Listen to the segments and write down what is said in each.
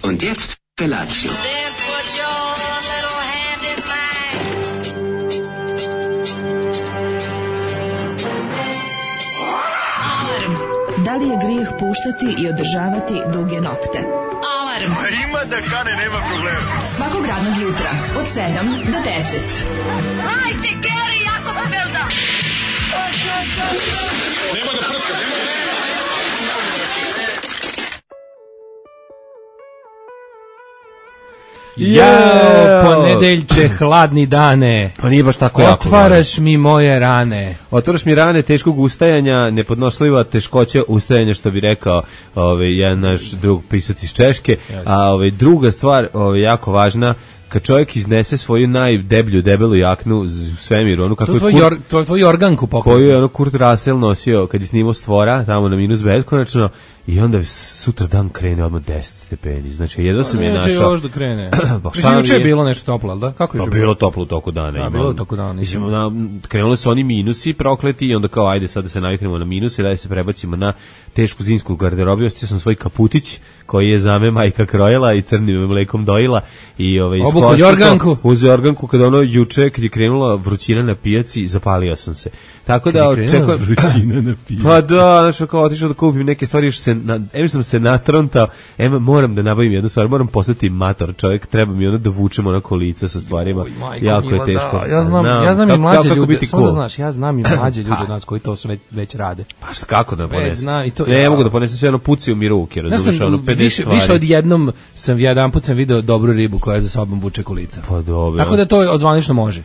Und jetzt Felatio. Then put your little hand in mine. Alarm. Da li je grijeh puštati i održavati duge nokte? Alarm. Ima da kane, nema problema. Svakog radnog jutra od 7 do 10. Hajde, Geri, jako se velda. Nema da prska, nema da prska. Jao, ponedeljče, hladni dane. Pa nije baš tako jako. Otvaraš mi moje rane. Otvaraš mi rane teškog ustajanja, nepodnošljiva teškoća ustajanja, što bi rekao jedan naš drug pisac iz Češke. A druga stvar, jako važna, kad čovjek iznese svoju najdeblju, debelu jaknu u svemiru, onu kako to je tvoj organku pokoj. Koju je ono Kurt Russell nosio kad je snimao Stvora, tamo na minus beskonačno, i onda sutra dan krene odmah 10 stepeni. Znači, jedva sam je našao. Neće još da krene. Mislim, juče je bilo nešto toplo, ali da? Kako je bilo toplo u toku dana. Bilo toko dana. Mislim, krenuli su oni minusi prokleti i onda kao, ajde sad da se naviknemo na minuse, da se prebacimo na tešku zimsku garderobu. Ostio sam svoj kaputić koji je za me majka krojila i crnim mlekom dojila. I obuku jorganku. Uz jorganku, kada ono juče, kad je krenula vrućina na pijaci, zapalio sam se. Tako da očekujem vrućina na pijaci. Pa da, znači kao otišao da kupim neke stvari, još sam se natrontao, moram da nabavim jednu stvar, moram postati mator čovjek, treba mi ono da vučem ona kolica sa stvarima, jako je teško. Ja znam i mlađe ljude, samo da znaš, ja znam i mlađe ljude od nas koji to već rade. Pa kako da ponesem? Ne mogu da ponesem sve ono puci u mi ruke, razumiješ, ono 50 stvari. Više od jedan put sam video dobru ribu koja za sobom vuče kolica. Pa dobro. Tako da to odzvanično može.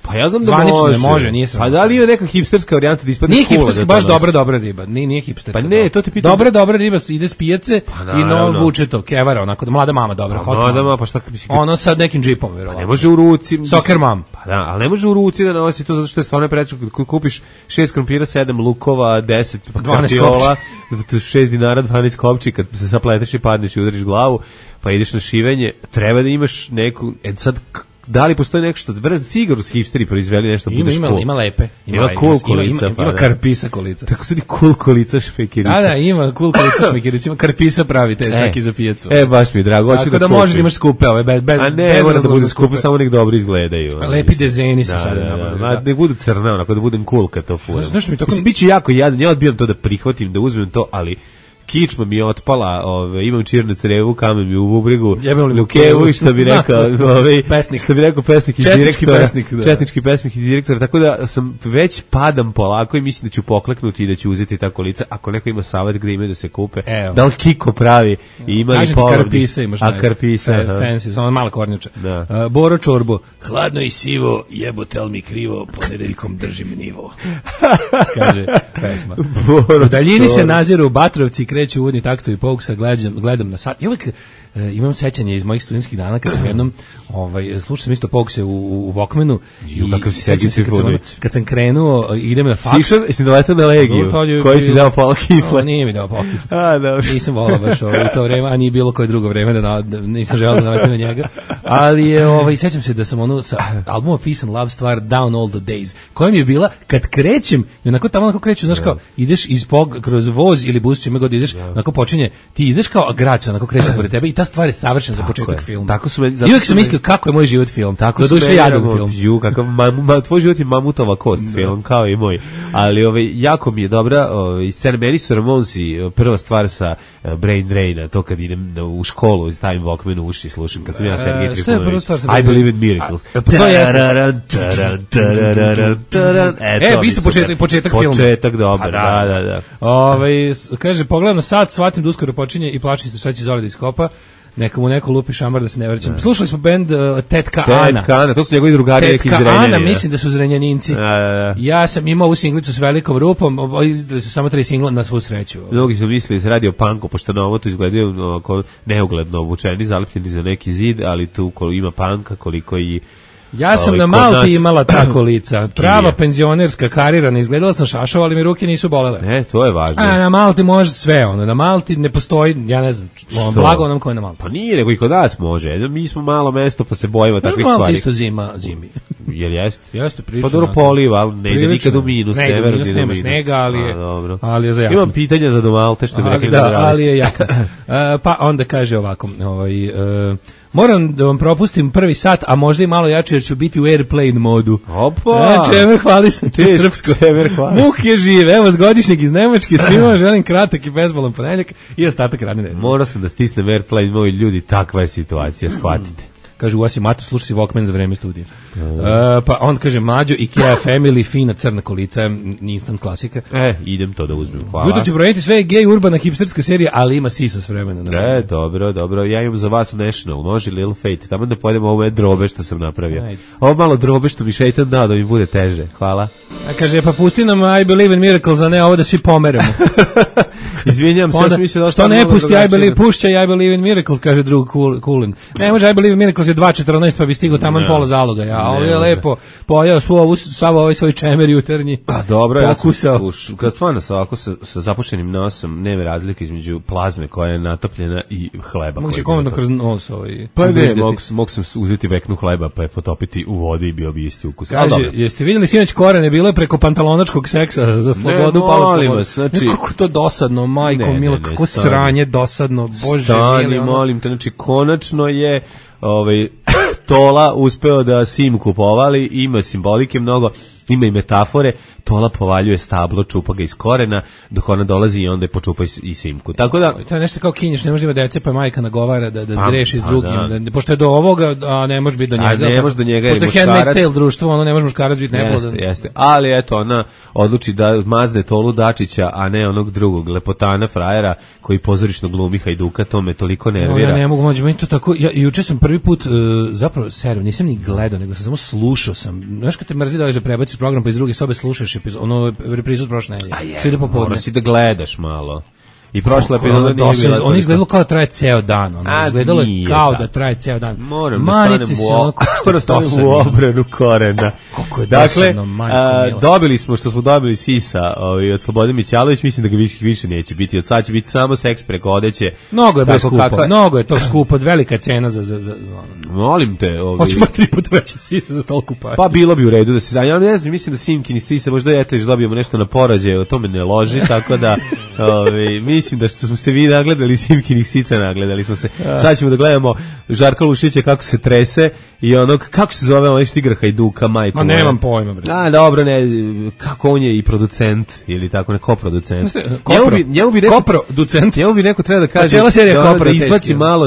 Pa ja znam da zvanično ne može, nije sramotno. Pa da li je neka hipsterska varijanta da ispadne nije cool? Nije hipsterska, baš dobra riba, nije hipsterska. Pa ne, to ti pitam. Dobra riba ide s pijace i vuče to, kevara, onako, mlada mama dobra, hot mama. Mlada mama, pa šta mislim? Ono sad nekim džipom, verovatno. Pa ne može u ruci. Soccer mom. Pa da, ali ne može u ruci da nosi to zato što je stvarno preče, kad kupiš 6 krompira, 7 lukova, 10 kartiola, 6 dinara, 12 kopči, kad se zapleteš i padneš i udariš glavu, pa ideš na šivenje, treba da imaš neku, sad da li postoji nešto, sigurno su hipsteri proizveli nešto budeš cool. Ima lepe. Ima cool kolica. Ima karpisa kolica. Tako su ni cool kolica šmekerica. Da, ima cool kolica šmekerica. Ima karpisa pravite, čak i za pijacu. Baš mi je drago. Tako da možeš da imaš skupe ove, bez a ne, mora da bude skupe, samo nek dobro izgledaju. Lepi dezeni se sada nabavljaju. Ne budu crne, onako da budem cool kad to furam. Mislim, bit ću jako jadan, ja odbijam to da prihvatim, da uzmem to, ali kičma mi je otpala, imam čirnu crevu, kamen mi u bubrigu, lukevu i što bi rekao, pesnik iz direktora, četnički pesnik iz direktora, tako da sam već padam polako i mislim da ću pokleknuti i da ću uzeti ta kolica, ako neko ima savjet gde imaju da se kupe, da li Kiko pravi i ima li polovnik, a karpisa, fancy, samo mala kornjača. Boro čorbo, hladno i sivo, jebote mi krivo, ponedeljkom držim nivo, kaže pesma. U daljini se naziru Batrovci, kreću uvodni taktovi Pouksa, gledam na sat. I uvijek imam sećanje iz mojih studentskih dana kad sam jednom slušao sam isto Poukse u Walkmanu i kad sam krenuo idem na faks. Jesi doletao na Legiju koji ti dao pola kifle? Nije mi dao pola kifle. Nisam volao baš u to vreme, a nije bilo koje drugo vreme da nisam želeo da naletim na njega. Ali sećam se da sam ono sa albuma Peace and Love stvar Down All the Days, koja mi je bila kad krećem i onako tamo onako kreću, znaš kao ideš kroz voz ili bus čime god ideš, onako počinje, ti ideš kao grad, onako kreće pored tebe i ta stvar je savršena za početak filma. Tako su i uvijek sam mislio kako je moj život film. Tako su jadan film. Kakav tvoj život je mamutova kost film, kao i moj. Ali jako mi je dobra scena, meni su Ramonsi prva stvar sa Brain Draina, to kad idem u školu i stavim Walkman u uši i slušam, kad sam ja Sergej Trifunović. I Believe in Miracles. To jeste. Isto početak filma. Početak, dobro, da. Kaže, pogledam na sat, shvatim da uskoro počinje i plačim se šta će Zoli da iskopa. Neka mu neko lupi šamar da se ne vraćam. Slušali smo bend Tetka Ana. Tetka Ana, to su njegovi drugari neki iz Zrenjanina. Tetka Ana, mislim da su Zrenjaninci. Ja sam imao ovu singlicu s velikom rupom, izdali su samo 3 singla na svu sreću. Mnogi su mislili da se radi o punku, pošto na ovo tu izgledaju neugledno obučeni, zalepljeni za neki zid, ali tu ima punka koliko i... Ja sam na Malti imala tako lica, prava penzionerska karirana, izgledala sam šašao, ali mi ruke nisu bolele. To je važno. A na Malti može sve, na Malti ne postoji, ja ne znam, blago onom ko je na Malti. Pa nije, nego i kod nas može, mi smo malo mesto pa se bojimo takvih stvari. Malti isto zimi. Jel jeste? Jeste prilično. Pa dobro poliva, ali ne ide nikad u minus. Ne ide u minus, nema snega, ali je za jaknu. Imam pitanja za Domalte, što bi rekli da, ali je jakna. Pa onda kaže ovako, moram da vam propustim prvi sat, a možda i malo jače jer ću biti u airplane modu. Opa! Čemer, hvali sam te srpsko. Muk je živ, evo s godišnjeg iz Nemačke, svima želim kratak i bezbolan ponedeljak i ostatak radne nedelje. Morao sam da stisnem airplane, moji ljudi, takva je situacija, shvatite. Kaže, u vas je mato, slušaj si Walkman za vreme studija. Pa on kaže, Mlađo, IKEA Family, fina crna kolica, instant klasika. Idem to da uzmem, hvala. Jutro ću brojiti sve gej, urbana, hipsterska serija, ali ima sisa s vremena. Dobro, ja imam za vas National, može Little Fate, tamo da pojedemo ove drobe što sam napravio. Ovo malo drobe što mi šeitan dao da mi bude teže, hvala. A kaže, pa pusti nam I Believe in Miracles, a ne ovo da svi pomeremo. Izvinjam se, ja sam mislio da što ne pusti pušća I Believe in Miracles, kaže drug Kulin. Ne može I Believe in Miracles je 2.14 pa bi stigao taman pola zaloga. Ja, ovo je lepo pojao sav ovaj svoj čemer jutarnji. Pa dobro, ja sam kad stvarno sa ovako sa zapušenim nosom nema razlike između plazme koja je natopljena i hleba. Mogu se komandno kroz nos Pa ne, mogu sam uzeti veknu hleba pa je potopiti u vodi i bio bi isti ukus. Kaže, jeste vidjeli sinoć Korene, bilo je preko pantalonačkog seksa za slobodu, palo slobodu. Znači, kako to dosadno, majko milo, kako sranje dosadno, bože stani, molim te, znači konačno je Tola uspeo da Simku povali, ima simbolike mnogo, ima i metafore, Tola povaljuje stablo, čupa ga iz korena, dok ona dolazi i onda je počupa i Simku. Tako da... To je nešto kao Kinješ, ne može ima dece, pa majka nagovara da zgreši s drugim. Pošto je do ovoga, a ne može biti do njega. A ne može do njega je muškarac. Pošto je Handmaid's Tale društvo, ono ne može muškarac biti neplodan. Jeste. Ali eto, ona odluči da mazne Tolu Dačića, a ne onog drugog, lepotana frajera, koji pozorišno glumi Hajduka, to me toliko nervira. Ja ne mogu, meni to tako... Juče sam prvi put, zapravo, seriju, nisam ni gledao, nego sam samo slušao sam. Znaš kad te mrzi da prebaciš program pa iz druge sobe slušaš ono reprizu od prošle nedelje. Što ide popodne. Moraš si da gledaš malo. I prošla epizoda nije bila... On izgledalo kao da traje ceo dan. Izgledalo je kao da traje ceo dan. Moram da stanem u obranu Korena. Kako je dosadno, Dakle, dobili smo što smo dobili sisa od Slobode Mićalović, mislim da ga više neće biti. Od sad će biti samo seks preko odeće. Mnogo je skupo, mnogo je to skupo, velika cena za... Molim te... Hoćemo 3 puta veće sisa za toliko pare. Pa bilo bi u redu da se... Ja ne znam, mislim da Simkini sisa, možda eto još dobijemo nešto na porođaju, o tome ne loži, tako da... Mislim da što smo se vi nagledali Simkinih sica, nagledali smo se. Sad ćemo da gledamo Žarka Lušića kako se trese i onog, kako se zove onaj što igra Hajduka, majko. Ma nemam pojma, bre. Dobro, ne, kako on je i producent, ili tako, ne, koproducent. Koproducent. Njemu bi neko treba da kaže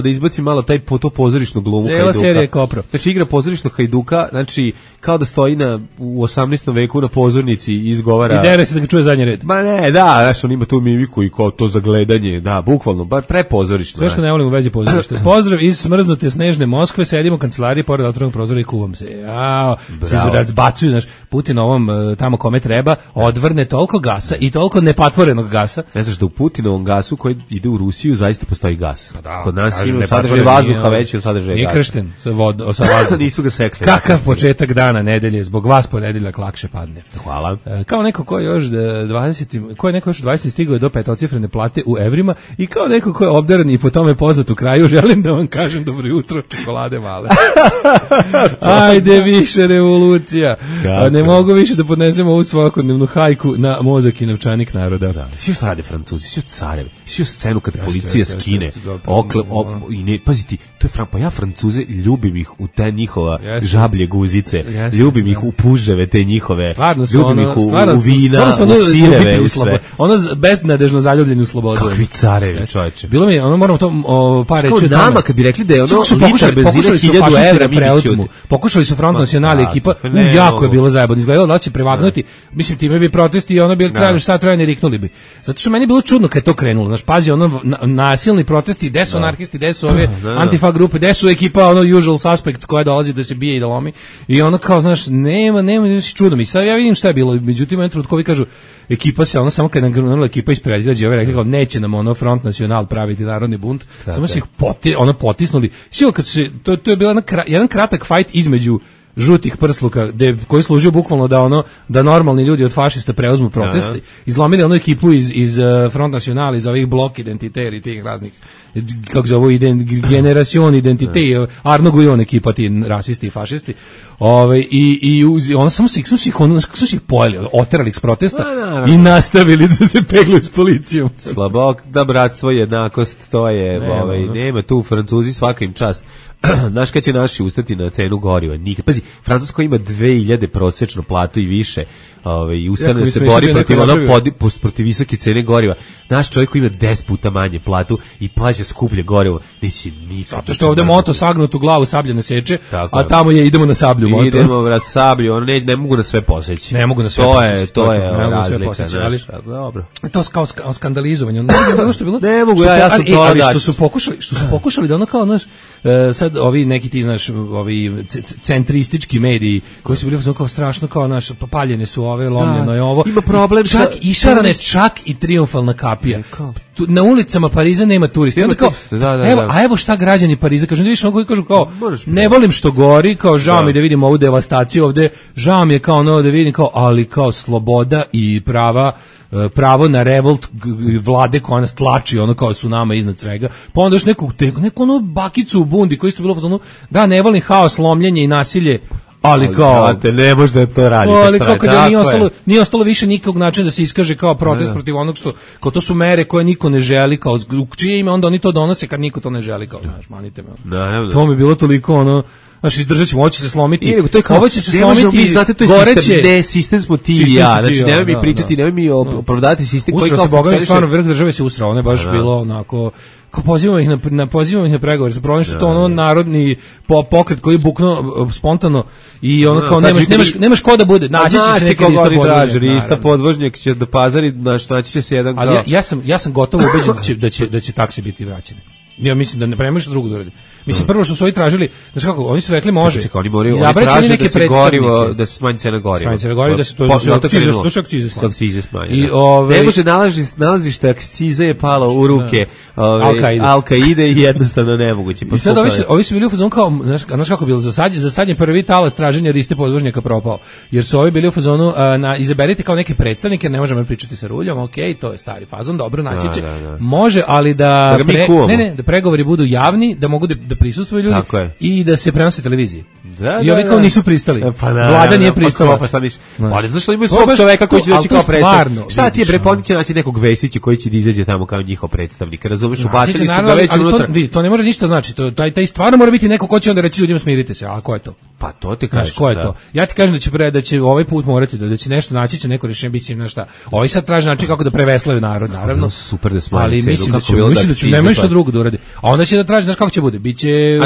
da izbaci malo taj to pozorišnu glumu Hajduka. Cela serija je Kopro. Znači igra pozorišnog Hajduka, znači kao da stoji u 18. veku na pozornici i izgovara. I dere se da ga čuje zadnji red. Ma ne, da, znaš, on ima tu mimiku i kao to za gledanje, da, bukvalno, bar prepozorišno. Sve što ne volim u vezi pozorišta. Pozdrav iz smrznute snežne Moskve, sedimo u kancelariji pored otvorenog prozora i kuvam se. Se razbacuju, znaš, Putin ovom tamo kome treba, odvrne toliko gasa i toliko nepatvorenog gasa. Ne znaš da u Putinovom gasu koji ide u Rusiju zaista postoji gas. Pa da, kod nas ima sadržaj vazduha veći od sadržaja gasa. Nije kršten sa vazduhom. Nisu ga sekli. Kakav početak dana, nedelje, zbog vas ponedeljak lakše padne. Hvala. Kao neko ko je još 20 stigao do petocifrene plate u evrima i kao neko ko je obdaren i po tome poznat u kraju, želim da vam kažem dobro jutro, čokolade male. Ajde više revolucija. Ne mogu više da podnesemo ovu svakodnevnu hajku na mozak i novčanik naroda. Da. Svi što rade Francuzi, svi carevi, svi scenu kad policija skine. Paziti, to je pa ja Francuze ljubim ih u te njihova žablje guzice, ljubim ih u puževe te njihove, ljubim ih u vina, u sireve, u sve. Ono beznadežno zaljubljeni u slobodu. Kakvi carevi, čoveče. Bilo mi, moramo to par reći. Nama kad bi rekli da je ono litar benzina 1000 evra, pokušali su Front Nacional ekipa, jako je bilo zajebano, izgledalo da će prevagnuti, mislim time bi protesti i ono bi trajali šta trajani riknuli bi. Zato što meni je bilo čudno kad je to krenulo, znaš, pazi, ono nasilni protesti, gde su anarhisti, gde su ove antifa grupe, gde su ekipa, ono usual suspects koja dolazi da se bije i da lomi, i ono kao, znaš, nema, čudno mi, sad ja vidim šta je bilo, međutim, jedan trutkovi kažu, ekipa se, ono samo kad je nagranula ekipa iz predgrađa, ove rekli kao, neće nam ono Front Nacional praviti narodni bunt, samo su ih potisnuli, sio kad se, to je bila jedan kratak fight između žutih prsluka koji služio bukvalno da normalni ljudi od fašista preuzmu protest, izlomili onu ekipu iz Front National, iz ovih blok identiteri, tih raznih, kako zove, generacion identite, Arno Gujon ekipa, ti rasisti i fašisti, i ono samo su ih pojeli, oterali ih s protesta i nastavili da se pegluju s policijom. Slabok, da bratstvo, jednakost, to je, nema tu, Francuzi svaka im čast. Znaš kad će naši ustati na cenu goriva? Nikad. Pazi, Francusko ima 2000 prosečnu platu i više. I ustane se bori protiv visoke cene goriva. Naš čovjek koji ima 10 puta manje platu i plaća skuplje gorivo, neće nikad. Zato što ovde moto sagnut u glavu, sablja ne seče, a tamo idemo na sablju moto. Idemo na sablju, ne mogu na sve poseći. Ne mogu na sve poseći. To je razlika. Dobro. To kao skandalizovanje. Ne mogu, ja sam to ali što su pokušali da ono kao, znaš, sad ovi neki ti, znaš, ovi centristički mediji koji su bili kao strašno, kao naš, paljene su ove, lomljeno je ovo. Ima problem čak i šarane, čak i triumfalna kapija. Na ulicama Pariza nema turista. Onda kao, evo šta građani Pariza kažu, vidiš ono koji kažu kao, ne volim što gori, kao žao mi da vidim ovu devastaciju ovde, žao mi je kao ono da vidim kao, ali kao sloboda i pravo na revolt vlade koja nas tlači, ono kao su nama iznad svega. Pa onda još neku ono bakicu u bundi koji isto bilo ono, da ne volim haos, lomljenje i nasilje, ali kao ne može da to radi. Ali kao kada nije ostalo više nikakvog načina da se iskaže kao protest protiv onog što, kao to su mere koje niko ne želi, kao u čije ime onda oni to donose kad niko to ne želi, kao znaš, manite me. To mi je bilo toliko ono, znaš, izdržat ćemo, ovo će se slomiti, ovo će se slomiti, znate, to je sistem, ne, sistem smo ti i ja, znači nemoj mi pričati, nemoj mi opravdati sistem koji kao funkcioniše. Stvarno, vrh države se usrao, ono je baš bilo onako, kao pozivamo ih na pregovore, sa problem što to ono narodni pokret koji je buknuo spontano i ono kao nemaš ko da bude, naći će se neki lista podvožnjak će da pazari, naći će se jedan. Ali ja sam gotovo ubeđen da će takse biti vraćene. Ja mislim da ne premaš drugo da uradi. Mislim prvo što su oni tražili, znači kako, oni su rekli može. Oni moraju traže da se gorivo, da se smanji cena goriva. Smanji cena goriva, da se to akcize smanji. I ne može nalazište akcize je palo u ruke Al-Kaide i jednostavno nemoguće. I sad ovi su bili u fazonu kao, znaš kako bilo, za sadnje prvi talas traženja liste podvožnjaka propao. Jer su ovi bili u fazonu, izaberite kao neke predstavnike, ne možemo pričati sa Ruljom, okej, to je stari fazon, dobro, naći će. Može, ali da pregovori budu javni, da mogu da prisustvuju ljudi i da se prenose televiziji. I ovi kao nisu pristali. Vlada nije pristala. Pa šta misliš? Ali zato što imaju svog čoveka koji će doći kao predstavnik. Šta ti je bre, oni će naći nekog Vesića koji će da izađe tamo kao njihov predstavnik. Razumeš, ubacili su ga već unutra. To ne može ništa znači. Taj stvarno mora biti neko ko će onda reći ljudima smirite se. A ko je to? Pa to ti kažeš. Ko je to? Ja ti kažem da će ovaj put morati da će nešto naći, će neko rešenje biti na šta. Ovi sad traže način kako da preveslaju narod, naravno. Super da smanje. Ali mislim da će nema ništa drugo da uradi. A onda će da traži, znaš kako će bude? Biće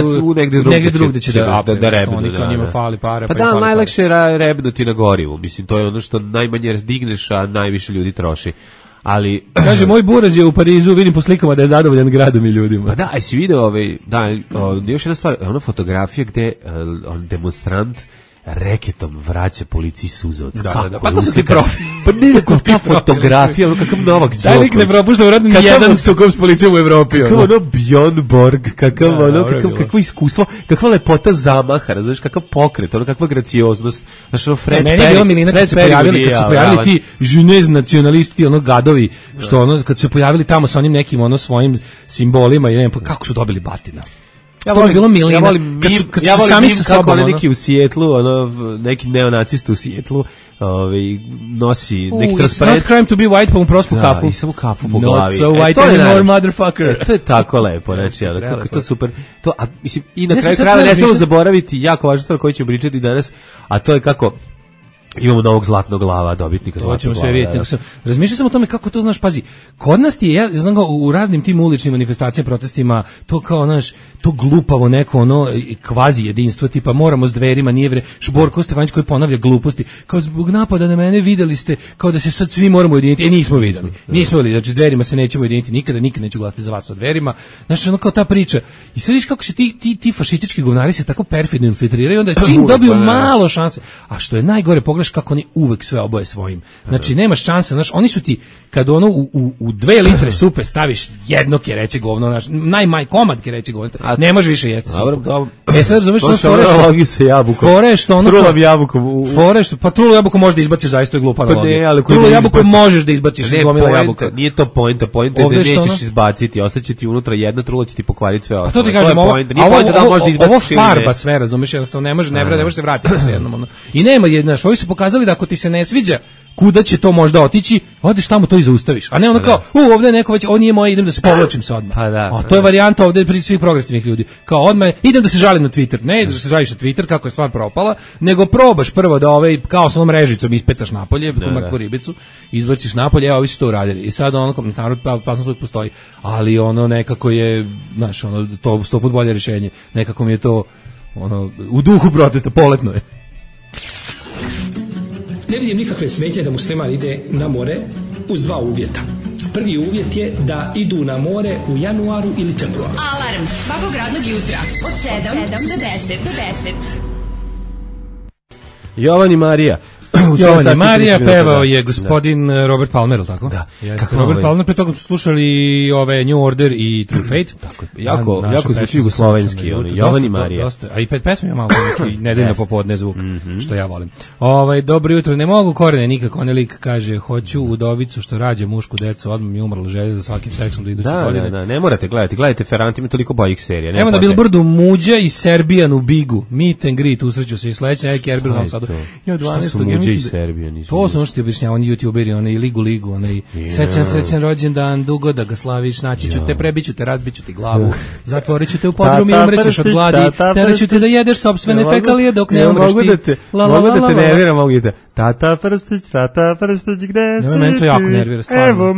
negde drugde će da rebnu, njima fali para. Pa da, najlakše je rebnuti na gorivu. Mislim, to je ono što najmanje digneš, a najviše ljudi troši. Ali kaže moj buraz je u Parizu, vidim po slikama da je zadovoljan gradom i ljudima. Pa da, jesi video još jedna stvar, ona fotografija gde demonstrant reketom vraća policiji suzavac. Da. Pa to su ti profi. Pa nije ta fotografija, ono kakav Novak Đoković. Taj lik ne propušta u radnom jedan sukob s policijom u Evropi. Kakav ono Bjorn Borg, kakvo iskustvo, kakva lepota zamaha, razumiješ, kakav pokret, ono kakva gracioznost. Znaš, ono Fred Perry. Meni je bilo milina kad se pojavili ti žunez nacionalisti, ono gadovi, što ono, kad se pojavili tamo sa onim nekim ono svojim simbolima i ne znam, kako su dobili batina. Ja volim sami sa sobom, kako neki u Sijetlu, neki neonacista u Sijetlu, nosi neki transparent. It's not crime to be white, pa mu prospu kafu. I samo kafu po glavi. Not so white anymore, motherfucker. To je tako lepo, znači, kako to super. I na kraju krajeva ne smemo zaboraviti jako važnu stvar koju ćemo pričati danas, a to je kako imamo novog zlatnog glava, dobitnika zlatnog glava. Vidjeti. Razmišljao sam o tome kako to, znaš, pazi, kod nas ti je, ja znam u raznim tim uličnim manifestacijama, protestima, to kao, znaš, to glupavo neko, kvazi jedinstvo, tipa moramo s Dverima, nije Borko Stefanić koji ponavlja gluposti, kao zbog napada na mene videli ste, kao da se sad svi moramo ujediniti, nismo videli, znači s Dverima se nećemo ujediniti nikad neću glasati za vas sa Dverima, znači kao ta priča, i sad viš kako se ti fašistički govnari se tako perfidno infiltriraju, onda čim dobiju malo šanse, a što je najgore, pogledaš kako oni uvek sve oboje svojim. Znači, nemaš šanse, znaš, oni su ti, kad ono u 2 litre supe staviš jedno kereće govno, znaš, komad kereće govno, ne može više jesti supu. Sad razumeš što fore što ono... Trulam jabukom. Pa trulu jabuku možeš da izbaciš, zaista je glupa analogija. Trulu jabuku možeš da izbaciš iz gomila jabuka. Nije to poenta je da nećeš izbaciti, ostaće ti unutra jedna trula, će ti pokvariti sve ostalo. A to ti kažem, ovo farba sve, razumeš, jednostavno ne može se vratiti sa jednom. I nema jednaš, ovi su pokazali da ako ti se ne sviđa kuda će to možda otići, odeš tamo to i zaustaviš. A ne ono kao, ovdje je neko već, ovo nije moje, idem da se povlačim se odmah. A to je varijanta ovdje pri svih progresivnih ljudi. Kao odmah, idem da se žalim na Twitter. Ne ideš da se žališ na Twitter kako je stvar propala, nego probaš prvo da kao sa onom režicom ispecaš napolje, mrtvu ribicu, izbaciš napolje, evo, ovi su to uradili. I sad ono, narod opasnost uvijek postoji, ali ono nekako je, znaš, ono, to 100 put bolje rješenje. Nekako mi je to, ono, u duhu protesta, poletno je. Ne vidim nikakve smetnje da musliman ide na more uz 2 uvjeta. Prvi uvjet je da idu na more u januaru ili februaru. Alarm svakog radnog jutra od 7 do 10. Jovan i Marija. Jovan i Marija pevao je gospodin Robert Palmer, tako? Da. Robert Palmer, pre toga smo slušali ove New Order i True Fate. Tako, jako zvuči jugoslovenski, Jovan i Marija. A i pesma je malo neki nedeljno popodne zvuk, što ja volim. Dobro jutro, ne mogu korene nikako, onaj lik kaže, hoću udovicu što rađa mušku decu, odmah mi je umrla želja za svakim seksom do iduće godine. Da, ne morate gledajte Ferrante, ima toliko boljih serija. Evo na Billboardu Muđa i Serbijan u Bigu, meet and greet, usreću se i sledeće neki Erbil u Novom Sadu. Muđe i Serbija nisu. To su ono što ti objašnjava, oni youtuberi, onaj ligu, onaj srećan rođendan, dugo da ga slaviš, naći ću te, prebiću te, razbiću ti glavu, zatvorit ću te u podrum i umrećeš od gladi, teraću te da jedeš sopstvene fekalije dok ne umreš ti. Mogu da te nerviram, mogu da te Tata Prstić, gde si ti? To jako nervira, stvarno.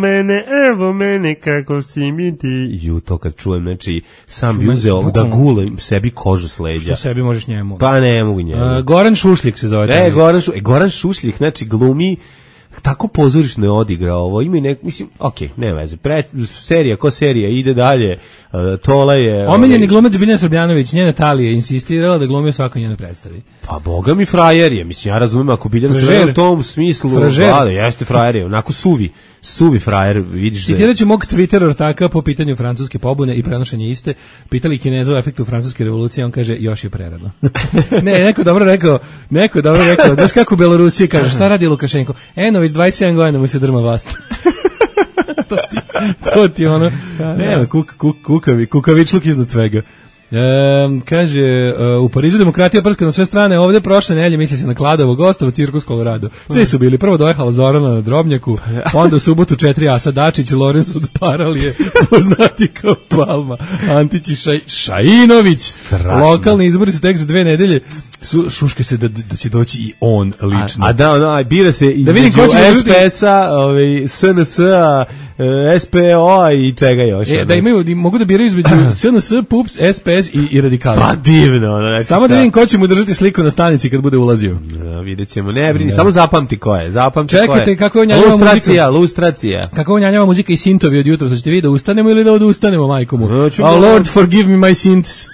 Evo mene, kako si mi ti. To kad čujem, znači, sam bi uzeo da gulem sebi kožu s leđa. Što sebi možeš njemu? Pa ne mogu njemu. Goran Šušljik se zove. Goran Šušljik, znači, glumi tako pozorišno je odigrao ovo, ima i mislim, ne veze, serija ide dalje, Tola je... Omiljeni glumac Biljana Srbljanović, njena Talija je insistirala da glumi u svakoj njenoj predstavi. Pa boga mi frajer je, mislim, ja razumem ako Biljana Srbljanović u tom smislu, jeste frajer je, onako suvi frajer, vidiš da... Citirat ću mog Twitter ortaka po pitanju francuske pobune i prenošenja iste, pitali Kineza o efektu francuske revolucije, on kaže, još je prerano. Neko dobro rekao, znaš kako u Belorusiji kaže, šta radi Lukašenko? Već 27 godina mu se drma vlast. to ti ono, nema, kukavičluk iznad svega. Kaže, u Parizu demokratija prska na sve strane, ovdje prošle nedelje misli se na Kladovo, Gostovo, Cirkus Colorado. Svi su bili, prvo dojehala Zorana na Drobnjaku, onda u subotu 4 Asa Dačić, Lorenz od Paralije, poznati kao Palma, Antić i Šainović. Lokalni izbori su tek za 2 nedelje. Šuške se da će doći i on lično. Bira se između SPS-a, SNS-a, SPO-a i čega još. Da mogu da biraju između SNS, PUPS, SPS i radikali. Pa divno. Samo da vidim ko će mu držati sliku na stanici kad bude ulazio. Vidjet ćemo, ne brini, samo zapamti ko je. Čekajte, kako je unjanjava muzika. Lustracija. Kako je unjanjava muzika i sintovi od jutra, ćete vi da ustanemo ili da odustanemo, majko mu? Oh Lord, forgive me my sins.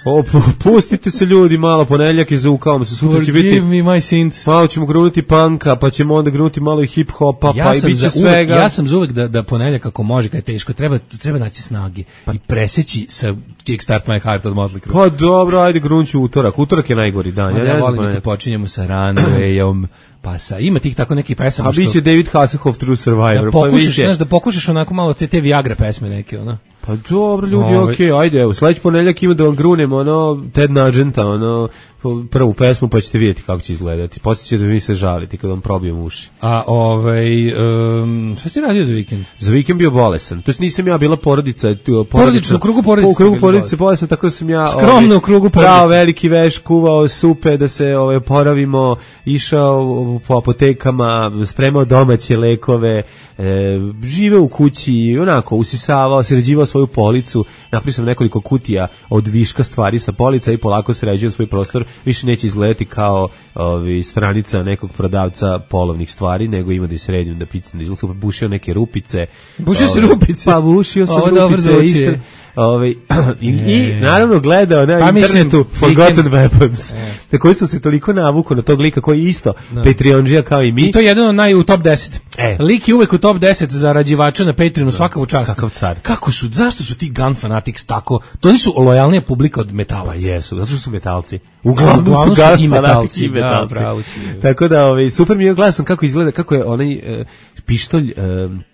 Pustite se ljudi malo, ponedjeljak je zaukao se, sutra će biti... Forgive me my sins. Malo ćemo grunuti punka, pa ćemo onda grunuti malo i hip-hopa, pa i bit će svega. Ja sam za uvek da ponedjeljak ako može, kad je teško, treba naći snage i preseći sa Kickstart My Heart od Motley Crue. Pa dobro, ajde grunću utorak je najgori dan. Ja volim da počinjemo sa Runwayom, pa ima tih tako neki pesama što... A biće David Hasselhoff True Survivor. Da pokušaš onako malo te Viagra pesme neke, ono. Pa dobro, ljudi, okej, ajde, evo, sledeći ponedjeljak ima da vam grunem, Ted Nugenta, prvu pesmu, pa ćete vidjeti kako će izgledati. Poslije će da mi se žaliti kad vam probijem uši. A, šta si radio za vikend? Za vikend bio bolesan. To jest nisam ja bila porodica. U krugu porodice. U krugu porodice bolesan, tako sam ja... Skromno u krugu porodice. Pravo veliki veš, kuvao supe da se oporavimo, išao po apotekama, spremao domaće lekove, žive u kući, onako, usisavao, sređivao svoju policu, napravio sam nekoliko kutija od viška stvari sa polica i polako sređio svoj prostor, više neće izgledati kao stranica nekog prodavca polovnih stvari, nego ima da je sređen, da picam, da izgleda, bušio neke rupice. Bušio si rupice? Pa bušio sam rupice, i naravno gledao na internetu Forgotten Weapons. Tako sam se toliko navukao na tog lika koji isto Patreonđija kao i mi. I to je jedan u top 10. Lik je uvek u top 10 zarađivača na Patreonu, svaka mu čast. Kakav car. Zašto su ti Gun Fanatics tako? To nisu lojalnija publika od metalaca. Pa jesu, zato što su metalci. Uglavnom su Gun Fanatics i metalci. Tako da, super mi je, gledao sam kako izgleda, kako je onaj pištolj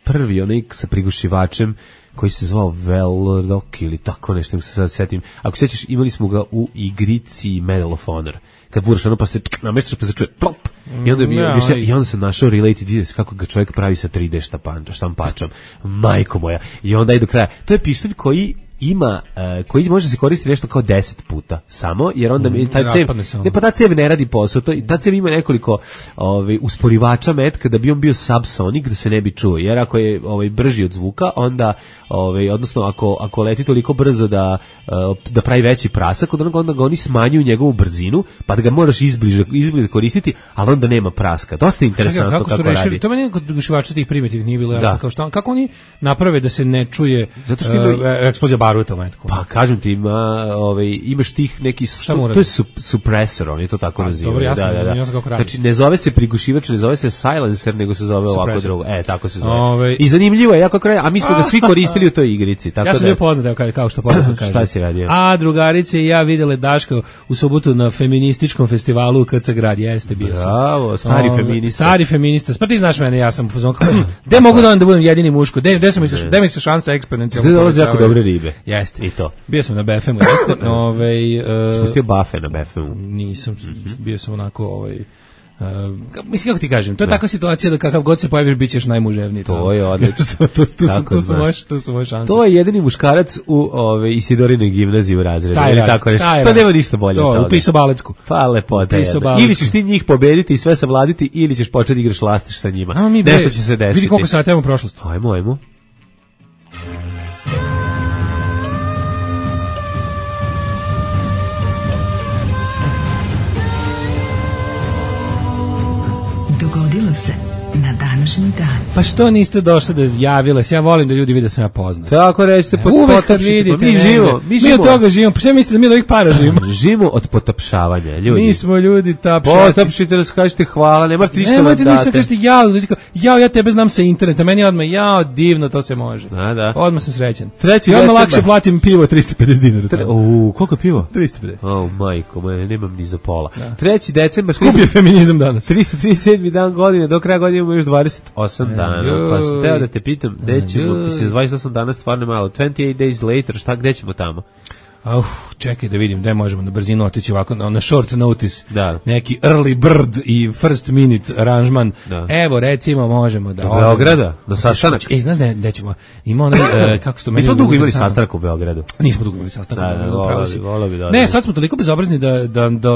prvi, onaj sa prigušivačem, koji se zvao Velrock ili tako nešto, se sad setim. Ako se sećaš, imali smo ga u igrici Medal of Honor. Kad vuraš ono pa se nameštaš pa se čuje plop. I onda sam našao related video kako ga čovjek pravi sa 3D štampačom. Majko moja. I onda i do kraja. To je pištolj koji ima, koji može se koristiti nešto kao 10 puta samo, jer onda ta cev ne radi posao, ta cev ima nekoliko usporivača metka da bi on bio subsonic, da se ne bi čuo, jer ako je brži od zvuka, onda odnosno ako leti toliko brzo da pravi veći prasak, onda ga oni smanjuju njegovu brzinu, pa da ga moraš izbliže koristiti, ali onda nema praska. Dosta interesantno kako radi. To meni kod prigušivača tih primitivnih nije bilo jasno, kako oni naprave da se ne čuje eksplozija baruta u metku. Pa kažem ti, imaš tih neki, to je supresor, oni to tako nazivaju. Dobro, jasno kako radi. Znači, ne zove se prigušivač, ne zove se silencer, nego se zove ovako drugo. Tako se zove. I zanimljivo je, jako kraj, a mi smo ga svi koristili u toj igrici. Ja sam bio poznat, kao što poznat kaže. Šta si radio? A drugarice i ja videle Daška u subotu na feminističkom festivalu u KC Grad. Jeste bio sam. Bravo, stari feminista. Pa ti znaš mene, ja sam u fazonu. Gde mogu da budem jedini muško? Gde mi se šansa eksponencijalno povećava? Gde dolaze jako dobre ribe. Jeste. I to. Bio sam na BFM-u, jeste. Spustio bafe na BFM-u. Nisam, bio sam onako mislim, kako ti kažem, to je takva situacija da kakav god se pojaviš, bit ćeš najmuževniji. To je odlično. To su moje šanse. To je jedini muškarac u Isidorinoj gimnaziji u razredu. To nema ništa bolje od toga. Upisao balecku. Pa lepota. Ili ćeš ti njih pobediti i sve savladiti, ili ćeš početi igraš lastiš sa njima. Nešto će se desiti. Vidi koliko sati imamo prošlost. Ajmo. Dogodilo se na današnji dan. Pa što niste došli da javile se? Ja volim da ljudi vide da sam ja poznat. Tako recite, potapšite. Mi od toga živimo. Pa što mislite da mi od ovih para živimo? Živimo od potapšavanja, ljudi. Mi smo ljudi tapšati. Potapšite, raskažite hvala, nemate ništa da date. Nemate ništa, kažete ja tebe znam sa interneta, meni odmah, divno, to se može. Da. Odmah sam srećan. I odmah lakše platim pivo 350 dinara. Koliko pivo? 350. Majko, nemam ni za pola. 3. decembar. Skup je feminizam danas. 337. dan godine, do kraja godine imamo još 28 dana. Pa sam teo da te pitam, gde ćemo, 28 dana stvarno malo, 28 days later, gde ćemo tamo? Čekaj da vidim, gde možemo na brzinu otići ovako, na short notice, da. Neki early bird i first minute aranžman. Evo, recimo, možemo da... Do Beograda, na sastanak. Znaš gde ćemo? Ima onaj, kako se to meni... Mi smo dugo imali sastanak u Beogradu. Nismo dugo imali sastanak. Volio bi da... Ne, sad smo toliko bezobrazni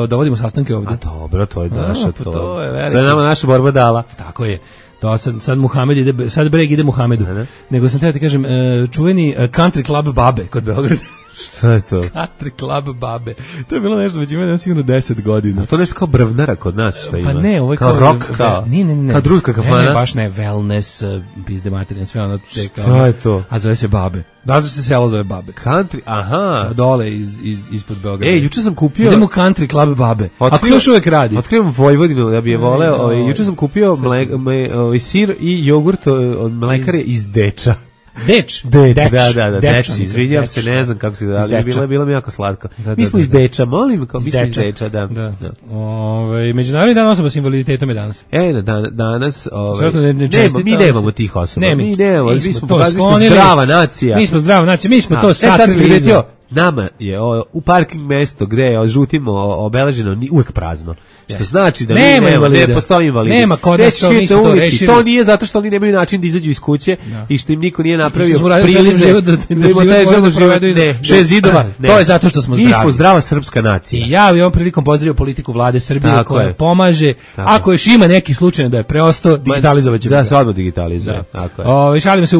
da vodimo sastanke ovde. A dobro, to je naša, to je veliko. To je nama naša borba dala. Tako je. To sad Muhamed ide, sad Breg ide Muhamedu. Nego sam treba ti kažem, čuveni country club Babe kod Beograda. Šta je to? Country club Babe. To je bilo nešto, već ima sigurno 10 godina. A to nešto kao brvnara kod nas što ima. Pa ne, ovo je kao rock, kao. Ne. Kao druška kafana. Ne, baš ne, wellness, pizde materine, sve ono te kao. Šta je to? A zove se Babe. Da se selo zove Babe. Country, aha. Dole ispod Beograda. Juče sam kupio. Idemo u country club Babe. Ako još uvek radi. Otkrivam Vojvodinu da bi je voleo. Juče sam kupio sir i jogurt od mlekare iz Deča. Deč, izvinjam se, ne znam kako se zove, bilo mi jako slatko. Mi smo iz Deča, molim, kao mi smo iz Deča, da. Međunarodni dan osoba s invaliditetom je danas. Danas, mi nemamo tih osoba. Mi nemamo, mi smo zdrava nacija. Mi smo zdrava nacija, mi smo to sakrili. Nama je u parking mesto gde je žutim obeleženo uvek prazno. Što znači da ne postoji invalidi. Nema kod nas to nisu to rešili. To nije zato što oni nemaju način da izađu iz kuće i što im niko nije napravio prilize da provedu iza 6 zidova. To je zato što smo zdravi. Mi smo zdrava srpska nacija. I ja ovom prilikom pozdravio politiku vlade Srbije koja pomaže. Ako još ima neki slučaj da je preostao, digitalizovaće. Da se odmah digitalizuje. Šalim se,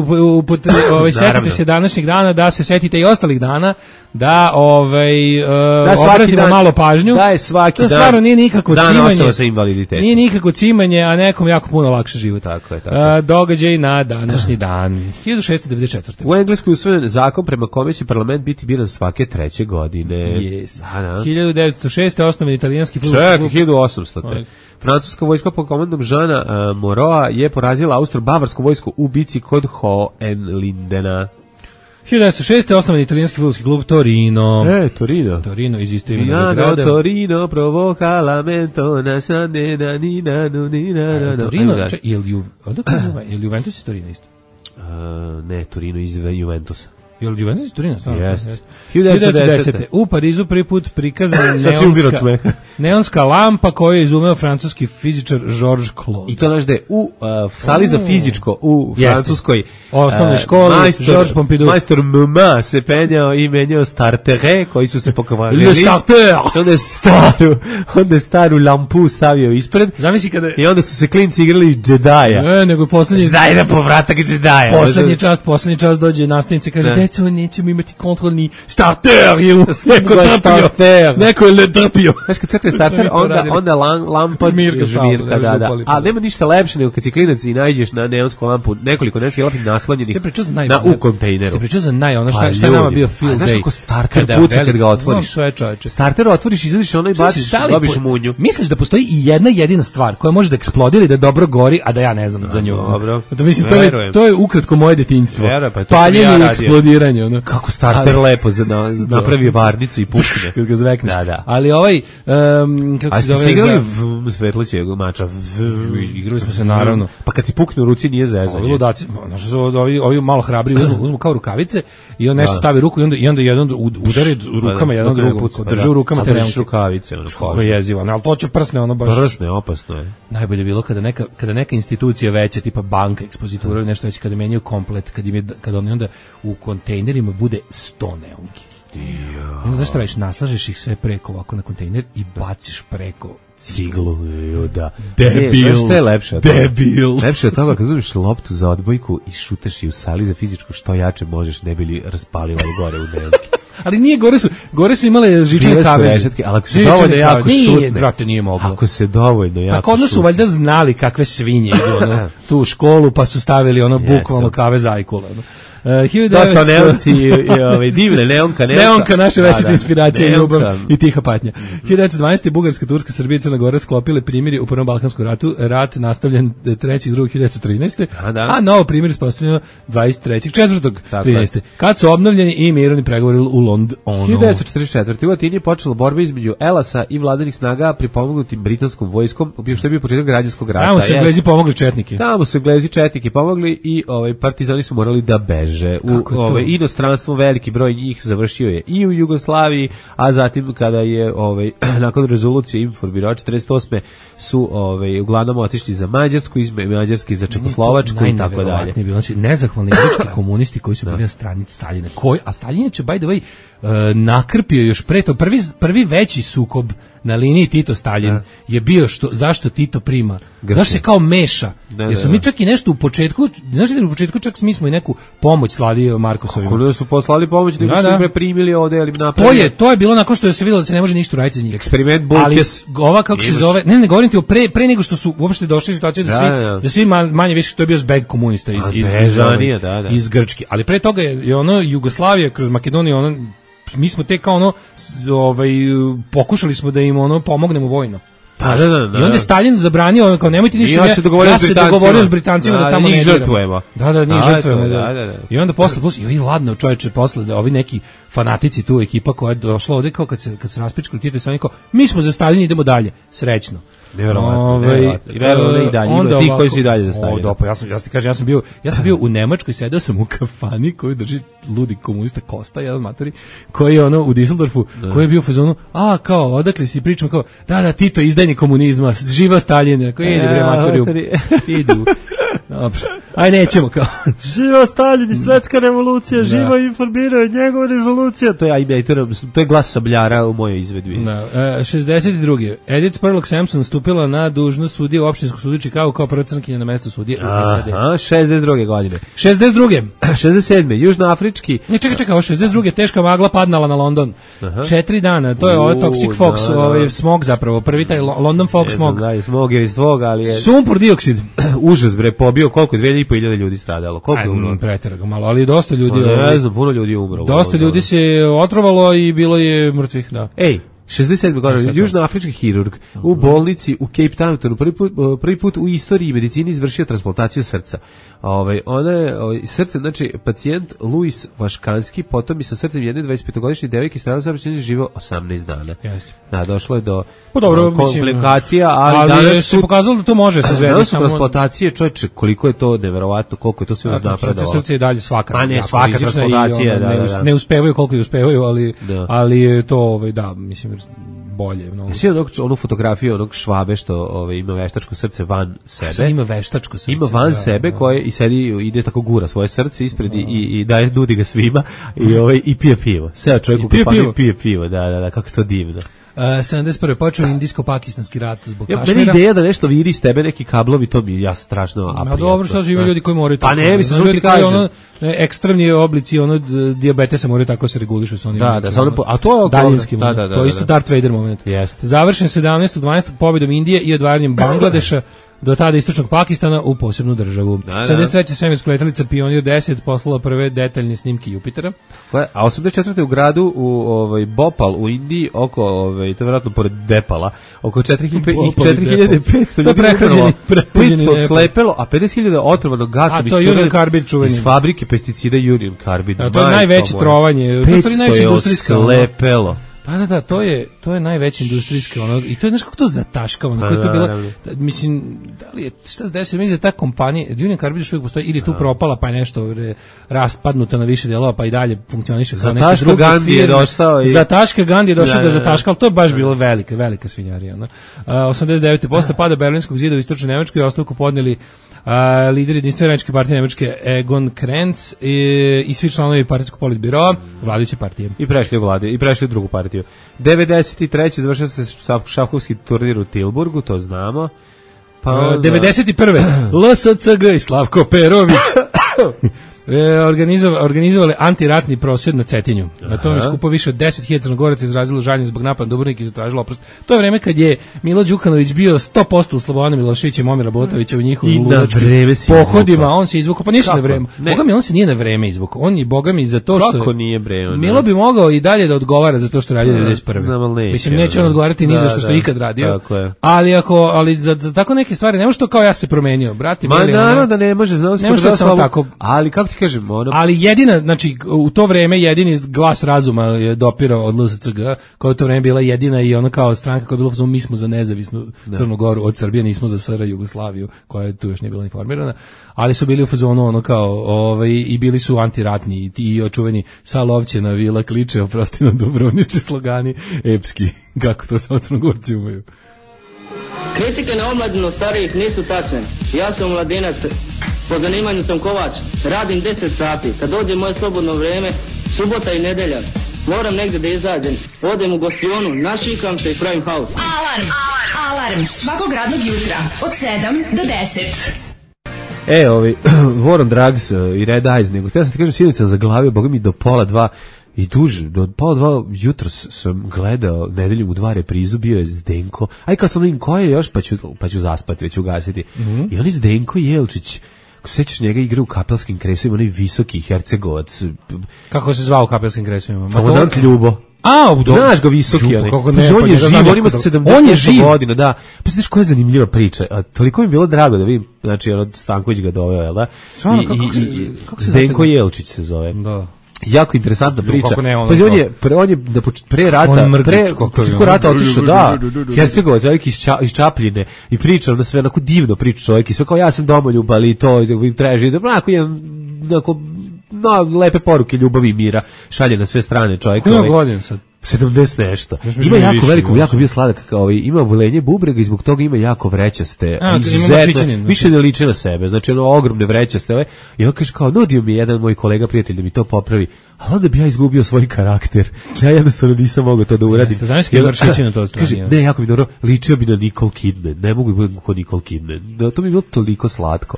setite se današnjeg dana, da se setite i ostalih dana, da obratimo malo pažnju. Da je svaki dan. To stvarno nije nikako cimanje. Osoba sa invaliditetom. Nije nikako cimanje, a nekom jako puno lakše život. Tako je. Događaj na današnji dan. 1694. U Engleskoj usvojen zakon prema kome će parlament biti biran svake 3. godine. Yes. 1906. osnovan italijanski fudbalski klub. 1800. Francuska vojska pod komandom Žana Moroa je porazila austro-bavarsku vojsku u bici kod Hohenlindena. 1906. osnovan italijanski fudbalski klub Torino. Torino iz isto imenog grada. Torino provoca lamento na sanena nina nina. Torino, je li Juventus iz Torino isto? Ne, Torino iz Juventusa. Je li Juventus iz Torino? Jeste. 1910. U Parizu prvi put prikazana neonska lampa koju je izumeo francuski fizičar Georges Claude. I to znaš da je u sali za fizičko u Francuskoj osnovnoj školi Georges Pompidou. Majstor Muma se penjao i menjao startere koji su se pokvarili. Le starter! Onda je staru lampu stavio ispred. Zamisli kada... I onda su se klinci igrali Jedija. Ne, nego poslednji... Zdaj na povratak Jedija. Poslednji čas dođe nastavnica i kaže, deco, nećemo imati kontrolni starter, jer neko je drpio. Znaš, kad crkne starter, onda lampa žmirka, da. Ali nema ništa lepše nego kad si klinac i nađeš na neonsku lampu nekoliko neonskih lampi naslonjenih u kontejneru. Ste pričao za šta je nama bio field day. Znaš kako starter puca kad ga otvoriš? Starter otvoriš, izvadiš ono i baciš, dobiš munju. Misliš da postoji i jedna jedina stvar koja može da eksplodira i da dobro gori, a da ja ne znam za nju? Dobro. To je ukratko moje detinjstvo. Paljenje i eksplodiranje. Kako starter lepo napravi varnicu i pušne. Kad ga zvekneš. Da. Ali kako se zove... A ste igrali Svetlićeg mača? Igrali smo se naravno. Pa kad ti pukne u ruci nije zezanje. Ovi ludaci, ovi malo hrabri uzmu kao rukavice i on nešto stavi ruku i onda jedan udari rukama jedan drugog. Drži u rukama te rukavice. Kako je jezivo. Ali to će prsne, ono baš... Prsne, opasno je. Najbolje bilo kada neka institucija veća, tipa banka, ekspozitura ili nešto već, kada menjaju komplet, kada oni onda u kontejnerima bude 100 neonki. Onda znaš šta radiš, naslažeš ih sve preko ovako na kontejner i baciš preko ciglu. Da. Debil. Šta je lepše od toga? Debil. Lepše od toga kad uzmeš loptu za odbojku i šutaš je u sali za fizičko, što jače možeš, ne bi li raspalila gore u neonki. Ali nije, gore su imale žičane kaveze. Ali ako se dovoljno jako šutne. Brate, nije moglo. Ako se dovoljno jako šutne. Pa kod nas su valjda znali kakve svinje idu tu u školu, pa su stavili bukvalno kave zajkula. Dosta neonci i divne neonka. Neonka, naša večita inspiracija i ljubav i tiha patnja. 1912. Bugarska, Turska, Srbija i Crna Gora sklopile primjeri u Prvom Balkanskom ratu. Rat nastavljen 3.2.1913. A novo primjer ispostavljeno 23.4.13. Kad su obnovljeni i mirovni pregovori u Londonu. 1944. U Atini je počela borba između Elasa i vladanih snaga pripomognutim britanskom vojskom, što je bio početak građanskog rata. Tamo su Englezi pomogli četnike. Tamo su Englezi četnike pomogli i partizani su morali da beže. U inostranstvo veliki broj njih završio je i u Jugoslaviji, a zatim kada je nakon rezolucije informirao 48. su uglavnom otišli za Mađarsku, iz Mađarske za Čekoslovačku i tako dalje. Znači, nezahvalni grčki komunisti koji su bili na strani Staljina. A Staljin je, by the way, nakrpio još pre to. Prvi veći sukob na liniji Tito-Stalin je bio zašto Tito prima. Zašto se kao meša? Jer su mi čak i nešto u početku, znaš da u početku čak mi smo i neku pomoć slali Markosovima. Kako da su poslali pomoć, nego su im primili ovde ili napravili. To je bilo nakon što se vidjelo da se ne može ništa raditi za njih. Eksperiment Bulkes. Ali ova kako se zove, ne govorim ti o pre nego što su uopšte došli u situaciju da svi manje više, to je bio zbeg komunista iz Grčke. Ali pre toga je Jugoslavija kroz Makedoniju, mi smo tek kao pokušali smo da im pomognemo vojno. I onda je Stalin zabranio, kao nemojte ništa, ja se dogovorio s Britancima da tamo ne diramo. Njih žrtvujemo. I onda posle, i ladno čovječe, posle ovi neki fanatici tu, ekipa koja je došla ovde, kao kad se raspičkali Tito i Stalin, kao, mi smo za Stalin, idemo dalje, srećno. Nevjerovatno. I dalje, ima ti koji su i dalje za Stalina. Ja ti kažem, ja sam bio u Nemačkoj, sedeo sam u kafani koju drži ludi komunista Kosta, jedan matori, koji je u Düsseldorfu, koji je bio u fazonu, kao, odakle si pričamo, kao, da, Tito izdajnik komunizma, živa Stalin, rekao, idi bre matori, idu. Dobro. Aj nećemo kao. Živa Stalin i svetska revolucija, živa informiranje, njegova rezolucija. To je glas Sabljara u mojoj izvedbi. Da. 62. Edith Spurlock Sampson stupila na dužnost sudije u opštinskom sudu Chicago kao prva crnkinja na mesto sudije u SAD. 62. godine. 62. 67. Južnoafrički. Ne, čekaj, ovo 62. teška magla padnala na London. 4 dana, to je ovo Toxic Fox, ovaj smog zapravo, prvi taj London Fog smog. Da, smog je iz tvog, ali je... Sumpor dioksid. Užas bre, pobio koliko, 2.500 ljudi stradalo. Koliko je umrlo? Preteraga malo, ali dosta ljudi... Ne znam, puno ljudi je umrlo. Dosta ljudi se otrovalo i bilo je mrtvih, da. Ej, 67. godine, južnoafrički hirurg u bolnici u Cape Townu prvi put u istoriji medicine izvršio transplantaciju srca. Ona je srce, znači pacijent Luis Vaškanski, potom i sa srcem jedne 25-godišnje devojke stradao saobraćajnice, živeo 18 dana. Jeste. Da, došlo je do komplikacija, ali danas se pokazalo da to može se zvedi. Danas su transplantacije, čovječe, koliko je to neverovatno, koliko je to sve napredovalo. Srce je dalje svaka. A ne, svaka transplantacija, da. Ne uspevaju koliko je uspevaju, ali je to, da, mislim, bolje. Svi onu fotografiju onog Švabe što ima veštačko srce van sebe. Ima veštačko srce. Ima van sebe koje i sedi, ide tako gura svoje srce ispred i daje, nudi ga svima i pije pivo. Seo čovjek u kafanu i pije pivo, da, kako to divno. 71. počeo indijsko-pakistanski rat zbog Kašmira. Meni ideja da nešto vidi iz tebe neki kablovi, to mi ja strašno aprijatno. Dobro, što su ima ljudi koji moraju tako. Pa ne, mislim, što ti kažem. Ekstremni oblici dijabetesa moraju tako se regulišu sa onim. Da, a to je daljinski moment. To je isto Darth Vader moment. Završen 17.12. pobjedom Indije i odvaranjem Bangladeša do tada istočnog Pakistana u posebnu državu. 73. svemirska letelica Pionir 10 poslala prve detaljne snimke Jupitera. A 84. u gradu u Bhopal u Indiji oko to je vjerojatno pored Depala, oko 4500 ljudi prehlađeni slepelo, a 50.000 otrovanog gasa iz fabrike pesticida Union Carbide. To je najveće trovanje. 500 slepelo. Da, to je najveći industrijski i to je nešto kako to zataškavano, kako je to bilo, mislim, da li je, šta se desilo, mislim da ta kompanija, Union Carbide još uvijek postoji, ili je tu propala, pa je nešto raspadnuta na više delova, pa i dalje funkcioniše kao neke druge firme. Zataška Gandhi je došao da zataška, ali to je baš bilo velika svinjarija. 89. posle pada Berlinskog zida u istočnoj Nemačkoj ostavku podnijeli lider jedinstvene radničke partije Nemačke Egon Krenz i svi članovi partijskog politbiroa vladajuće partije. I prešli u drugu partiju. 93. završio se šahovski turnir u Tilburgu, to znamo. 91. LSCG i Slavko Perović organizovali antiratni prosvjed na Cetinju. Na tome skupo više od 10.000 Crnogoraca izrazilo žaljenje zbog napada Dubrovnika i zatražilo oprost. To je vreme kad je Milo Đukanović bio 100% u Slobodanom Miloševićem i Momira Botovića u njihovim ludačkim pohodima. On se izvukao, pa ništa na vreme. Boga mi, on se nije na vreme izvukao. On je, boga mi, za to što... Kako nije bre? Milo bi mogao i dalje da odgovara za to što radio 91. Mislim, neće on odgovarati ni za što je ikad radio. Ali za tako neke stvari, ne može to kao ja se promenio. Brati, naravno da ne može, znao se tako. Ali kako ti kažem, ali jedina, znači u to vreme jedini glas razuma je dopirao od LSCG, koja je u to vreme bila jedina i ona kao stranka koja je bila, mi smo za nezavisnu Crnu Goru od Srbije, nismo za SR Jugoslaviju, koja je tu još nije bila informirana, ali su bili u fazonu ono kao i bili su antiratni i očuveni sa Lovćena vila kliče, oprosti na Dubrovniče slogani epski, kako to sa Crnogorci umeju. Kritike na omladinu starijih nisu tačne. Ja sam mladinac, po zanimanju sam kovač, radim 10 sati. Kad dođe moje slobodno vrijeme, subota i nedelja, moram negdje da izađem. Odem u gostionu, našikam se i pravim haos. Alarm svakog radnog jutra od 7 do 10. War on Drugs i Red Eyes, nego htio sam ti kažem, sinoć sam zaglavio, boga mi do 1:30 i duže, do 1:30 jutros sam gledao Nedeljom u 2 reprizu, bio je Zdenko, kad sam vidim ko je još, pa ću zaspati, već ugasiti. I on je Zdenko Jelčić, ako se sećaš njega, igra u Kapelskim kresovima, onaj visoki Hercegovac. Kako se zvao u Kapelskim kresovima? Komandant Ljubo. Znaš ga visoki, on je živ, on ima 70 godina, da. Pa znaš koja je zanimljiva priča, toliko mi je bilo drago da vidim, znači Stanković ga doveo, jel da? Zdenko Jelčić se zove. Da. Jako interesantna priča. Pa on je pre rata otišao, da, Hercegovac, veliki iz Čapljine, i pričao na sve, onako divno priča čovjek, i sve kao ja sam domoljub, ali to treba živjeti, onako lepe poruke ljubavi i mira šalje na sve strane čovjek. Koliko godina sad? 70 nešto. Ima jako veliko, jako bio sladak, kao ima volenje bubrega i zbog toga ima jako vrećaste. Više ne liči na sebe. Znači ono ogromne vrećaste. I on kaže kao, nudio mi jedan moj kolega prijatelj da mi to popravi. A onda bi ja izgubio svoj karakter. Ja jednostavno nisam mogao to da uradim. Znaš kako vršići na to strani? Kaže, ne, jako mi dobro, ličio bi na Nicole Kidman. Ne mogu da budem kod Nicole Kidman. To mi je bilo toliko slatko.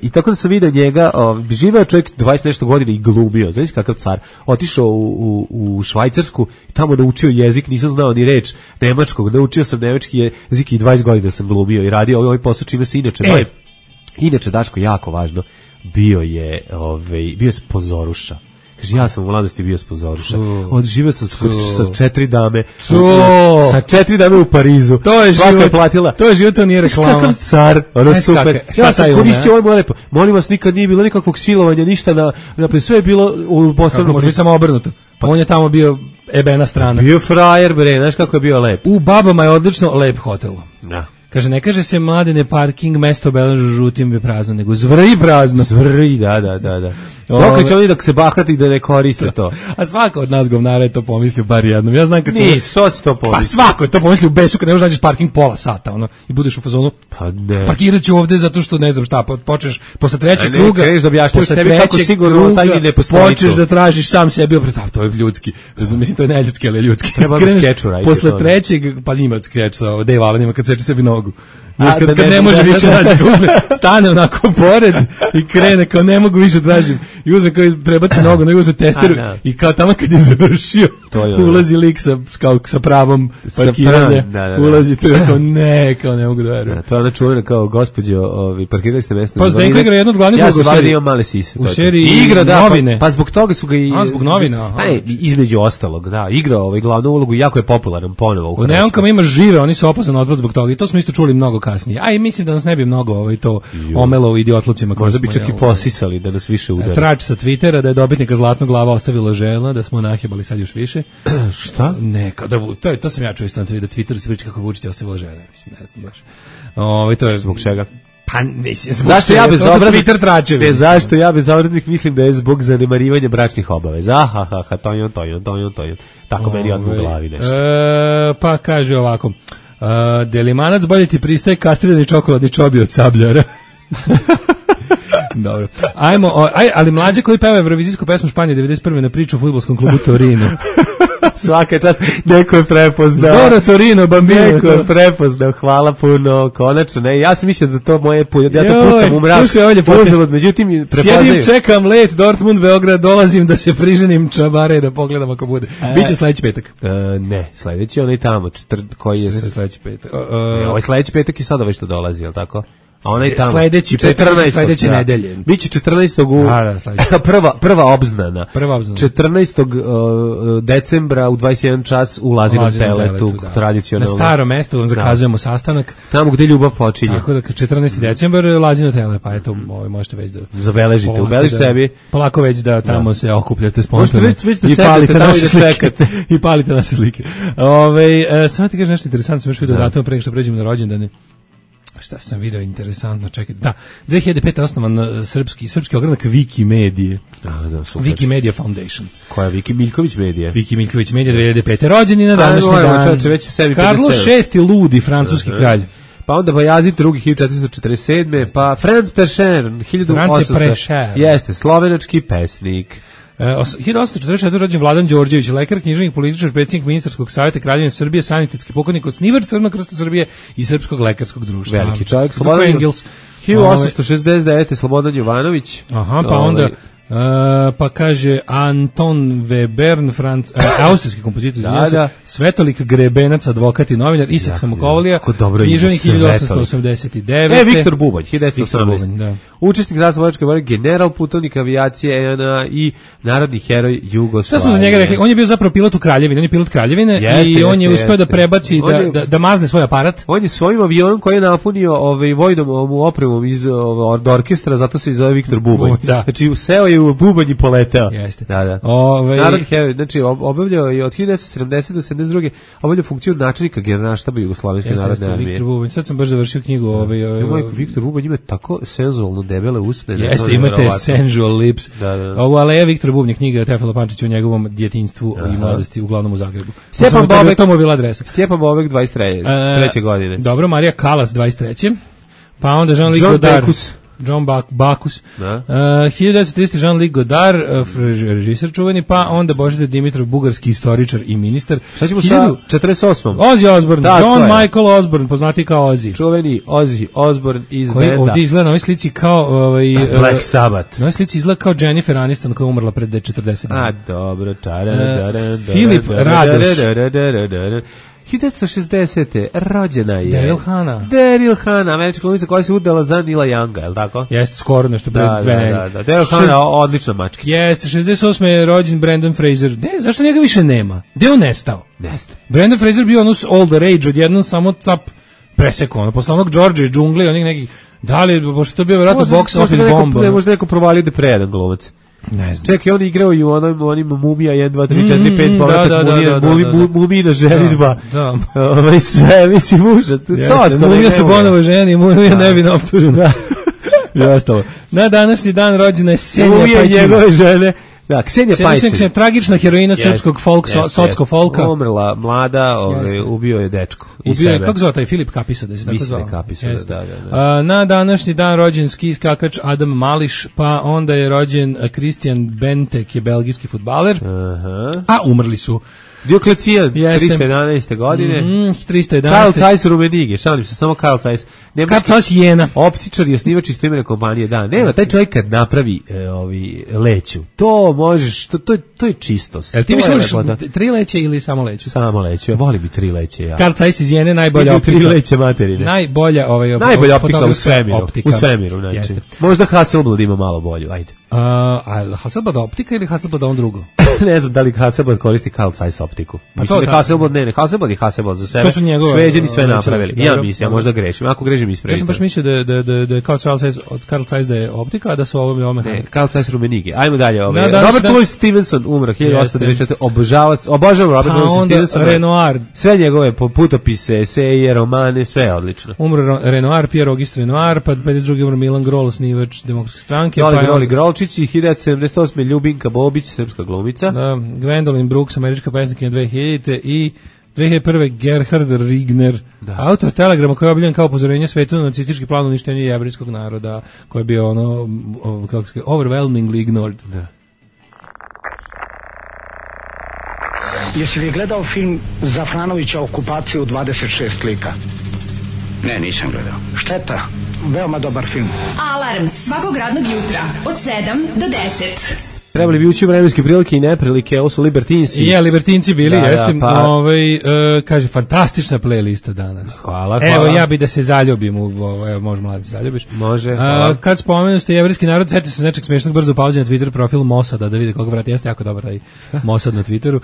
I tako da sam vidio njega, živeo čovjek 20 nešto godina i glumio, znaš kakav car, otišao u Švajcarsku i tamo naučio jezik, nisam znao ni reč nemačkog, naučio sam nemački jezik i 20 godina sam glumio i radio ovaj posao čime se inače Daško, jako važno, bio je sponzoruša. Kaže, ja sam u mladosti bio sponzoruša. Odživio sam sa 4 dame. Sa 4 dame u Parizu. Svaka je platila. To je život, to nije reklama. Kakav car, ono super. Ja sam koristio ovo moje lepo. Molim vas, nikad nije bilo nikakvog silovanja, ništa sve je bilo u poslovnom. Može biti samo obrnuto. Pa on je tamo bio ebena strana. Bio frajer, bre, znaš kako je bio lep. U Babama je odlično lep hotel. Da. Kaže, ne kaže se Mladene parking, mesto obeleženo žutim je prazno, nego zvrji prazno. Zvrji, da. Dokle će oni da se bahati i da ne koriste to? A svako od nas govnara je to pomislio bar jednom. Ja znam kad što si to pomislio? Pa svako je to pomislio u besu kad ne možeš nađeš parking pola sata, ono, i budeš u fazonu. Pa ne. Parkirat ću ovde zato što ne znam šta, počneš posle trećeg kruga. Ne, da objašnjaš sebi kako sigurno taj ne postoji. Počneš da tražiš sam sebi opet, to je ljudski. Mislim, to je neljudski, ali ljudski. Treba da skeču raditi. Posle trećeg, pa ima skeč sa Dave Allenima kad seče sebi nogu. Kad ne može više naći, stane onako pored i krene kao ne mogu više tražim i uzme kao prebaci nogu, nego uzme testeru i kao tamo kad je završio ulazi lik sa pravom parkiranja, ulazi tu i kao ne mogu da verujem. To je ona čuvena kao gospođo, parkirali ste mesto. Pa Zdenko igra jednu od glavnih uloga u seriji. Ja sam male sise. U seriji Novine. Pa zbog toga su ga i... zbog Novina. Između ostalog, da, igrao glavnu ulogu i jako je popularan ponovo u Hrvatskoj. U Neonkama ima žive, oni su opasan otpad zbog toga i to smo isto čuli mnogo kasnije. A i mislim da nas ne bi mnogo to omelo u idiotlucima. Možda bi čak i posisali da nas više udari. Trač sa Twittera da je dobitnika Zlatnog glava ostavila žena, da smo nahjebali sad još više. Šta? Neka, to sam ja čuo isto na Twitteru se priča kako Vučić je ostavila žena. Mislim, ne znam baš. To je zbog čega? Pa mislim, zašto ja bez obraznih mislim da je zbog zanemarivanja bračnih obaveza. To. Tako meni odmah u glavi nešto. Pa kaže ovako. Delimanac bolje ti pristaje kastrirani čokoladni čobi od Sabljara. Dobro. Ali mlađe koji peva evrovizijsku pesmu Španije 91. na priču u fudbalskom klubu Torino. Svaka čast, neko je prepoznao. Zora Torino, Bambino. Neko je prepoznao, hvala puno, konačno, ne, ja sam mislio da to moje, ja to pucam u mrak, uzalud, međutim, prepoznaju. Sjedim, čekam let, Dortmund, Beograd, dolazim da se priženim čabare, da pogledam ako bude. Biće sledeći petak. Ne, sledeći onaj tamo, koji je... Sledeći petak. Ovaj sledeći petak i sada već to dolazi, je li tako? A onaj tamo sledeće nedelje. Biće 14. prva obznana. 14. decembra u 21 čas u Lazinom teletu, tradicionalno. Na starom mestu vam zakazujemo sastanak. Tamo gde ljubav počinje. Tako da 14. decembar Lazino tele, pa eto, možete već da zabeležite, ubeleži sebi. Polako već da tamo se okupljate spontano. I palite naše slike. I palite naše slike. Samo ti kažeš nešto interesantno, sam još vidio datum pre nego što pređemo na rođendane. Šta sam video interesantno, čekajte. Da, 2005. osnovan srpski ogranak Wikimedije. Da, super. Wikimedia Foundation. Koja je Miljković Medija? Miljković Medija 2005. Rođeni na današnji dan. Karlo VI. Ludi, francuski kralj. Pa onda Bajazid II. 1447. Pa Franz Pescher, 1800. Jeste, slovenački pesnik. 1844. rođen Vladan Đorđević, lekar, književnik, političar, predsjednik ministarskog savjeta Kraljevine Srbije, sanitetski pokojnik, osnivač Crvenog krsta Srbije i Srpskog lekarskog društva. Veliki čovjek, Slobodan Engels. 1869. Slobodan Jovanović. Aha, pa onda pa kaže Anton Webern, austrijski kompozitor, Svetolik Grebenac, advokat i novinar, Isak Samokovalija, književnik 1889. Viktor Bubanj, 1918. Učesnik Zaslovačke vojne, general, putovnik avijacije ENA i narodni heroj Jugoslavije. Šta smo za njega rekli? On je bio zapravo pilot u Kraljevini, on je pilot Kraljevine i on je uspeo da prebaci, da mazne svoj aparat. On je svojim avionom koji je napunio vojnom opremom iz orkestra, zato se i zove Viktor Bubanj. Znači, useo je u Bubanj i poleteo. Jeste. Da. Narodni heroj, znači, obavljao je od 1970 do 1972. obavljao funkciju načelnika generalštaba Jugoslovenske narodne armije. Viktor Bubanj, sad sam baš završio knjigu. Viktor Bubanj ima tako senzualno debele usne. Jeste, imate sensual lips. Da. Ovo Aleja Viktor Bubnjak, knjiga Tefila Pančića o njegovom djetinjstvu i mladosti, uglavnom u Zagrebu. Stjepan Bobek, to mu je bila adresa. Stjepan Bobek 23. godine. Dobro, Marija Kalas 23. Pa onda Jean-Luc Godard. John Bacchus. 1930. Jean-Luc Godard, režiser čuveni, pa onda Božidar Dimitrov, bugarski istoričar i ministar. Šta ćemo sa 48. Ozzy Osbourne, John Michael Osbourne, poznati kao Ozzy. Čuveni Ozzy Osbourne iz koji benda. Ovdje izgleda na ovoj slici kao Black Sabbath. Na ovoj slici izgleda kao Jennifer Aniston koja je umrla pred 40 dana. A, dobro. Filip Radoš. 1960. rođena je Daryl Hannah, američka glumica koja se udala za Nila Younga, je li tako? Jeste, skoro nešto pre dve nedelje. Da. Daryl Hannah, odlična mačkica. Jeste, 68. je rođen Brendan Fraser. Zašto njega više nema? Gde on nestao? Nestao. Brandon Fraser bio ono all the rage, odjednom samo cap presekao. Posle onog George iz džungle, onih nekih, da li, pošto to bio vjerojatno box office bomba. Možda neko provalio da prejedan glumac. Ne znam. Čekaj, on igrao i u onim Mumija 1, 2, 3, 4, 5, povratak Mumina ženitba. Da. Sve, mislim, užat. Mumija se ponovo ženi, Mumija ne bi naoptužen. Na današnji dan rođena je Senja Pajčina. Mumija njegove žene. Da, Ksenija Pajčina. Tragična heroina srpskog socko folka. Umrla mlada, ubio je dečko. Ubio je, kako zvao taj Filip Kapisa, da se tako zvao? Kapisa, da. Na današnji dan rođen ski skakač Adam Mališ, pa onda je rođen Christian Bentek, je belgijski fudbaler. A umrli su Dioklecijan, 311. godine. 311. Karl Zeiss Rummenigge, šalim se, samo Karl Zeiss. Karl Zeiss Jena. Optičar i osnivač istoimene kompanije, da. Nema, taj čovjek kad napravi leću, to možeš, to je čistost. Jel ti misliš 3 leće ili samo leću? Samo leću, ja volim i 3 leće. Ja. Karl Zeiss iz Jene, najbolja optika. 3 leće materine. Najbolja optika u svemiru. U svemiru, znači. Možda Hasselblad ima malo bolju, ajde. Hasselblad optika ili Hasselblad on drugo? Ne znam da li Hasselblad koristi Carl Zeiss optiku. Mislim da Hasselblad ne, Hasselblad je Hasselblad za sebe. Šveđani sve napravili. Ja mislim, možda grešim. Ako grešim, ispravite. Ja sam baš mislio da je Carl Zeiss da je optika, a da su ovo mehanika. Ne, Carl Zeiss Rummenigge. Ajmo dalje. Robert Louis Stevenson umro 1894. Obožavam Robert Louis Stevenson. Renoir. Sve njegove putopise, eseje, romane, sve je odlično. Umro Renoir, Pierre Auguste Renoir, pa 52. umro Milan Grol, osnivač Demokratske stranke. Oli Grolčić i 1978. Ljubinka Bobić, srpska glumica. Gwendolyn Brooks, američka pesnikinja 2000. i 2001. Gerhard Rigner, autor telegrama koji je objavljen kao upozorenje svetu na nacistički plan uništenja jevrijskog naroda, koji je bio kako se overwhelmingly ignored. Da. Jesi li gledao film Zafranovića Okupacija u 26 lika? Ne, nisam gledao. Šteta, veoma dobar film. Alarm svakog radnog jutra od 7 do 10. Trebali bi ući u vremenske prilike i neprilike, ovo su Libertinci. Libertinci bili, jeste. Kaže, fantastična playlista danas. Hvala. Evo, ja bi da se zaljubim u ovo, evo, može mladi, zaljubiš. Može, kad spomenu ste jevrijski narod, setite se nečeg smiješnog, brzo pauzi na Twitter profil Mossada, da vide koga vrati, jeste jako dobar taj Mossad na Twitteru.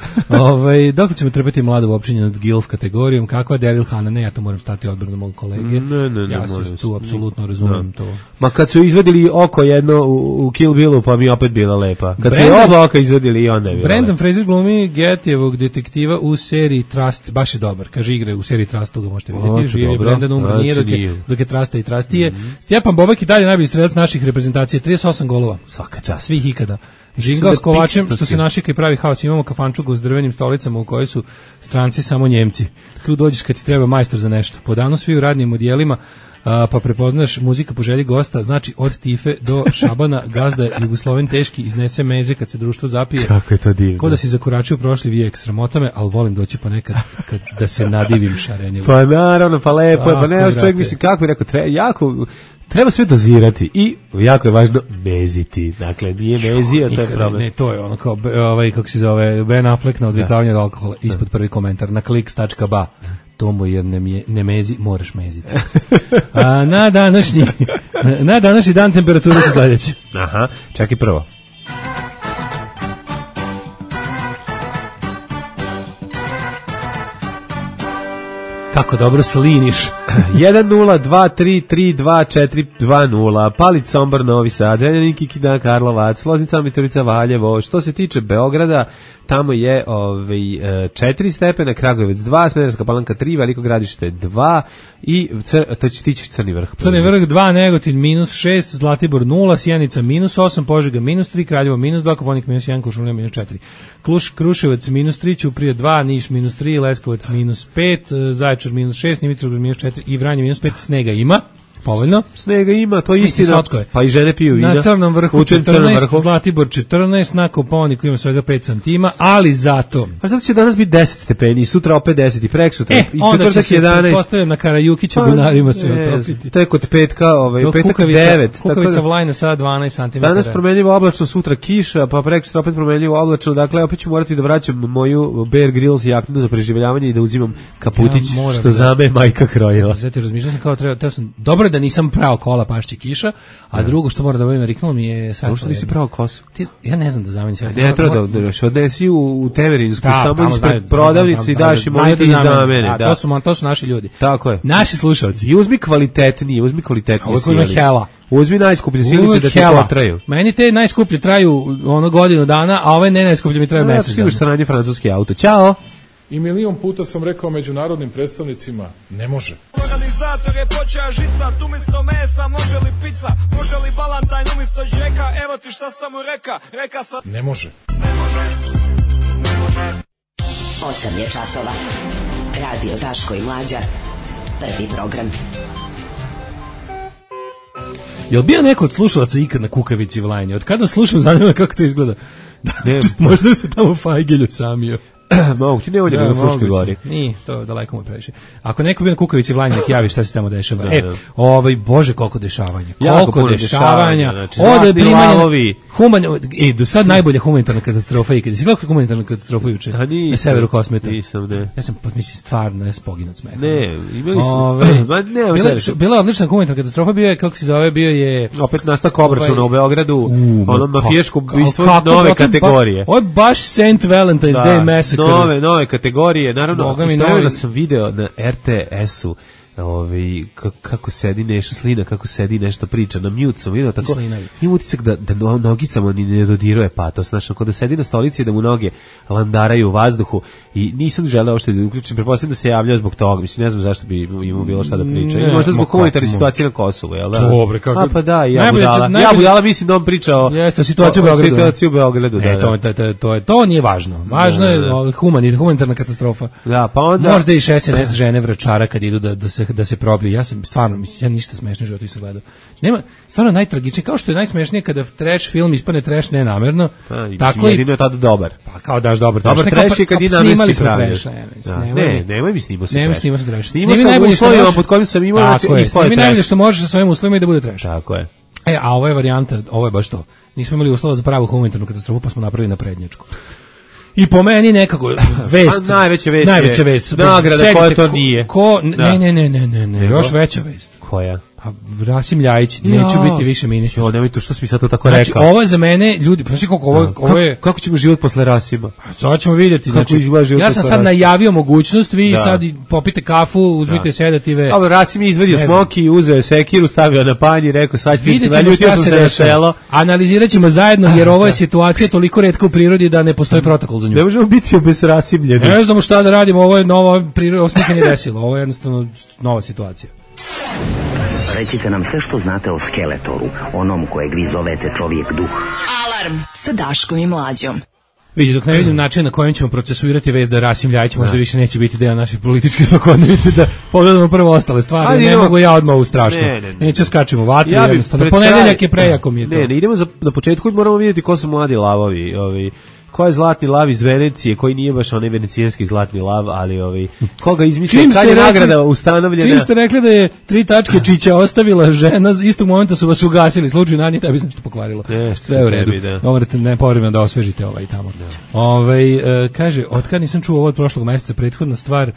Dok ćemo trpeti mladu uopćenjenost GILF kategorijom, kakva Daryl Hannah, ne, ja to moram stati odbranu mog kolege. Ne, ja se tu apsolutno razumem to. Ma kad su izvedili oko jedno u Kill Billu, pa mi opet bila lepa. Kad su oba oka izvedili i onda je bilo. Brandon Fraser glumi Gettyjevog detektiva u seriji Trust, baš je dobar, kaže igre u seriji Trust, tu ga možete vidjeti, živi je Brandon, umro nije dok je Trusta i Trustije. Stjepan Bobek i dalje najbolji strelac naših reprezentacija, 38 golova, svaka čast, svih ikada. Žingao s kovačem, što se našika i pravi haos, imamo kafančugu s drvenim stolicama u kojoj su stranci samo Njemci. Tu dođeš kad ti treba majstor za nešto. Po danu svi u radnim odjelima, pa prepoznaš muzika po želji gosta, znači od Tife do Šabana, gazda Jugosloven teški iznese meze kad se društvo zapije. Kako je to divno. Ko da si zakoračio prošli vijek, sramota me, ali volim doći ponekad da se nadivim šarenje. Pa naravno, pa lepo je, pa ne, čovjek misli, kako bi rekao, treba sve dozirati i jako je važno meziti. Dakle, nije mezio, to je problem. Ne, to je ono kao, kako se zove, Ben Affleck na odvikavanje od alkohola, ispod prvi komentar, na kliks.ba. Tomo, jer ne mezi, moraš meziti. Na današnji dan temperatura su sljedeće. Aha, čak i prvo. Kako dobro sliniš. 1-0-2-3-3-2-4-2-0 Palić, Sombor, Novi Sad, Renjanin, Kikida, Karlovac, Loznica, Mitrovica, Valjevo. Što se tiče Beograda, tamo je 4 stepena, Kragujevac 2, Smederevska Palanka 3, Veliko Gradište 2 i to će tići Crni Vrh. Crni Vrh 2, Negotin -6, Zlatibor 0, Sjenica -8, Požega -3, Kraljevo -2, Koponik -1, Kuršumlija -4. Kruševac -3, Ćuprija 2, Niš -3, Leskovac -5, Zaječar -6, Dimitrovgrad -4 i Vranje -5. Snega ima. Povoljno. Snega ima, to je istina. Pa i žene piju vina. Na Crnom Vrhu 14, Zlatibor 14, na Kopaoniku ima svega 5 santima, ali zato... Pa zato će danas biti 10 stepeni, sutra opet 10 i preksutra. I onda će se 11. Postavljam na Karajukića bunarima sve otopiti. Tek od petka, petak 9. Kukavica Vlajna sada 12 cm. Danas promenljivo oblačno, sutra kiša, pa preksutra opet promenljivo oblačno. Dakle, opet ću morati da vraćam moju Bear Grylls jaknu za preživljavanje i da uzimam kaputić, što zame majka krojila. Zato razmišljam kao treba sam dobro da nisam prao kola pašće kiša, a drugo što mora da obavim riknulo mi je sad. Što nisi prao kosu? Ja ne znam da zamenim sve. Ne treba da odnesi u Temerinsku, samo ispred prodavnice i daš im ovdje i za mene. To su naši ljudi. Tako je. Naši slušalci. I uzmi kvalitetnije sjelice. Hela. Uzmi najskuplje sjelice da ti potraju. Meni te najskuplje traju godinu dana, a ove ne najskuplje mi traju mesec dana. Siguš sranje francuski auto. Ćao! I milion puta sam rekao međunarodnim predstavnicima, ne može. Organizator je počeo žicat, umjesto mesa može li pizza, može li balantajn umjesto džeka, evo ti šta sam mu reka sad. Ne može. 8 je časova. Radio Daško i Mlađa. Prvi program. Jel bio neko od slušalaca ikad na Kukavici Vlajnje? Od kada slušam, zanima kako to izgleda. Možda se tamo Fajgelju samio. Moguće, ne ovdje na Fruškoj gori. Nije, to daleko mu previše. Ako neko bio na Kukavici Vlajnje, nek javi šta se tamo dešava. Bože, koliko dešavanja. Koliko dešavanja. Znači, od primanja do sad najbolja humanitarna katastrofa ikad. Si gledao humanitarnu katastrofu juče? Na severu Kosmeta. Nisam, ne. Ja sam, mislim, stvarno, ja sam poginut smeha. Ne, imali su... Bila je odlična humanitarna katastrofa, bio je, kako se zove, bio je... Opet nastak obračuna u Beogradu, ono mafijaško ubistvo nove kategorije. Ovo je baš St. Valentine's Day Massacre. Nove kategorije, naravno, istovremeno sam video na RTS-u kako sedi Neša Slina, kako sedi nešto priča, na mute sam vidio tako, ima utisak da nogicama ni ne dodiruje patos, znaš, ako da sedi na stolici i da mu noge landaraju u vazduhu i nisam želeo što da uključim, pretpostavljam da se javljao zbog toga, mislim, ne znam zašto bi imao bilo šta da priča, i možda zbog humanitarne situacije na Kosovu, jel da? Dobre, kako? A pa da, ja budala, mislim da on priča o situaciju u Beogradu. To nije važno, važno je humanitarna katastrofa. Da, pa onda... Možda i SNS žene vračara kad idu da se probiju. Ja sam stvarno, mislim, ja ništa smešno u životu nisam gledao. Nema, stvarno najtragičnije, kao što je najsmešnije kada trash film ispane trash nenamerno, tako i... jedino je tada dobar. Pa kao daš dobar trash je kad i namenski praviš. Nemoj mi snimao se trash. Snimao sam uslovima pod kojim sam imao, znači ispao je trash. Snimi najbolje što možeš sa svojim uslovima i da bude trash. Tako je. A ovo je varijanta, ovo je baš to. Nismo imali uslova za pravu humanitarnu katastrofu, pa smo napravili naprednjačku. I po meni nekako vest. Najveća vest. Nagrada koja to nije. Ne, još veća vest. Koja? Pa Rasim Ljajić, neću biti više ministar. Nemoj to, što si mi sad to tako rekao. Znači, ovo je za mene, ljudi, znači ovo je... Kako ćemo život posle Rasima? Sad ćemo vidjeti. Znači, ja sam sad najavio mogućnost, vi sad popite kafu, uzmite sedative. Dobro, Rasim je izvadio smoki, uzeo je sekiru, stavio na panj i rekao, sad ćemo šta se dešava. Analizirat ćemo zajedno, jer ovo je situacija toliko retka u prirodi da ne postoji protokol za nju. Ne možemo biti obesrasimljeni. Ne znamo šta da radimo, ovo je novo, ovo se nikad nije desilo, ovo je jednostavno nova situacija. Recite nam sve što znate o Skeletoru, onom kojeg vi zovete čovjek duh. Alarm sa Daškom i Mlađom. Vidi, dok ne vidim način na kojem ćemo procesuirati vest da Rasim Ljajić možda više neće biti deo naše političke svakodnevice, da pogledamo prvo ostale stvari. Ne mogu ja odmah u strašno. Neće skačimo vatru, jednostavno. Ponedeljak je prejako mi je to. Ne, idemo na početku, moramo vidjeti ko su mladi lavovi, ko je zlatni lav iz Venecije, koji nije baš onaj venecijanski zlatni lav, ali koga izmislio, kad je nagrada ustanovljena. Čim ste rekli da je 3 tačke Čića ostavila žena, istog momenta su vas ugasili, slučaju na njih, tebi se nešto pokvarilo. Sve u redu. Morate povremeno da osvežite tamo. Kaže, otkad nisam čuo ovo od prošlog mjeseca, prethodna stvar,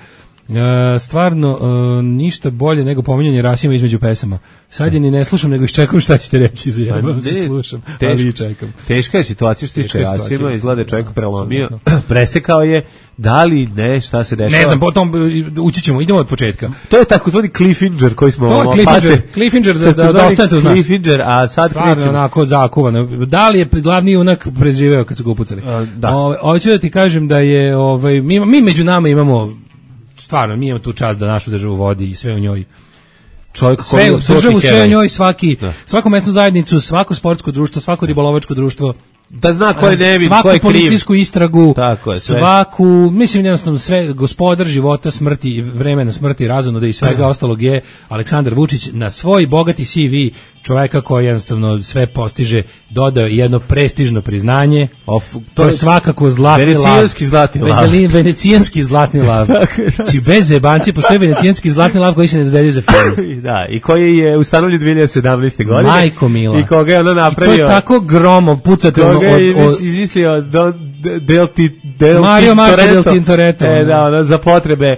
Stvarno ništa bolje nego pominjanje Rasima između pesama. Sad je ni ne slušam, nego iščekam šta ćete reći. Zajebam se, slušam, ali čekam. Teška je situacija što tiče Rasima, izgleda čovjek prelomio, presekao je, da li ne, šta se dešava? Ne znam, potom ući ćemo, idemo od početka. To je takozvani cliffhanger koji smo... To je cliffhanger da ostanete uz nas. Cliffhanger, a sad stvarno krećemo. Onako zakuvano. Da li je glavni junak preživeo kad su ga upucali? Da. Hoću da ti kažem da je, mi među nama imamo, stvarno, mi imamo tu čast da našu državu vodi i sve u njoj. Sve u njoj, svaku mesnu zajednicu, svako sportsko društvo, svako ribolovačko društvo, da zna ko je nevin, svaku ko je kriv. policijsku istragu, tako je, svaku, mislim jednostavno sve, gospodar života, smrti, vremena smrti, razonoda i svega ostalog je Aleksandar Vučić na svoj bogati CV čoveka koji jednostavno sve postiže, dodao jedno prestižno priznanje. To je svakako zlatni lav. Venecijanski zlatni lav. Či bez jebanci postoji venecijanski zlatni lav koji se ne dodeljuje za film. Da, i koji je ustanovljen 2017. godine. Majko mila. I koga je ono napravio. I to je tako gromo, pucate koga je izmislio Mario del Tintoretto. Da, ono, za potrebe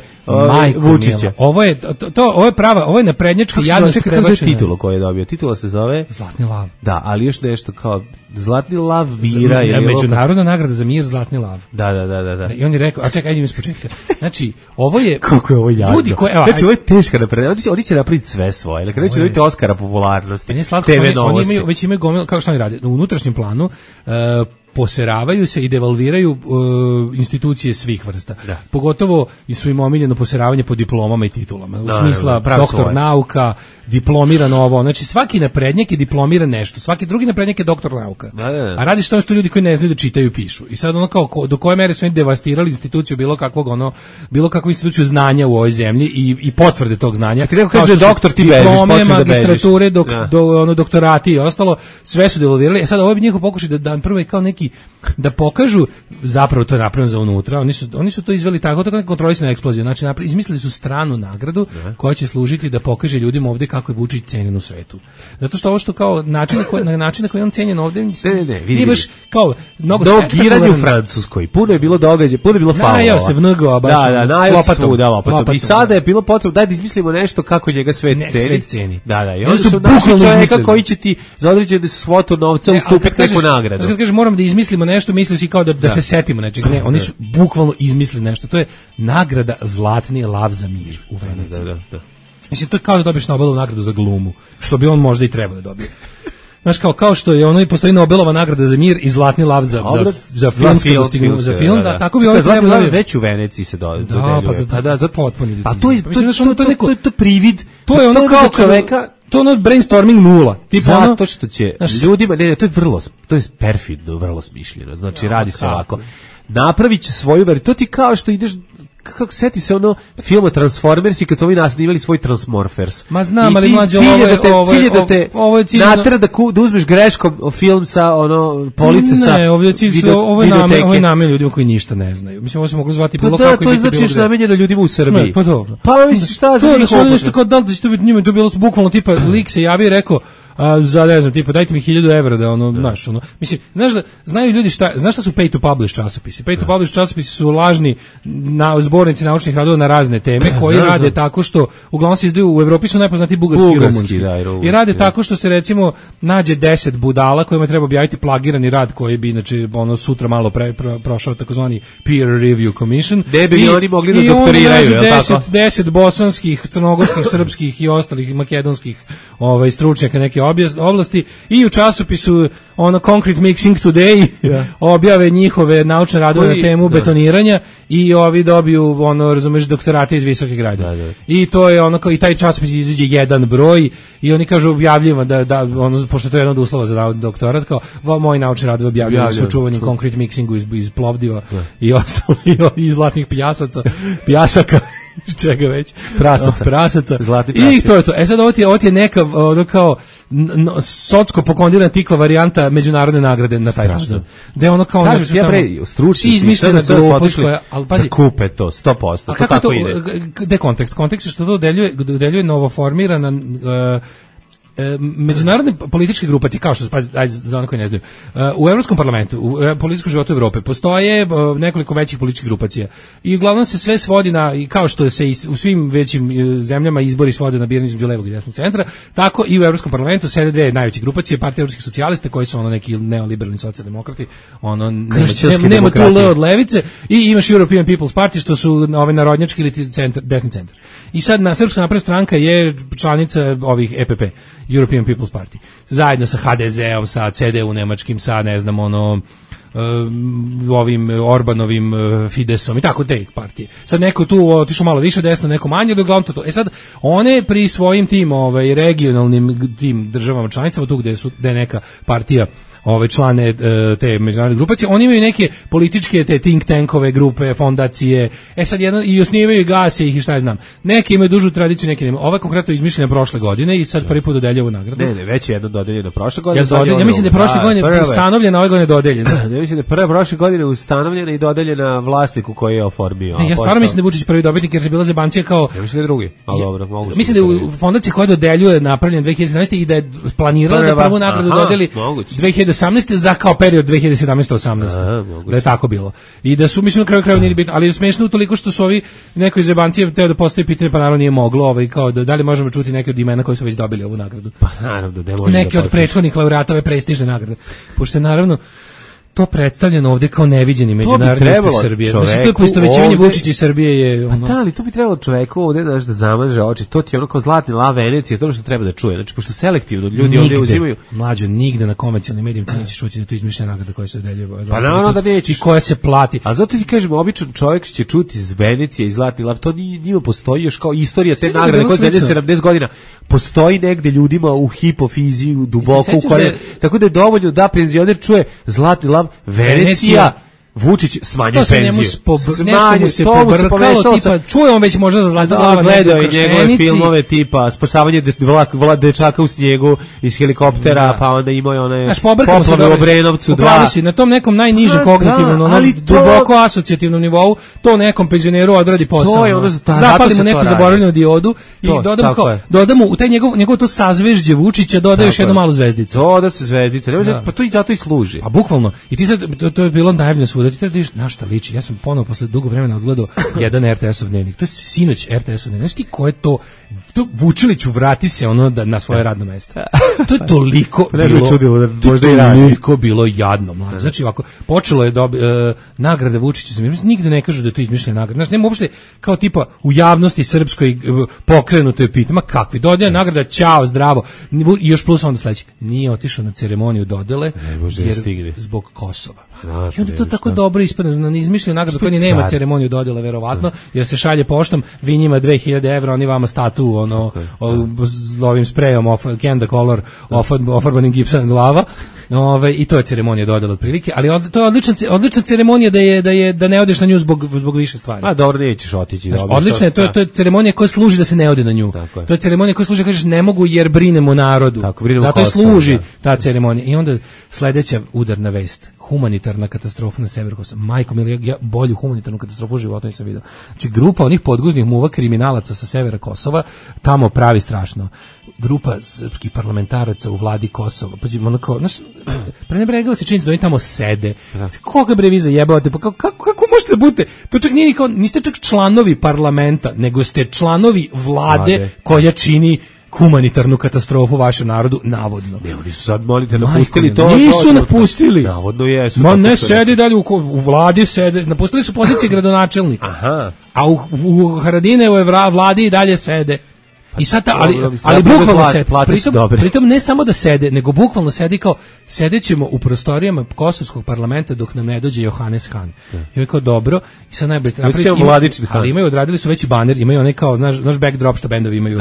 Vučića. Ovo je prava, ovo je naprednjačka jadnost prebačena. Kako se titulu koju je dobio? Titula se zove Zlatni lav. Da, ali još nešto kao Zlatni lav mira je međunarodna nagrada za mir, Zlatni lav. Da. I on je rekao, a čekaj, idem iz početka. Znači, ovo je kako je ovo jadno. Znači, ovo je teška naprednjačka. Oni će napraviti sve svoje. Dakle, neće dobiti Oskara popularnosti. TV novosti. Oni već imaju gomil, kako što oni rade? U unutrašnjem planu poseravaju se i devalviraju institucije svih vrsta. Da. Pogotovo su im omiljeno poseravanje po diplomama i titulama. U smisla doktor nauka, diplomiran ovo. Znači svaki naprednjak je diplomiran nešto. Svaki drugi naprednjak je doktor nauka. Da. A radi se to ljudi koji ne znaju da čitaju i pišu. I sad ono kao do koje mere su oni devastirali instituciju bilo kakvu instituciju znanja u ovoj zemlji i potvrde tog znanja. Ti neko kaže da doktor ti bežiš, počneš da bežiš. Magistrature, doktorati i ostalo, sve su devalvirali. Sad ovo bi njihov pokušaj da prvo je kao neki da pokažu, zapravo to je napravljeno za unutra, oni su to izveli tako neka kontrolisana eksplozija, znači izmislili su stranu nagradu koja će služiti da pokaže ljudima ovde kako je Vučić cenjen u svetu. Zato što ovo što kao način na koji on cenjen ovde, vidi baš kao mnogo spektakularno u Francuskoj. Puno je bilo događaja, puno je bilo faulova. Najao se vngao baš. Lopatom. I sada je bilo potrebno da izmislimo nešto kako njega svet ceni. Da. I oni su bukvalno čovjeka koji će ti za određenu svotu novca ustupiti neku nagradu. Kad kažeš moramo da izmislimo nešto, misliš i kao da se setimo nečeg. Ne, oni su bukvalno izmislili nešto. To je nagrada Zlatni lav za mir u Veneciji. Da. Mislim, to je kao da dobiješ Nobelovu nagradu za glumu, što bi on možda i trebao da dobije. Znaš, kao što je ono i postoji Nobelova nagrada za mir i Zlatni lav za filmsko dostignuće, za film, da, tako bi on trebao da već u Veneciji se dodeljuje. Za potpuni. Pa to je privid. To je ono kao čoveka. To je ono brainstorming nula. Zato što će ljudima, to je to je perfidno, vrlo smišljeno. Znači, radi se ovako. Napravit će svoju verziju. To ti kao što ideš, kako seti se ono filma Transformersi kad su ovi snimali svoj Transmorphers. Ma znam, ali mlađe ovo je cilj natera da uzmeš greškom film sa ono police sa. Ne, ovo je namenjeno ljudima koji ništa ne znaju. Mislim, ovo se moglo zvati bilo kako. To je znači namenjeno ljudima u Srbiji. Pa dobro. Pa misliš šta za njih? To je nešto kao da li će to biti njima, to bilo bukvalno tipa lik se javio i rekao za ne znam, tipa dajte mi 1000 evra da ono, znaš, ono. Mislim, znaju ljudi znaš šta su pay to publish časopisi? Pay to publish časopisi su lažni zbornici naučnih radova na razne teme koji rade tako što uglavnom se izdaju u Evropi su najpoznatiji bugarski i rumunski. I rade tako što se recimo nađe 10 budala kojima treba objaviti plagirani rad koji bi inače ono sutra malo prošao takozvani peer review commission. Gde bi oni mogli da doktoriraju, je li tako? 10 bosanskih, crnogorskih, srpskih i ostalih makedonskih stručnjaka neke oblasti i u časopisu ono Concrete Mixing Today objave njihove naučne radove na temu betoniranja i ovi dobiju ono, razumeš, doktorate iz visokih gradnja. I to je ono kao i taj časopis izađe jedan broj i oni kažu objavljivo da ono, pošto to je jedan od uslova za doktorat, kao moji naučni radovi objavljaju su čuvanjem Concrete Mixingu iz Plovdiva i ostalo i zlatnih pijasaka čega već prasaca i to je to. Sad ovo ti je neka kao socko pokondirana tikva varijanta međunarodne nagrade na taj način. Da je ono kao kažeš ja pre stručnjaci izmišljena glupost koja, al pazi, kupe to 100%. To tako ide. Kontekst je što to dodeljuje novoformirana međunarodne političke grupacije, kao što ajde, za one koji ne znaju, u Evropskom parlamentu, u političkom životu Evrope postoje nekoliko većih političkih grupacija i uglavnom se sve svodi na, kao što se u svim većim zemljama izbori svode na biranje između levog i desnog centra, tako i u Evropskom parlamentu sede dve najveće grupacije, Partija evropskih socijalista koji su ono neki neoliberalni socijaldemokrati, ono nema tu L od levice, i imaš European People's Party što su ove narodnjački ili desni centar. I sad na Srpska napredna stranka je članica ovih EPP, European People's Party. Zajedno sa HDZ-om, sa CDU nemačkim, sa ne znam ovim Orbanovim Fidesom i tako te partije. Sad neko tu otišao malo više desno, neko manje, ali uglavnom to. Sad one pri svojim tim regionalnim tim državama članicama, tu gde je neka partija člane te međunarodne grupacije, oni imaju neke političke te think tankove, grupe, fondacije, sad jedno, i osnivaju i gase ih i šta ja znam. Neki imaju dužu tradiciju, neki nema. Ova konkretno izmišljena prošle godine i sad prvi put dodeljuje ovu nagradu. Ne, već je jedno dodeljeno prošle godine. Ja mislim da je prošle godine ustanovljena, ove godine dodeljena. Ja mislim da je prošle godine ustanovljena i dodeljena vlasniku koji je oformio. Ja stvarno mislim da je Vučić prvi dobitnik, jer se bila zebancija kao... Ja mislim da je drugi, ali dobro. Mislim da je u fondaciji koja dodeljuje napravljena 2017. i da je planirala da prvu nagradu dodeli 2018. za kao period 2017-18. Da je tako bilo. I da su, mislim, na kraju nije bitno, ali je smešno toliko što su ovi neko iz zebancije teo da postavi pitanje, pa naravno nije moglo, kao da li možemo čuti neke od imena koji su već dobili ovu nagradu. Pa naravno, da može. Neki od prethodnih laureata ove prestižne nagrade. Pošto naravno to predstavljeno ovdje kao neviđeni međunarodni uspeh Srbije. Znači, to je poistovećivanje Vučića i Srbije je ono... Pa da, ali to bi trebalo čoveku ovdje da zamaže oči. To ti je ono kao zlatni lav Venecije, to je što treba da čuje. Znači, pošto selektivno ljudi ovdje uzimaju... Mlađo, nigde na komercijalnim medijima ti nećeš čuti da to izmišljena nagrada koja se dodeljuje. Pa naravno da nećeš. I koja se plati. A zato ti kažem, običan čovjek će čuti iz Venecije i zlatni lav. To njima postoji još kao istorija te nagrade koja je 70 godina. Postoji negde ljudima u hipofiziju, duboko u korijenu. Tako da je dovoljno da penzioner čuje zlatni lav Venecija, Vučić smanjuje penziju. Nešto mu se pobrkalo, tipa, čuje on već možda za zlatni lav, gledao je njegove filmove tipa spasavanje dečaka u snijegu iz helikoptera, pa onda imao je one poplave u Obrenovcu 2. Na tom nekom najnižem kognitivnom, duboko asocijativnom nivou, to nekom penzioneru odradi posao. Zapalimo neku zaboravljenu diodu i dodamo u taj njegov to sazvežđe Vučića, dodaje još jednu malu zvezdicu. Doda se zvezdica, pa to i zato i služi. A bukvalno, i ti sad, to je bilo najavljeno svuda, ti treba da vidiš na šta liči. Ja sam ponovo posle dugo vremena odgledao jedan RTS-ov dnevnik. To je sinoć RTS-ov dnevnik. Znaš ti ko je to Vučiliću vrati se ono na svoje radno mesto. To je toliko bilo jadno, mlađe. Znači ovako, počelo je nagrade Vučiću, nigde ne kažu da je to izmišljena nagrada. Znači nema uopšte kao tipa u javnosti srpskoj pokrenuto je pitanje, ma kakvi dodjela nagrada, ćao, zdravo. I još plus onda sledeći. Nije otišao na ceremoniju dodele jer zbog Kosova. I onda to tako dobro ispadne, na izmišljenu nagradu koja nema ceremoniju dodjela verovatno, jer se šalje poštom, vi njima 2000 evra, oni vama statu ovim sprejom Candy Color ofarbanim gipsom glava. I to je ceremonija dodjela otprilike, ali to je odlična ceremonija da ne odeš na nju zbog više stvari. A dobro, nećeš otići. Odlična je, to je ceremonija koja služi da se ne ode na nju. To je ceremonija koja služi da kažeš ne mogu jer brinemo narodu. Zato je služi ta ceremonija. I onda sledeća udarna vest, humanitarna katastrofa na severu Kosova. Majko mili, ja bolju humanitarnu katastrofu u životu nisam vidio. Znači grupa onih podguznih muva kriminalaca sa severa Kosova tamo pravi strašno. Grupa srpskih parlamentaraca u vladi Kosova. Pazimo, onako, znaš, prenebregao se činjenica da oni tamo sede. Koga bre vi zajebavate? Pa kako možete da budete? To čak nije kao, niste čak članovi parlamenta, nego ste članovi vlade koja čini humanitarnu katastrofu vašem narodu, navodno. Ne, oni su sad, molite, napustili to. Nisu napustili. Navodno jesu. Ma ne, sedi dalje, u vladi sede, napustili su pozicije gradonačelnika. Aha. A u Haradinevoj vladi i dalje sede. I sad ali bukvalno sede, pritom ne samo da sede, nego bukvalno sedi kao, sedećemo u prostorijama kosovskog parlamenta dok nam ne dođe Johannes Hahn. I je kao dobro, i sad najbolje ali imaju, odradili su veći baner, imaju onaj kao, znaš backdrop što bendovi imaju.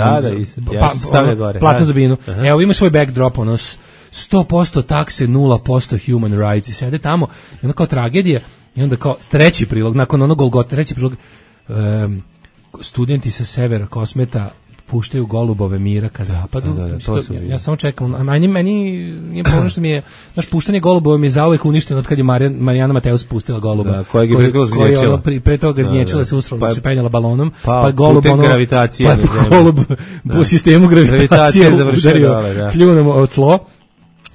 Platnu zabinu. Evo ima svoj backdrop, 100% takse, 0% human rights, i sede tamo, i onda kao tragedija, i onda kao treći prilog, nakon onog Golgota, treći prilog, studenti sa severa Kosmeta puštaju golubove mira ka zapadu. Ja samo čekam. Meni je ono što mi je, naš puštanje golubova mi je zauvek uništeno od kad je Marijana Mateus pustila goluba. Da, kojeg je zgnječila. Pre toga zgnječila se usrala, se penjala balonom, pa golub ono, gravitacije golub po sistemu gravitacije udario pljunom o tlo.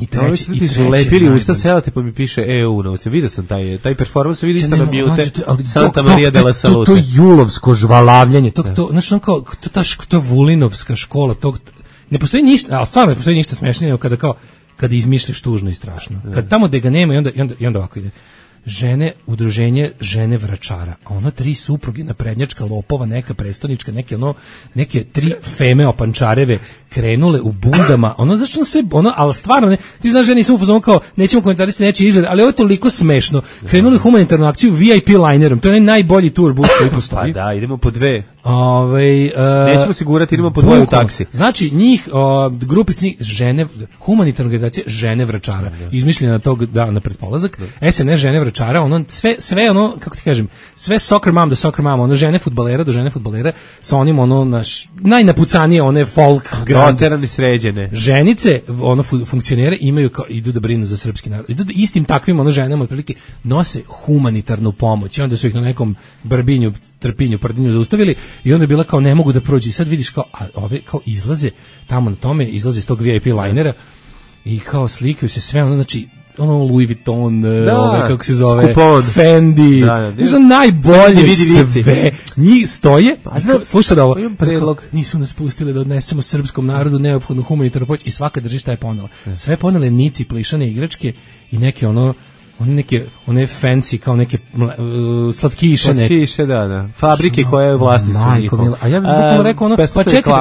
I treći, i su lepili usta selate, pa mi piše EU na usta. Vidio sam taj performans, vidio sam na mute Santa Maria de la Salute. To julovsko žvalavljanje, znači on kao, to Vulinovska škola, ne postoji ništa, ali stvarno ne postoji ništa smešnije kada izmišljaš tužno i strašno. Kad tamo gde ga nema i onda ovako ide. Udruženje žene vračara, a ono 3 supruge naprednjačka lopova, neka prestonička, neke 3 feme opančareve krenule u bundama, zašto se, ali stvarno, ti znaš, ja nisam upoznan kao, nećemo komentarisati nečiji izgled, ali ovo je toliko smešno, krenuli humanitarnu akciju VIP linerom, to je najbolji tur bus koji postoji. Pa da, idemo po 2. Nećemo sigurati, idemo po 2 u taksi. Znači, njih, grupic njih, humanitarna organizacija žene vračara, izmišljena tog dana pred polazak, SNS žene vračara, sve kako ti kažem, sve soccer mom do soccer mom, žene fudbalera do žene fudbalera, sa onim najnapucanije, one folk groterani sređene. Ženice, funkcionere imaju idu da brinu za srpski narod. Idu istim takvim ženama otprilike nose humanitarnu pomoć. I onda su ih na nekom Brbinju, Trpinju, Prdinju zaustavili i onda je bila kao ne mogu da prođu. I sad vidiš kao ove kao izlaze tamo na tome, izlaze iz tog VIP linera i kao slikaju se sve znači Louis Vuitton, kako se zove, Skupon. Fendi, najbolje sve. Njih stoje, slušaj da ovo, nisu nas pustili da odnesemo srpskom narodu neophodnu humanitarnu pomoć i svaka drži šta je ponela. Sve ponele nici, plišane igračke i neke one fancy, kao neke slatkiše, da. Fabrike koje je vlasništvo njihovo. A ja bih bukvalno rekao pa čekaj,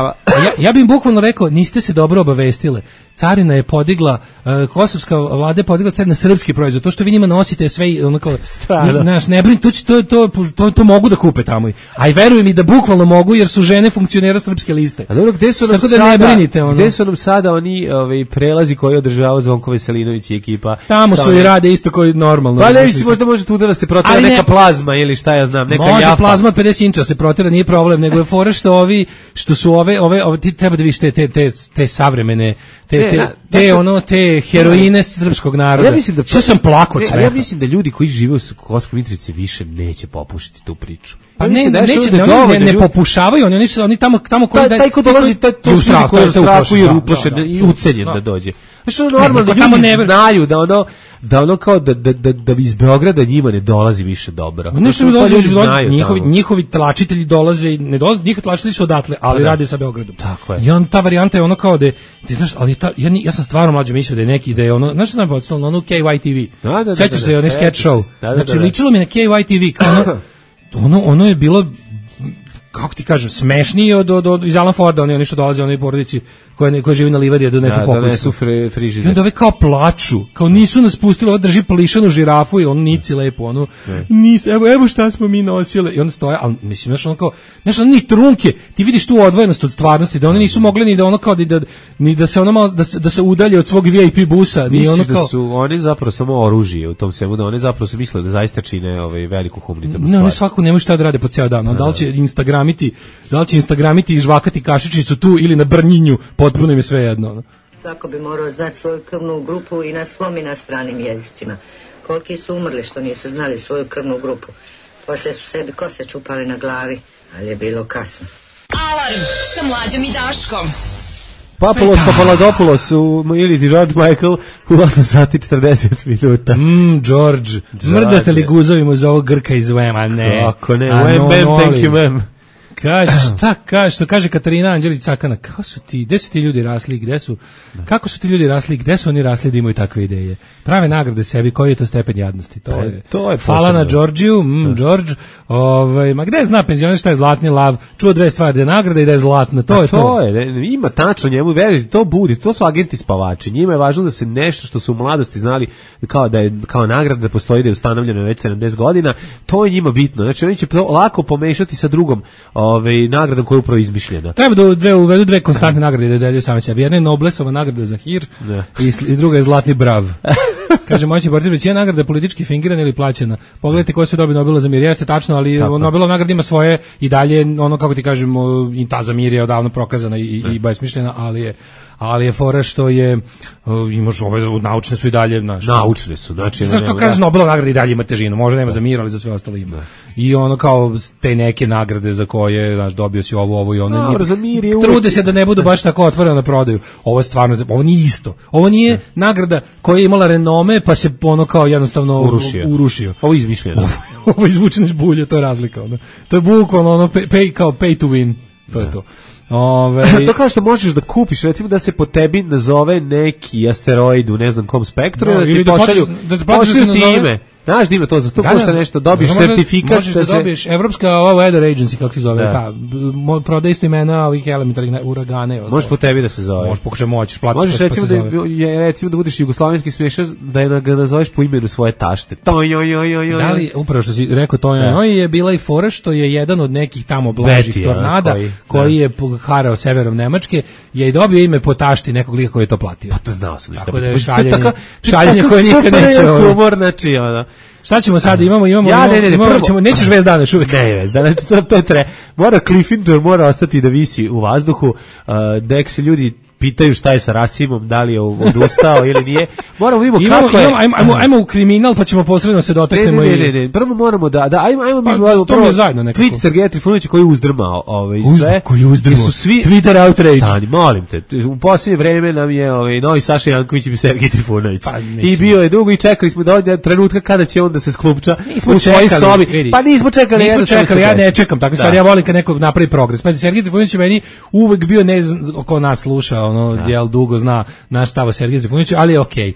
ja bih bukvalno rekao, niste se dobro obavestile. Carina je podigla, kosovska vlada je podigla carina na srpski proizvod. To što vi njima nosite sve ne brini, to mogu da kupe tamo. A i verujem mi da bukvalno mogu, jer su žene funkcionera srpske liste. A dobro, gde su nam sada oni prelazi koji održava Zvonko Veselinović i ekipa? Tamo su i rade isto koji normalno. Pa ne, možda može tu da se protera neka plazma ili šta ja znam, neka jafa. Može plazma od 50 inča se protera, nije problem, nego je fora što su ove ti treba da vidiš te savremene, te heroine srpskog naroda. Što sam plakao od smeha. Ja mislim da ljudi koji žive u Kosovskoj Mitrovici više neće popušiti tu priču. Pa ne popušavaju, oni tamo koji taj ko dolazi, to su koji je u strahu i uplašen i ucenjen da dođe. Znači normalno da ljudi znaju da ono kao da iz Beograda njima ne dolazi više dobro. Nešto mi dolazi, njihovi tlačitelji dolaze, njihovi tlačitelji su odatle, ali rade sa Beogradom. Tako je. I ta varijanta je ono kao da ti znaš, ali ja sam stvarno mlađe mislio da je neki, da je ono, znaš šta nam podsjetilo na ono KYTV. Sećaš se onaj sketch show. Znači ličilo mi na KYTV, kao ono je bilo, kako ti kažem, smešniji od iz Alan Forda, oni što dolaze, oni porodici koje živi na livadi, da donesu pokus. Donesu frižider. I onda ove kao plaču, kao nisu nas pustili, ovo drži plišanu žirafu i on nici lepo, evo šta smo mi nosile. I onda stoje, ali mislim, znaš, ni trunke, ti vidiš tu odvojenost od stvarnosti, da oni nisu mogli ni da ono kao, ni da se ono malo, da se udalje od svog VIP busa. Misliš da su oni zapravo samo oružje u tom svemu, da oni zapravo se misle da zaista čine veliku humanitarnu stvar. Ne, oni svako nemaju šta da rade po ceo dan. Da li će Instagramiti i žvakati kašičicu tu ili na Brnjinju, potpuno im je sve jedno. Tako bi morao znati svoju krvnu grupu i na svom i na stranim jezicima. Koliki su umrli što nisu znali svoju krvnu grupu. Poslije su sebi kose čupali na glavi, ali je bilo kasno. Alarm sa Mlađom i Daškom. Papadopoulos ili ti George Michael u 8 sati 40 minuta. George. Mrdate li guzovima za ovog Grka iz Vema? Ne. Kako ne? Thank you, ma'am. Kaže, što kaže Katarina Anđelić Cakana, gde su ti ljudi rasli, kako su ti ljudi rasli, gde su oni rasli da imaju takve ideje? Prave nagrade sebi, koji je to stepen jadnosti? To je hvala na Đorđiju, George, ma gde zna penzioner šta je zlatni lav, čuo 2 stvari, da je nagrada i da je zlatna, to je to. Ima tačno njemu, verujte, to budi, to su agenti spavači, njima je važno da se nešto što su u mladosti znali kao nagrada da postoji, da je ustanovljeno već 70 godina, to je njima bitno, znači oni će to lako pomešati sa drugom nagradom koja je upravo izmišljena. Treba da uvedu 2 konstantne nagrade da delju same sebi. Jedna je Noblesova nagrada za hir i druga je Zlatni brav. Kaže, moći boriti većina nagrada je politički fingirana ili plaćena. Pogledajte ko sve dobije Nobela za mir. Jeste tačno, ali Nobelova nagrada ima svoje i dalje, ono kako ti kažemo, i ta za mir je odavno prokazana i besmišljena, ali je fora što je imaš ove naučne su i dalje naučne su, znači znaš kako kažeš Nobelova nagrada i dalje ima težinu, možda nema za mir, ali za sve ostalo ima. I ono kao te neke nagrade za koje znaš dobio si ovo i ono. Trude se da ne budu baš tako otvoreno na prodaju. Ovo je stvarno, ovo nije isto. Ovo nije nagrada koja je imala renome pa se ono kao jednostavno urušio. Ovo je izmišljeno. Ovo izvučeno iz bulje, to je razlika. Ono. To je bukvalno ono pay to win. To je to. To kao što možeš da kupiš, recimo da se po tebi nazove neki asteroid u ne znam kom spektru, ili da ti pošalju ti ime. Znaš da ima to, za to košta nešto, dobiješ sertifikat. Možeš da dobiješ Evropska Weather Agency, kako se zove, prodaje isto imena ovih elementarnih uragane. Možeš po tebi da se zove. Možeš pokušati moći, platiš. Možeš recimo da budeš jugoslovenski smešar, da ga nazoveš po imenu svoje tašte. Da li, upravo što si rekao to je bila i fora što je jedan od nekih tamo blažih tornada, koji je harao severom Nemačke, je i dobio ime po tašti nekog lika koji je to platio. Pa to znao sam. Tako da je šaljenje koje nikad neće. Šta ćemo sad? Imamo nećeš vez dana uvijek. Ne, vez dana, to je tre. Mora Cliffhanger, mora ostati da visi u vazduhu, dek se ljudi pitaju šta je sa Rasimom, da li je odustao ili nije. Moramo vidimo kako je. Ajmo u kriminal, pa ćemo posredno se dotaknemo. Ne. Prvo moramo ajmo mi prvo zajedno nekako. Tweet Sergeja Trifunovića koji je uzdrmao sve. Koji je uzdrmao. Twitter outrage. Stani, molim te. U posljednje vreme nam je novi Saša Janković i Sergej Trifunović. I bio je dugo i čekali smo do trenutka kada će on da se sklupča u svojoj sobi. Pa nismo čekali. Ja ne čekam takve stvari. Ja volim kad nekog napravi progres. Pa Sergej Trifunović je meni uvek bio oko nas sluša jel dugo zna naš stav o Sergeju Trifunoviću, ali je okej.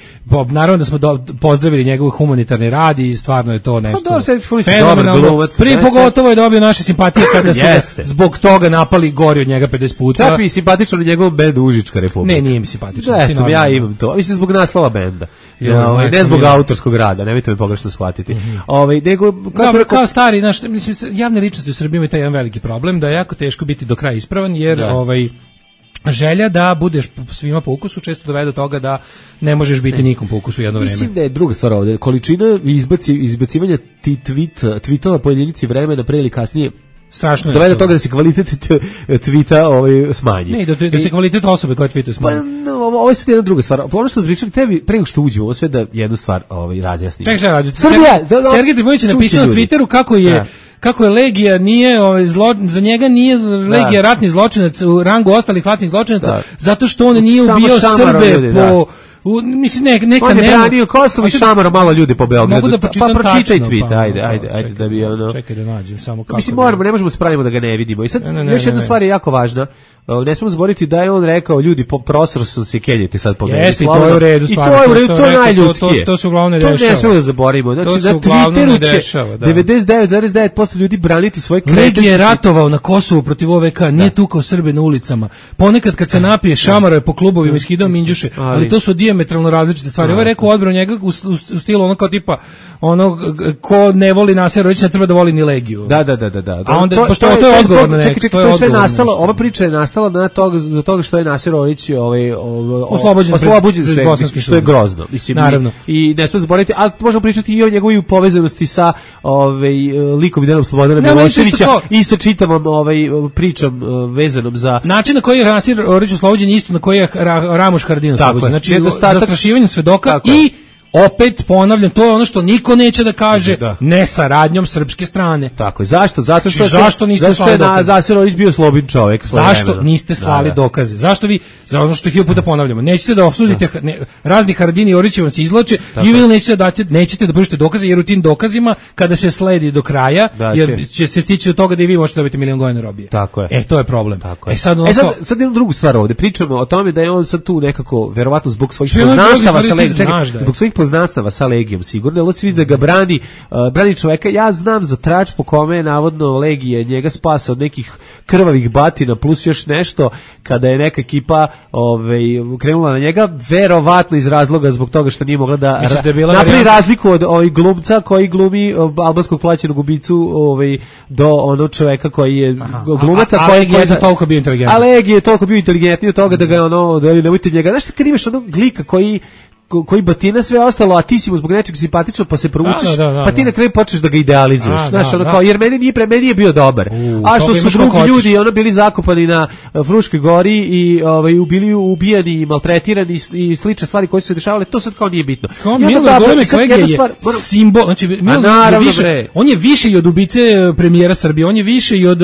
Naravno da smo pozdravili njegov humanitarni rad i stvarno je to nešto fenomenalno. Prvi pogotovo je dobio naše simpatije kada su zbog toga napali gori od njega 50 puta. Čak i simpatično u njegovom bendu Užička republika. Ne, nije mi simpatično. Ja imam to. Mislim zbog naslova benda. Ne zbog autorskog rada, nemojte me pogrešno shvatiti. Kao stari, mislim, javne ličnosti u Srbiji imaju taj jedan veliki problem, da je jako teško biti do kraja ispravan, jer želja da budeš svima po ukusu često dovede do toga da ne možeš biti nikom po ukusu jedno vreme. Mislim da je druga stvar ovdje. Količina izbacivanja tweetova po jedinici vremena pre ili kasnije strašno je. Dovede do toga da se kvalitet tweeta smanji. Ne, da se kvalitet osobe koja tweetuje smanji. Pa, ovo je sad jedna druga stvar. Ono što pričali tebi, pre nego što uđemo, ovo sve da jednu stvar razjasnimo. Čekaj, šta radi? Sergej Trifunović je napisao na Twitteru kako je Legija nije za njega nije Legija ratni zločinac u rangu ostalih ratnih zločinaca zato što on nije ubijao Srbe po mislim neka on je branio Kosovo i šamaro malo ljudi po Beogradu. Pa pročitaj tweet, ajde da bi ono. Čekaj da nađem samo kako. Mislim ne možemo se pravimo da ga ne vidimo. I sad još jedna stvar je jako važna. Ne smemo zaboraviti da je on rekao ljudi prostor su se kenjati sad po meni. Jeste, to je u redu stvarno. To je najljudskije. To se uglavnom ne dešava. To ne smemo da zaboravimo. Znači na Twitteru će 99,9% ljudi braniti svoj kretenski. Legija je ratovao na Kosovu protiv OVK, nije tukao Srbe na ulicama. Ponekad kad se napije šamaro je po klubovima i skidao minđuše, ali to su dijametralno različite stvari. Ovo je rekao odbranu njega u stilu ono kao tipa ko ne voli Naserović ne treba da voli ni Legiju. Da. A onda pošto to je odgovor na nešto. To je sve nastalo, ova priča je nastala do toga što je Naserović oslobođen sve, što je grozno. Mislim, naravno. I ne smemo zaboraviti, ali možemo pričati i o njegovoj povezanosti sa likom i delom Slobodana Miloševića i sa čitavom pričom vezanom za način na koji je Naserović oslobođen isto na koji je Ramoš Haradinaj oslobođen. Znači zastrašivanje svedoka i opet ponavljam, to je ono što niko neće da kaže, ne saradnjom srpske strane. Tako je. Zašto? Zato što zašto niste slali dokaze? Naserović bio slobodni čovjek. Zašto niste slali dokaze? Zašto vi, za ono što hiljadu puta ponavljamo, nećete da osudite razni Haradinaj i Orić vam se izvlače i vi nećete da pružite dokaze, jer u tim dokazima kada se sledi do kraja, jer će se stići do toga da i vi možete dobiti 1 milion godina robije. Tako je. To je problem. Sad jednu drugu stvar ovdje. Pričamo o tome da je on sad tu nekako verovatno zbog svojih poznanstava sa Legijom, zbog svojih poznanstava sa Legijom, sigurno, ali svi da ga brani čoveka. Ja znam za trač po kome je navodno Legija njega spasa od nekih krvavih batina plus još nešto, kada je neka ekipa krenula na njega, verovatno iz razloga zbog toga što nije mogla da napravi razliku od glumca koji glumi albanskog plaćenog ubicu do onog čoveka koji je glumaca koji je toliko bio inteligentan. A Legija je toliko bio inteligentniji od toga da ga nemojte njega. Znaš kad imaš onog glika koji batina sve ostalo, a ti si mu zbog nečeg simpatično, pa se provučeš, pa ti na kraju počneš da ga idealizuješ. Znaš, ono kao, jer meni je bio dobar. A što su drugi ljudi ono bili zakopani na Fruškoj gori i bili ubijani i maltretirani i slične stvari koje su se dešavale, to sad kao nije bitno. Kao Milorad Dodik je simbol, znači on je više i od ubice premijera Srbije, on je više i od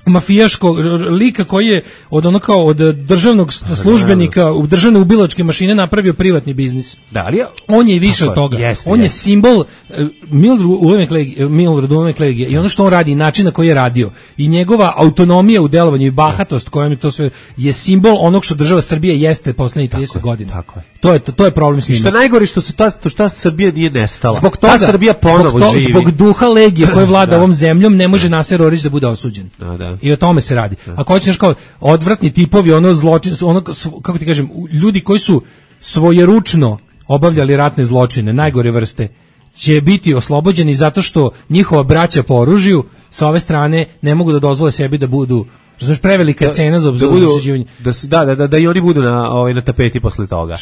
mafijaškog lika koji je od državnog službenika u državne ubilačke mašine napravio privatni biznis. Da, ali on je više od toga. On je simbol Milorad Ulemek Legije i ono što on radi, način na koji je radio i njegova autonomija u delovanju i bahatost kojom je to sve je simbol onog što država Srbija jeste poslednjih 30 godina. Tako je. To je problem s njima. I što najgore što se ta Srbija nije nestala. Zbog toga, Srbija ponovo živi. Zbog duha Legije koji vlada ovom zemljom ne može Naser Orić da bude osuđen. I o tome se radi. Ako hoćeš kao odvratni tipovi, ono zločin, ono kako ti kažem, ljudi koji su svojeručno obavljali ratne zločine, najgore vrste, će biti oslobođeni zato što njihova braća po oružju sa ove strane ne mogu da dozvole sebi da budu, razumiješ, prevelika cena za osuđivanje. Da i oni budu na tapeti posle toga.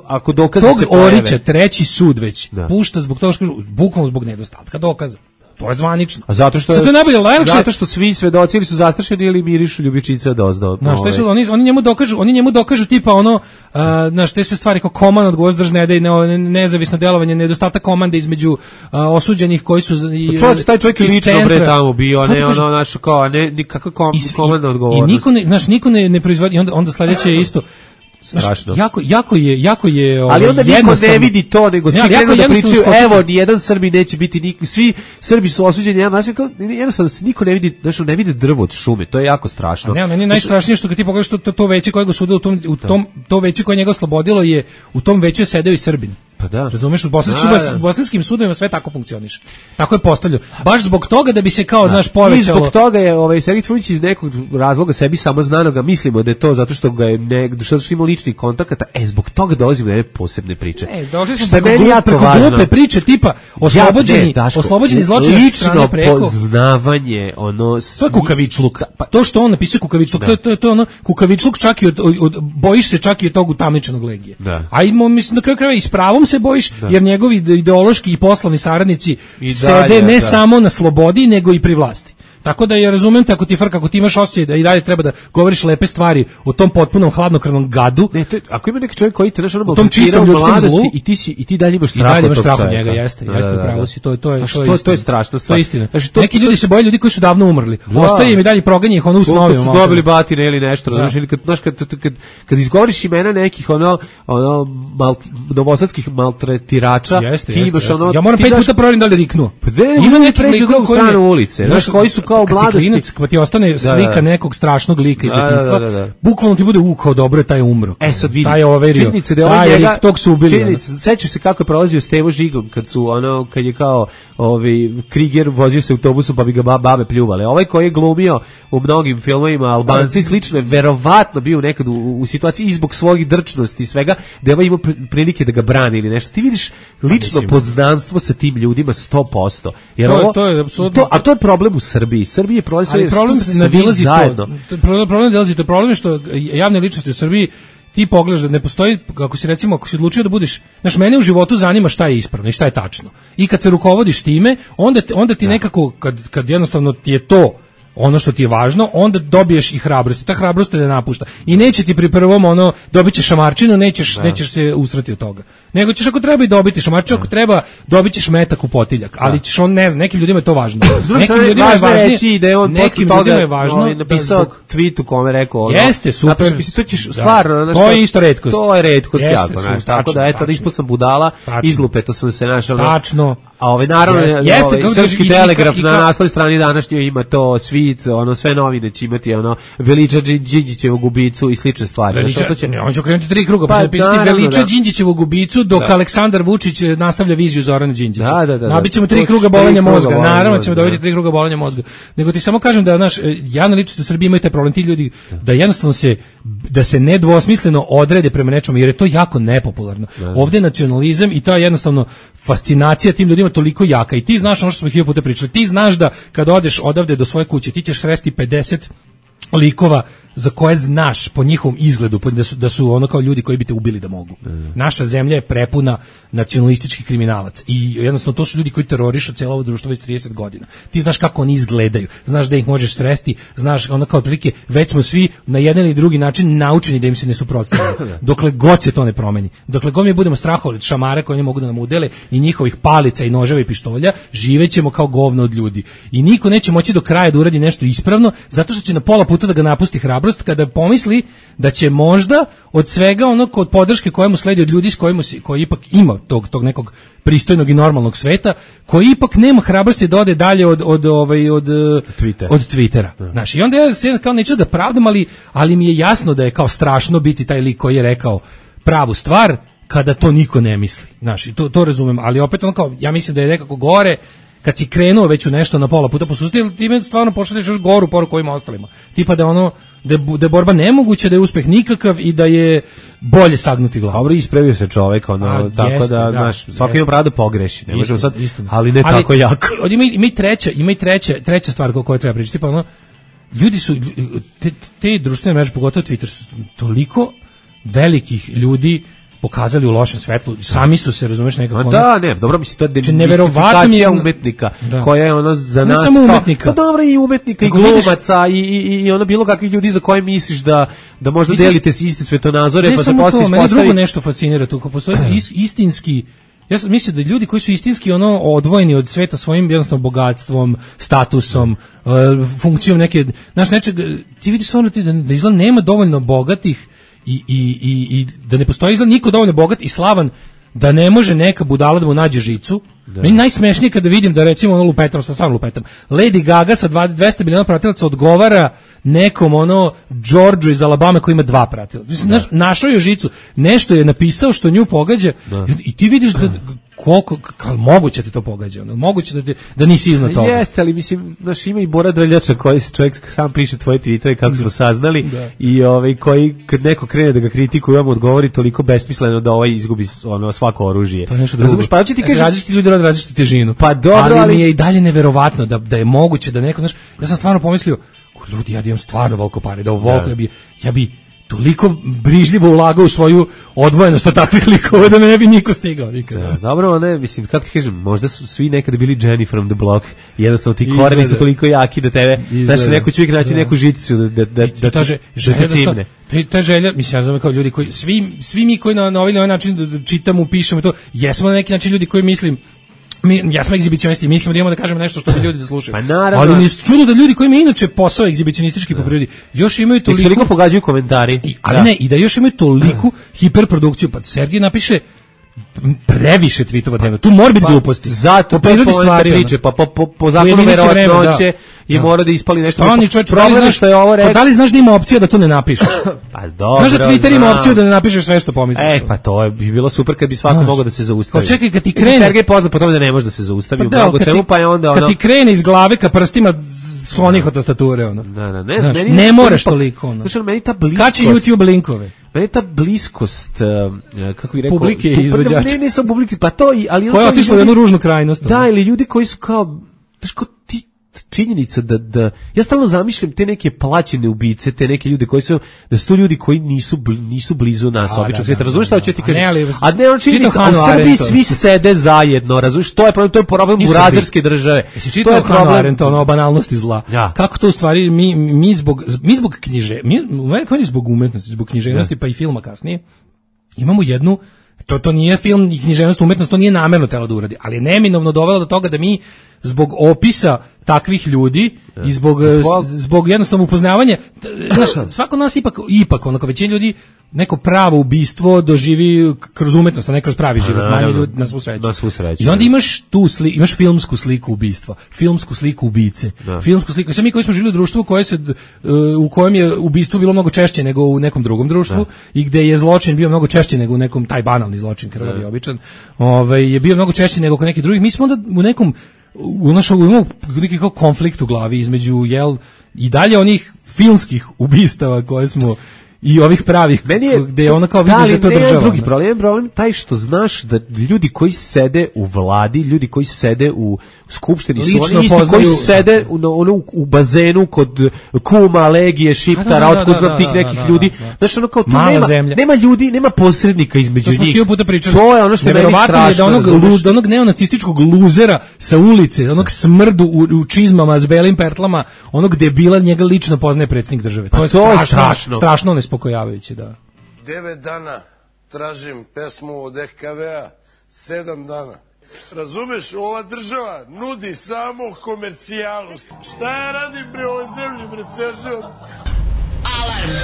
Ako dokaze se pojave. Orića treći sud već pušta zbog toga što kažu, bukvalno zbog nedostatka dokaza. To je zvanično. A zato što svi svedoci ili su zastrašeni ili mirišu ljubičica doznao. Oni njemu dokažu tipa te se stvari kao komand odgovornost državne nezavisno delovanje, nedostatak komande između osuđenih koji su taj čovjek lično bre tamo bio, nikakva komanda odgovornost. I niko ne proizvodi, onda sledeće je isto. Strašno. Jako je ali onda niko ne vidi to, nego svi krenu da pričaju, evo, nijedan Srbi neće biti, svi Srbi su osuđeni, jednostavno niko ne vidi, ne vidi drvo od šume, to je jako strašno. Meni je najstrašnije što kad ti pogledaš to veće koje ga sude to veće koje njega oslobodilo je, u tom veću je sedeo i Srbin. Pa da. Razumeš, u bosanskim sudovima sve tako funkcioniše. Tako je postavljeno. Baš zbog toga da bi se kao, znaš, povećalo. I zbog toga je Sergej Trifunović iz nekog razloga sebi samo znanoga, mislimo da je to zato što ga je što ima ličnih kontakata, zbog toga dolazimo do neke posebne priče. Što je preko glupe priče tipa oslobođeni zločinac od strane preko. Lično poznavanje, to je kukavičluk. To što on napisuje kukavičluk, to je ono kukavičluk čak i od bojiš se čak i od tog utamničenog Legije. A mislim na kraju krajeva i s pravom se bojiš, jer njegovi ideološki i poslovni saradnici sede ne samo na slobodi, nego i pri vlasti. Tako da ja razumem te, ako ti imaš osjećaj da i dalje treba da govoriš lepe stvari o tom potpunom hladnokrvnom gadu. Ako ima neki čovjek koji te u tom čistom ljudskom zlu i ti dalje imaš strah od njega, jeste upravo si, to je strašno. To je istina. Neki ljudi se boje ljudi koji su davno umrli. Ostaje im i dalje proganje ih u snovima. Kad su dobili batine ili nešto, razumiješ, ili kad izgovoriš imena nekih novosadskih maltretirača, ti imaš ono... Ja moram 5 puta provjerim da li riknuo. Ima neki likova koji su kao mladosti, pa ti ostane slika nekog strašnog lika iz detinjstva. Bukvalno ti bude kao dobro je taj umro. Sad vidi. Taj overio. Taj tog su ubili. Sećaš se kako je prolazio Stevo Žigom kad je kao Kriger vozio se autobusom pa bi ga babe pljuvale. Ovaj koji je glumio u mnogim filmovima Albanci i slično je verovatno bio nekad u situaciji i zbog svojih drčnosti i svega da je imao prilike da ga brani ili nešto. Ti vidiš lično poznanstvo sa tim ljudima 100%. Jer to je problem u Srbiji. Srbije prolazi zajedno. Problem je što javne ličnosti u Srbiji ti pogledaš da ne postoji, ako si odlučio da budeš, znaš, mene u životu zanima šta je ispravno i šta je tačno. I kad se rukovodiš time, onda ti nekako, kad jednostavno ti je to ono što ti je važno, onda dobiješ i hrabrost. Ta hrabrost te ne napušta. I neće ti pri prvom dobit ćeš šamarčinu, nećeš se usrati od toga. Nego ćeš ako treba i dobiti šamarčinu, ako treba dobit ćeš metak u potiljak. Ali ćeš nekim ljudima je to važno. Nekim ljudima je važnije. Nekim ljudima je važno napisao tweet u kome rekao jeste, super. To ćeš stvarno, to je isto retkost. To je retkost jako, tako da eto, ispod sam budala, izlupeto sam se našao. Tačno. A naravno, Srpski telegraf na naslovnoj strani današnjoj ima to svit, sve novine će imati, Veliča Đinđićevog ubicu i slične stvari. On će okrenuti 3 kruga, pa će napisati Veliča Đinđićevog ubicu, dok Aleksandar Vučić nastavlja viziju Zorana Đinđića. Nabićemo 3 kruga bolenja mozga, naravno ćemo dobiti 3 kruga bolenja mozga. Nego ti samo kažem da javna ličnost u Srbiji imaju taj problem, ti ljudi, da jednostavno da se nedvosmisleno odrede prema nečemu, jer je to jako nepopularno. Ovdje je nacionalizam i ta jednostavno fascinacija tim ljudima toliko jaka i ti znaš ono što smo 1000 puta pričali, ti znaš da kad odeš odavde do svoje kuće ti ćeš sresti 50 likova za koje znaš po njihovom izgledu da su ono kao ljudi koji bi te ubili da mogu. Naša zemlja je prepuna nacionalističkih kriminalaca i jednostavno to su ljudi koji terorišu cijelo ovo društvo već 30 godina. Ti znaš kako oni izgledaju, znaš da ih možeš sresti, znaš ono kao otprilike već smo svi na jedan ili drugi način naučeni da im se ne suprotstavljaju. Dokle god se to ne promeni, dokle god mi budemo strahovali od šamara koji oni mogu da nam udele i njihovih palica i noževa i pištolja, živećemo kao govno od ljudi. I niko neće moći do kraja da uradi nešto ispravno, zato što će na pola puta da ga napusti hrabrost kada pomisli da će možda od svega onog od podrške koja mu sledi od ljudi s koji ipak ima tog nekog pristojnog i normalnog sveta, koji ipak nema hrabrosti da ode dalje od Twittera. Znaš, i onda ja se kao neću da pravdam, ali mi je jasno da je kao strašno biti taj lik koji je rekao pravu stvar kada to niko ne misli. Znaš, i to razumem, ali opet on kao, ja mislim da je nekako gore kad si krenuo već u nešto na pola puta posustio, time stvarno pošalješ još goru poruku ovim ostalima. Tipa da ono, da je borba nemoguća, da je uspeh nikakav i da je bolje sagnuti glavu. Dobro, ispravio se čovjek, ono, tako jeste, da, znaš, svako ima pravo da pogreši, ne možemo sad, ali ne tako jako. Ima i treća stvar koju treba pričati, tipa ono, ljudi su, te društvene mreže, pogotovo Twitter, su toliko velikih ljudi pokazali u lošem svetlu, sami su se, razumeš, nekako... Da, ne, dobro, mislim, to je demistifikacija umetnika, koja je ono za nas... Ne samo umetnika. Pa dobro, i umetnika, i glumaca, i ono bilo kakvih ljudi za koje misliš da možda delite iste svetonazore, pa se poslije ispostavi... Mene drugo nešto fascinira tu, ko postoji istinski... Ja sam mislio da ljudi koji su istinski ono odvojeni od sveta svojim jednostavno bogatstvom, statusom, funkcijom neke... Znaš, nečeg, ti vidiš stvarno da izgleda nema dovoljno bogatih i da ne postoji izgled niko dovoljno bogat i slavan da ne može neka budala da mu nađe žicu. Meni najsmešnije kada vidim da recimo ono lupetam, sa stvarno lupetam, Lady Gaga sa 200 miliona pratilaca odgovara nekom ono Georgeu iz Alabame koji ima 2 pratilaca. Mislim, našao je žicu, nešto je napisao što nju pogađa i ti vidiš da koliko moguće te to pogađa, moguće da nisi iznad toga. Jeste, ali mislim, znaš, ima i Bora Drljača koji čovjek sam piše tvoje tweetove kako smo saznali i koji kad neko krene da ga kritikuje, vam odgovori toliko besmisleno da izgubi ono svako oružje. To je nešto drugo. Pa će ti kažeš, različiti ljudi rade različitu težinu. Pa dobro, ali mi je i dalje neverovatno da je moguće da neko, znaš, ja sam stvarno pomislio, ljudi, ja imam stvarno veliko pare, da ovo ja bi toliko brižljivo ulagao u svoju odvojenost od takvih likova da me ne bi niko stigao nikada. Dobro, ne, mislim, kako ti kažem, možda su svi nekada bili Jenny from the Block, jednostavno ti koreni su toliko jaki da tebe, znaš, neko će uvijek naći neku žicu da te cimne. Ta želja, mislim, ja znam kao ljudi koji, svi mi koji na ovaj način čitamo, pišemo to, jesmo na neki način ljudi koji mislim, ja smo egzibicionisti, mislimo da imamo da kažemo nešto što bi ljudi da slušaju. Pa naravno. Ali mi je čudno da ljudi koji imaju inače posao egzibicionistički po prirodi, još imaju toliko pogađaju komentari. I da još imaju toliku hiperprodukciju. Pa Sergij napiše previše tvitova dnevno. Tu mora biti gluposti. Zato po prirodi stvari priče, pa po zakonu verovatnoće je mora da ispali nešto. Problem što je ovo rekao. Pa da li znaš da ima opcija da to ne napišeš? Pa dobro. Znaš da Twitter ima opciju da ne napišeš sve što pomisliš? Pa to bi bilo super kad bi svako mogao da se zaustavi. Pa čekaj, kad ti krene. Sergej poznat po tome da ne može da se zaustavi u mnogo čemu, pa je onda ono. Kad ti krene iz glave ka prstima sklonih od tastature, ono. Ne moraš toliko, ono. Znaš, meni ta bliskost. Kači YouTube linkove. Meni ta bliskost, kako bih rekao, publike i izvođača. Ne sam publike, pa to ali koja je otišla u jednu ružnu krajnost. Da, ili ljudi koji su kao, znaš, kao ti činjenica da ja stalno zamišljam te neke plaćene ubice, te neke ljude koji su, da su to ljudi koji nisu blizu nas običnog svijeta. Razumiješ šta hoću ti kažem? A ne, on činjenica, u Srbiji svi sede zajedno, razumiješ, to je problem burazerske države. To je problem Arendta, ono, banalnosti zla. Kako to u stvari, mi zbog zbog umetnosti, zbog književnosti, pa i filma kasnije, imamo jednu, to nije film i književnost, umetnost, to nije namerno telo da uradi, ali je neminovno dovelo do toga da mi zbog opisa takvih ljudi i zbog jednostavno upoznavanja, svako nas ipak onako većina ljudi neko pravo ubistvo doživi kroz umetnost, a ne kroz pravi život, manje ljudi na svu sreću. I onda imaš imaš filmsku sliku ubistva, filmsku sliku ubice, filmsku sliku. Sve mi koji smo živjeli u društvu u kojem je ubistvo bilo mnogo češće nego u nekom drugom društvu i gde je zločin bio mnogo češće nego u nekom, taj banalni zločin, krvavi običan, je bio mnogo češće nego kod nekih drugih. Mi smo onda u nekom imamo neki kao konflikt u glavi između i dalje onih filmskih ubistava koje smo i ovih pravih, gde je ono kao vidiš da je to država. Drugi problem taj što znaš da ljudi koji sede u vladi, ljudi koji sede u skupštini su oni isti koji sede u bazenu kod kuma, Legije, Šiptara, otkud znam tih nekih ljudi. Znaš, ono kao tu nema ljudi, nema posrednika između njih. To je ono što je meni strašno. Da onog neonacističkog luzera sa ulice, onog smrdu u čizmama s belim pertlama, onog debila njega lično poznaje predsjednik države. To je strašno nespokojavajuće, da. 9 dana tražim pesmu od EKV-a, 7 dana. Razumeš, ova država nudi samo komercijalu. Šta ja radim bre ovoj zemlji, bre, ceo život? Alarm!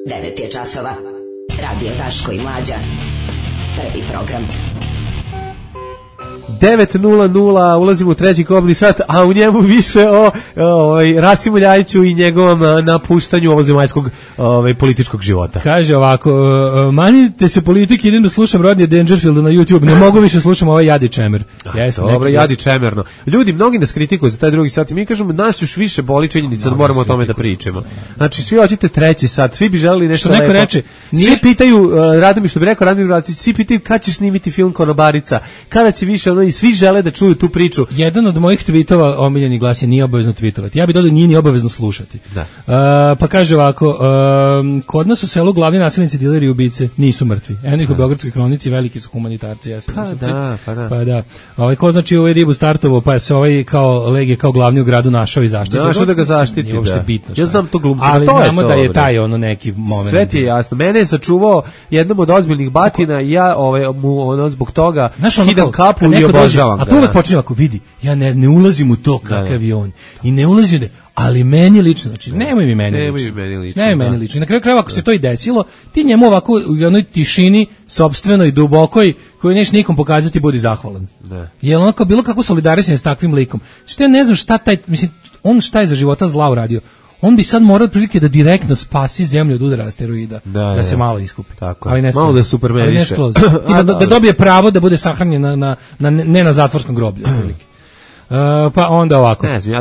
9 je časova. Radio Daško i Mlađa. Prvi program. 9:00, ulazimo u treći kobni sat, a u njemu više o Rasimu Ljajiću i njegovom napuštanju ovozemaljskog političkog života. Kaže ovako, manite se politike, idem da slušam Rodney Dangerfielda na YouTube, ne mogu više slušam ovaj Jadi Čemer. Dobro, Jadi Čemerno. Ljudi, mnogi nas kritikuju za taj drugi sat i mi kažemo, nas još više boli činjenica da moramo o tome da pričamo. Znači, svi hoćete treći sat, svi bi želeli nešto lepo. Reče, svi pitaju, Radomir, što bi rekao Radomir Vratić, svi pitaju kada ćeš snimiti film Konobarica, kada će više i svi žele da čuju tu priču. Jedan od mojih tvitova omiljeni glas je nije obavezno tvitovati. Ja bih dodao nije ni obavezno slušati. Da. Pa kaže ovako, kod nas u selu glavni nasilnici, dileri i ubice nisu mrtvi. Eno ih u Beogradskoj kronici, veliki su humanitarci. Pa da. Ko znači ovaj ribu startovo, pa se ovaj kao Legije, kao glavni u gradu našao i zaštitio. Našao da ga zaštiti, nije uopšte bitno. Ja znam to glumca. Ali znamo da je taj ono neki moment. Sve ti je jasno. Mene je sačuvao jednom od ozbiljnih batina i ja mu zbog toga skidam kapu i obožavam. A to uvek počinje ako vidi, ja ne ulazim u to kakav je on. I ne ulazim ali meni lično, znači nemoj mi meni lično. Na kraju krajeva ako se to i desilo, ti njemu ovako u jednoj tišini sopstvenoj, dubokoj, koju nećeš nikom pokazati, budi zahvalan. Jer onako bilo kako solidarisanje s takvim likom. Što ja ne znam on šta je za života zla uradio. On bi sad morao otprilike da direktno spasi zemlju od udara asteroida, da se malo iskupi. Tako, ali ne malo da supermeniše. Da dobije pravo da bude sahranjen ne na zatvorskom groblju. Pa onda ovako. Ne znam,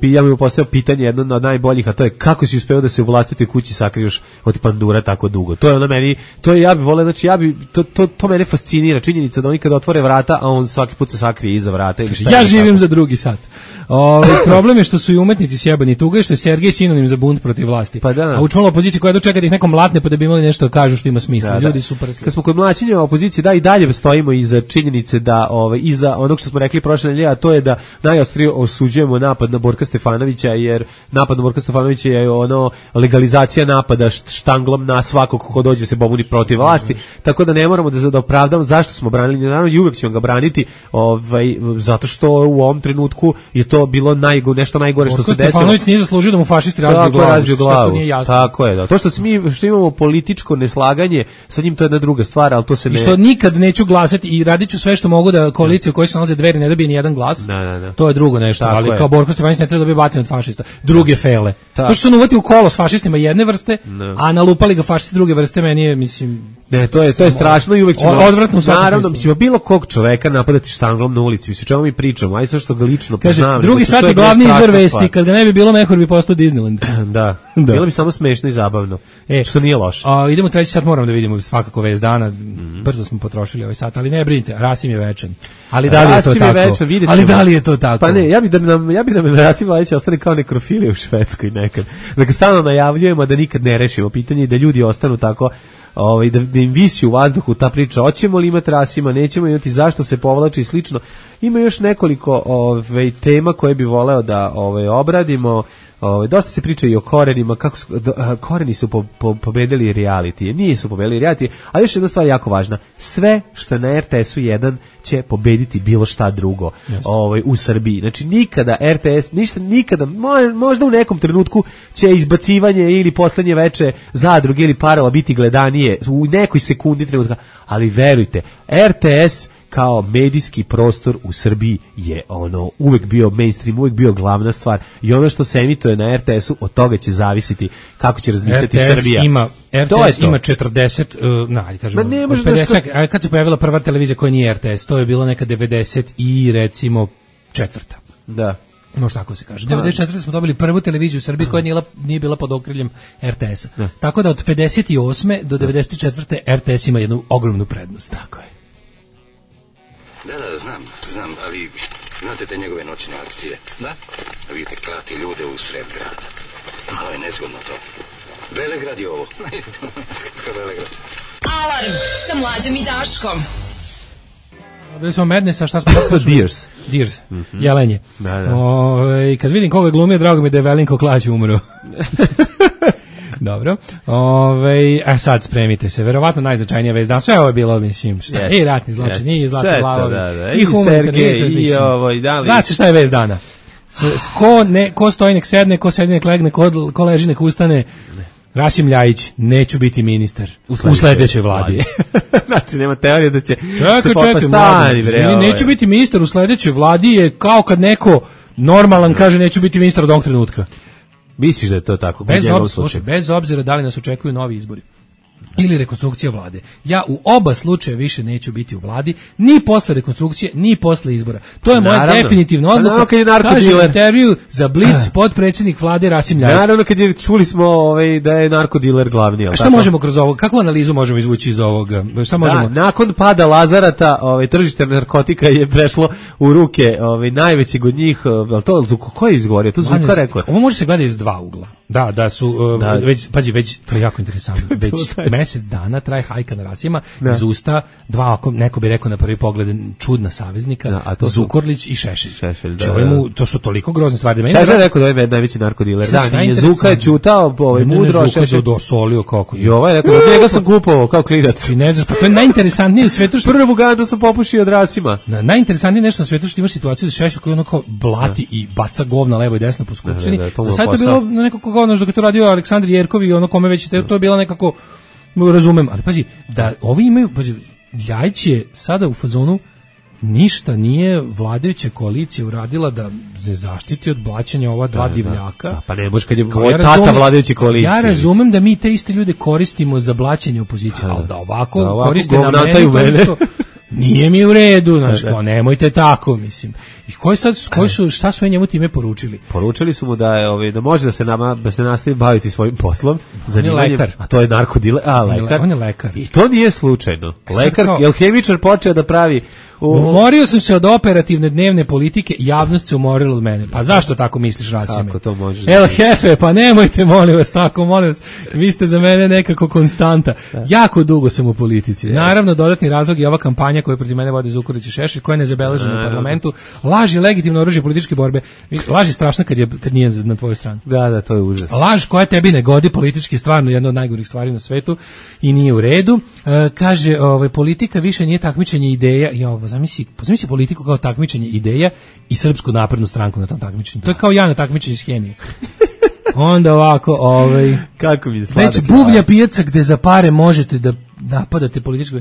ja bih postavio pitanje jedno od najboljih, a to je kako si uspeo da se u vlastitoj kući sakriješ od pandura tako dugo. To je ono meni, ja bih voleo, znači to mene fascinira, činjenica da oni kad otvore vrata, a on svaki put se sakrije iza vrata. Ja živim za drugi sat. Problem je što su i umetnici sjebani, tuga je što je Sergej sinonim za bunt protiv vlasti. Pa da. A učmala opozicija koja dočeka da ih nekom mlatne pa da bi imali nešto da kažu što ima smisla. Ljudi su prsli. Kad smo kod mlaćenja opozicije, da i dalje stojimo iza činjenice da iza onog što smo rekli prošle nedelje, a to je da najostrije osuđujemo napad na Borka Stefanovića, jer napad na Borka Stefanovića je legalizacija napada štanglom na svakog ko dođe se pobuni protiv vlasti. Tako da ne moramo da opravdamo zašto smo branili, naravno i uvek ćemo ga braniti, zato što u ovom trenutku je to bilo nešto najgore što se desilo. Stefanović nije zaslužio da mu fašisti razbiju glavu. Tako je, da. To što imamo političko neslaganje sa njim, to je jedna druga stvar, ali to se ne... I što nikad neću glasati i radit ću sve što mogu da koalicija u kojoj se nalaze Dveri ne dobije ni jedan glas. To je drugo nešto, tako ali kao Borko Stefanović ne treba dobiti batin od fašista. Druge fele. To što su uvati u kolo s fašistima jedne vrste, a nalupali ga fašisti druge vrste, meni je, mislim... Ne, to je strašno i uvek ćemo... Odvratno u svakom smislu. Naravno, mislim, bilo kog čoveka napadati štanglom na ulici, mislim, čemu mi pričamo, aj sve što ga lično poznam. Drugi sat je glavni izvor vesti, kad ga ne bi bilo Mehur bi postao Disneyland. Da. Bilo bi samo smešno i zabavno, što nije loše. Idemo treći sat, moramo da vidimo svakako vest dana, brzo smo potrošili ovaj sat, ali ne brinite, Rasim je večan. Ali da li je to tako? Ali da li je to tako? Pa ne, ja bih da nam Rasim Ljajić ostane kao nekrofilija u Švedskoj nekad. Da stalno najavljujemo da nikad ne rešimo pitanje i da ljudi ostanu tako, da im visi u vazduhu ta priča, hoćemo li imati Rasima, nećemo imati, zašto se povlači i slično. Ima još nekoliko tema koje bi voleo da obradimo. Dosta se priča i o korenima, kako koreni su pobedili reality. Nisu pobedili reality, ali još jedna stvar jako važna. Sve što na RTS-u 1 će pobediti bilo šta drugo u Srbiji. Znači nikada RTS, nikada, možda u nekom trenutku će izbacivanje ili poslednje veče Zadruge ili Parova biti gledanije u nekoj sekundi trenutka, ali verujte, RTS kao medijski prostor u Srbiji je uvek bio mainstream, uvek bio glavna stvar i ono što se emituje na RTS-u, od toga će zavisiti kako će razmišljati Srbija. RTS ima 40, kažemo, 50, kad se pojavila prva televizija koja nije RTS, to je bilo neka 90 i recimo četvrta. Da. Može tako se kaže. 94. smo dobili prvu televiziju u Srbiji koja nije bila pod okriljem RTS-a. Tako da od 58. do 94. RTS ima jednu ogromnu prednost. Tako je. Da, znam, ali znate te njegove noćne akcije? Da. Vidite, klati ljude u sred grada. Malo je nezgodno to. Velegrad je ovo. Velegrad. Alarm sa Mlađom i Daškom. Bili smo Madnessa, šta smo... Deers, jelenje. Da. Kad vidim koga glumio, drago mi da je Velinko Klać umro. Dobro. A sad spremite se. Verovatno najznačajnija vest dana. Sve ovo je bilo, mislim, šta? I ratni zločin, i zlatni glavovi, i humanitarni, i ovo, i da li... Znači šta je vest dana? Ko stoji nek sedne, ko sedne nek legne, ko leži nek ustane. Rasim Ljajić, neću biti ministar u sledećoj vladi. Znači, nema teorije da će se popastani. Neću biti ministar u sledećoj vladi je kao kad neko normalan kaže neću biti ministar od ovog trenutka. Misliš da je to tako? Bez obzira da li nas očekuju novi izbori ili rekonstrukcija vlade. Ja u oba slučaja više neću biti u vladi, ni posle rekonstrukcije, ni posle izbora. To je moja definitivna odluka. Kaže intervju za Blic potpredsjednik vlade Rasim Ljajić. Naravno kad je čuli smo da je narkodiler glavni. A šta možemo kroz ovo? Kakvu analizu možemo izvući iz ovoga? Šta možemo? Nakon pada Lazarata, tržište narkotika je prešlo u ruke najvećeg od njih. Ko je izgovorio? To Zuka rekao. Ovo može se gledati iz dva ugla. Da su već to je jako interesantno. Već mesec dana traje hajka na Rasima iz usta dva, neko bi rekao na prvi pogled čudna saveznika, Zukorlić i Šešelj. To su toliko grozne stvari. Šešelj je rekao da je najveći narkodiler. Da, nije Zuka je ćutao, mudro Šešelj dosolio kako. I ovaj rekao da njega sam kupovao kao klinac. I ne znaš, pa to je najinteresantnije u svetu što prvu gandu sam popušio od Rasima. Najinteresantnije nešto na svetu što imaš situaciju da Šešelj koji onako blati i baca govna levo i desno po skupštini. Za sad je bilo nekako kao dok je to radio Aleksandar Jerkov i ono kome već to je bilo nekako razumem, ali pazi, da ovi imaju, Ljajić je sada u fazonu ništa nije vladajuća koalicija uradila da se zaštiti od blaćenja ova dva divljaka. Pa ne može kad je tata vladajuće koalicije. Ja razumem da mi te iste ljude koristimo za blaćenje opozicije, ali da ovako koriste na mene. Nije mi u redu, znači, nemojte tako, mislim. I šta su njemu time poručili? Poručili su mu da je da može da se nastavi baviti svojim poslom, zanimanjem, a to je narkodiler, lekar. On je lekar. I to nije slučajno. Lekar, je hemičar počeo da pravi umorio sam se od operativne dnevne politike, javnost se umorila od mene. Pa zašto tako misliš, Rasime? Kako to može? Hefe, pa nemojte, molim vas, tako, molim vas. Vi ste za mene nekako konstanta. Jako dugo sam u politici. Naravno, dodatni razlog je ova kampanja koju protiv mene vode Zukorlić i Šešelj, koja je nezabeležena u parlamentu. Laž je legitimno oružje političke borbe. Laž je strašna kad nije na tvojoj strani. Da, to je užas. Laž koja tebi ne godi politički, stvarno jedna od najgorih stvari na svetu i nije u redu. Kaže, politika više nije takmičenje ideja. Zamisli politiku kao takmičenje ideja i Srpsku naprednu stranku na tom takmičenju. To je kao ja na takmičenju s hemije. Onda ovako, kako mi je sladak. Već buvlja pijaca gde za pare možete da napadate političku.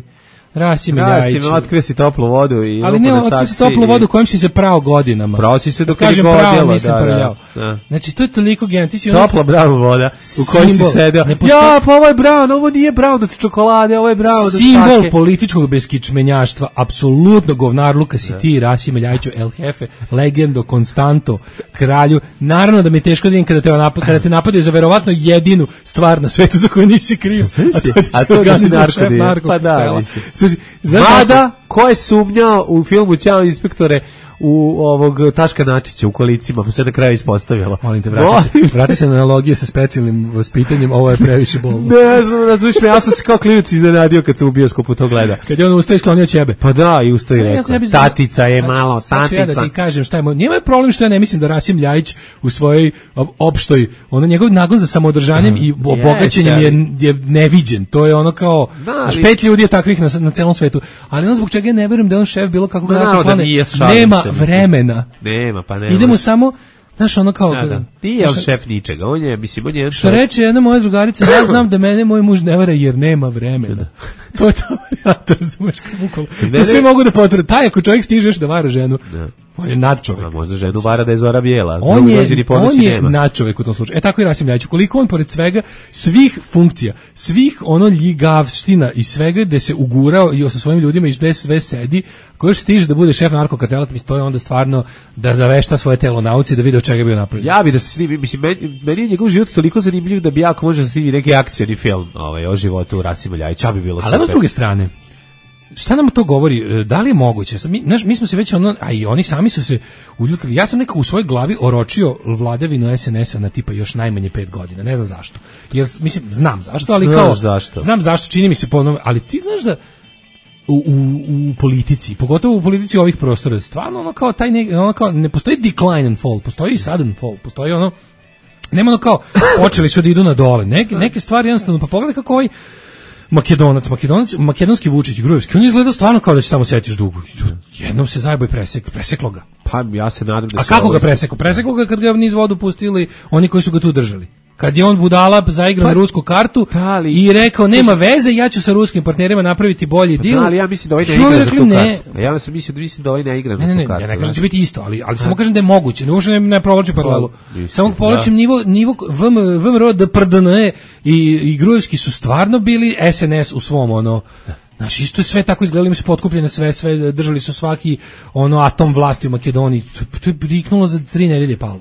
Rasim Ljajić. Otkrio si toplu vodu i ali ne, otkrio si toplu vodu kojom si se prao godinama. Prao si se dok je godilo. Da. Znači, to je toliko genijalno. Ti si topla brown voda u kojoj si sedeo. Ja, pa ovo je brown, ovo nije brown od čokolade, ovo je brown od simbol političkog beskičmenjaštva, apsolutno govnarluka si ti, Rasim Ljajiću, El Jefe, legendo, konstanto, kralju. Naravno da mi je teško da vidim kada te napadaju za verovatno jedinu stvar na svetu za koju nisi kriv. A to da si narko. Pa da, Mada, ko je sumnjao u filmu Ćao inspektore u ovog Taška Načića u kolicima, pa se na kraju ispostavilo. Molim te, vrati se na analogije sa specijalnim vaspitanjem, ovo je previše bolno. Ne znam, razumiješ me, ja sam se kao klinac iznenadio kad sam u bioskopu to gleda. Kad je on ustao i sklonio ćebe. Pa da, i ustao i rekao, tatica je malo, tatica. Sad ću ja da ti kažem šta je moj, nije problem što ja ne mislim da Rasim Ljajić u svojoj opštoj, njegov nagon za samoodržanjem i obogaćenjem je neviđen. To je ono kao, 5 ljudi je takvih na celom svetu. Ali ono zbog čega ja ne verujem da je on šef bilo kakvog narkoklana, nema vremena. Nema, pa nema. Idemo samo, znaš, ono kao... Nije on šef ničega, on je, mislim, on je... Što reče jedna moja drugarica, ja znam da mene moj muž ne vara jer nema vremena. To je ta varijanta, razumeš, bukvalno. To svi mogu da potvrde. Taj ako čovjek stiže da vara ženu, on je nadčovek. A možda ženu vara da je Zora bijela. On je nadčovek u tom slučaju. Tako i Rasim Ljajić. Koliko on pored svega, svih funkcija, svih ljigavština i svega gde se ugurao i sa svojim ljudima i gde sve sedi, ko još stiže da bude šef narkokartela, to je onda stvarno da zavešta svoje telo nauci da vidi od čega je bio napravljen. Ja bi da se snimi, mislim, meni je njegov život toliko zanimljiv da bi jako može da snimi neki akcioni film o životu Rasima Ljajića, bi bilo super. Ali s druge strane, šta nam to govori? Da li je moguće? Mi smo se već a i oni sami su se uljutili. Ja sam nekako u svojoj glavi oročio vladavinu SNS-a na tipa još najmanje 5 godina. Ne znam zašto. Jer, mislim, znam zašto, ali kao... Znam zašto, čini mi se ponovno. Ali ti znaš da u politici, pogotovo u politici ovih prostora, stvarno kao ne postoji decline and fall, postoji i sudden fall, postoji nema kao počeli su da idu na dole. Neke stvari jednostavno, pa pogledaj kako ovaj makedonski Vučić, Grujevski, on izgleda stvarno kao da će tamo setiš dugo. Jednom se zajebo i preseklo ga. Pa ja se nadam da se... A kako ga preseklo? Preseklo ga kad ga niz vodu pustili oni koji su ga tu držali. Kad je on budala zaigrao na rusku kartu i rekao nema veze, ja ću sa ruskim partnerima napraviti bolji deal. Ali ja mislim da ovaj ne igra za tu kartu. Ja mislim da ovaj ne igra na tu kartu. Ja ne kažem da će biti isto, ali samo kažem da je moguće. Ne provlačim paralelu. Samo povlačim nivo VMRO da PRDN i Grujevski su stvarno bili SNS u svom Znaš, isto je sve tako izgledalo, im se potkupljene sve držali su svaki atom vlasti u Makedoniji. To je priknulo za 3 nedelje palo.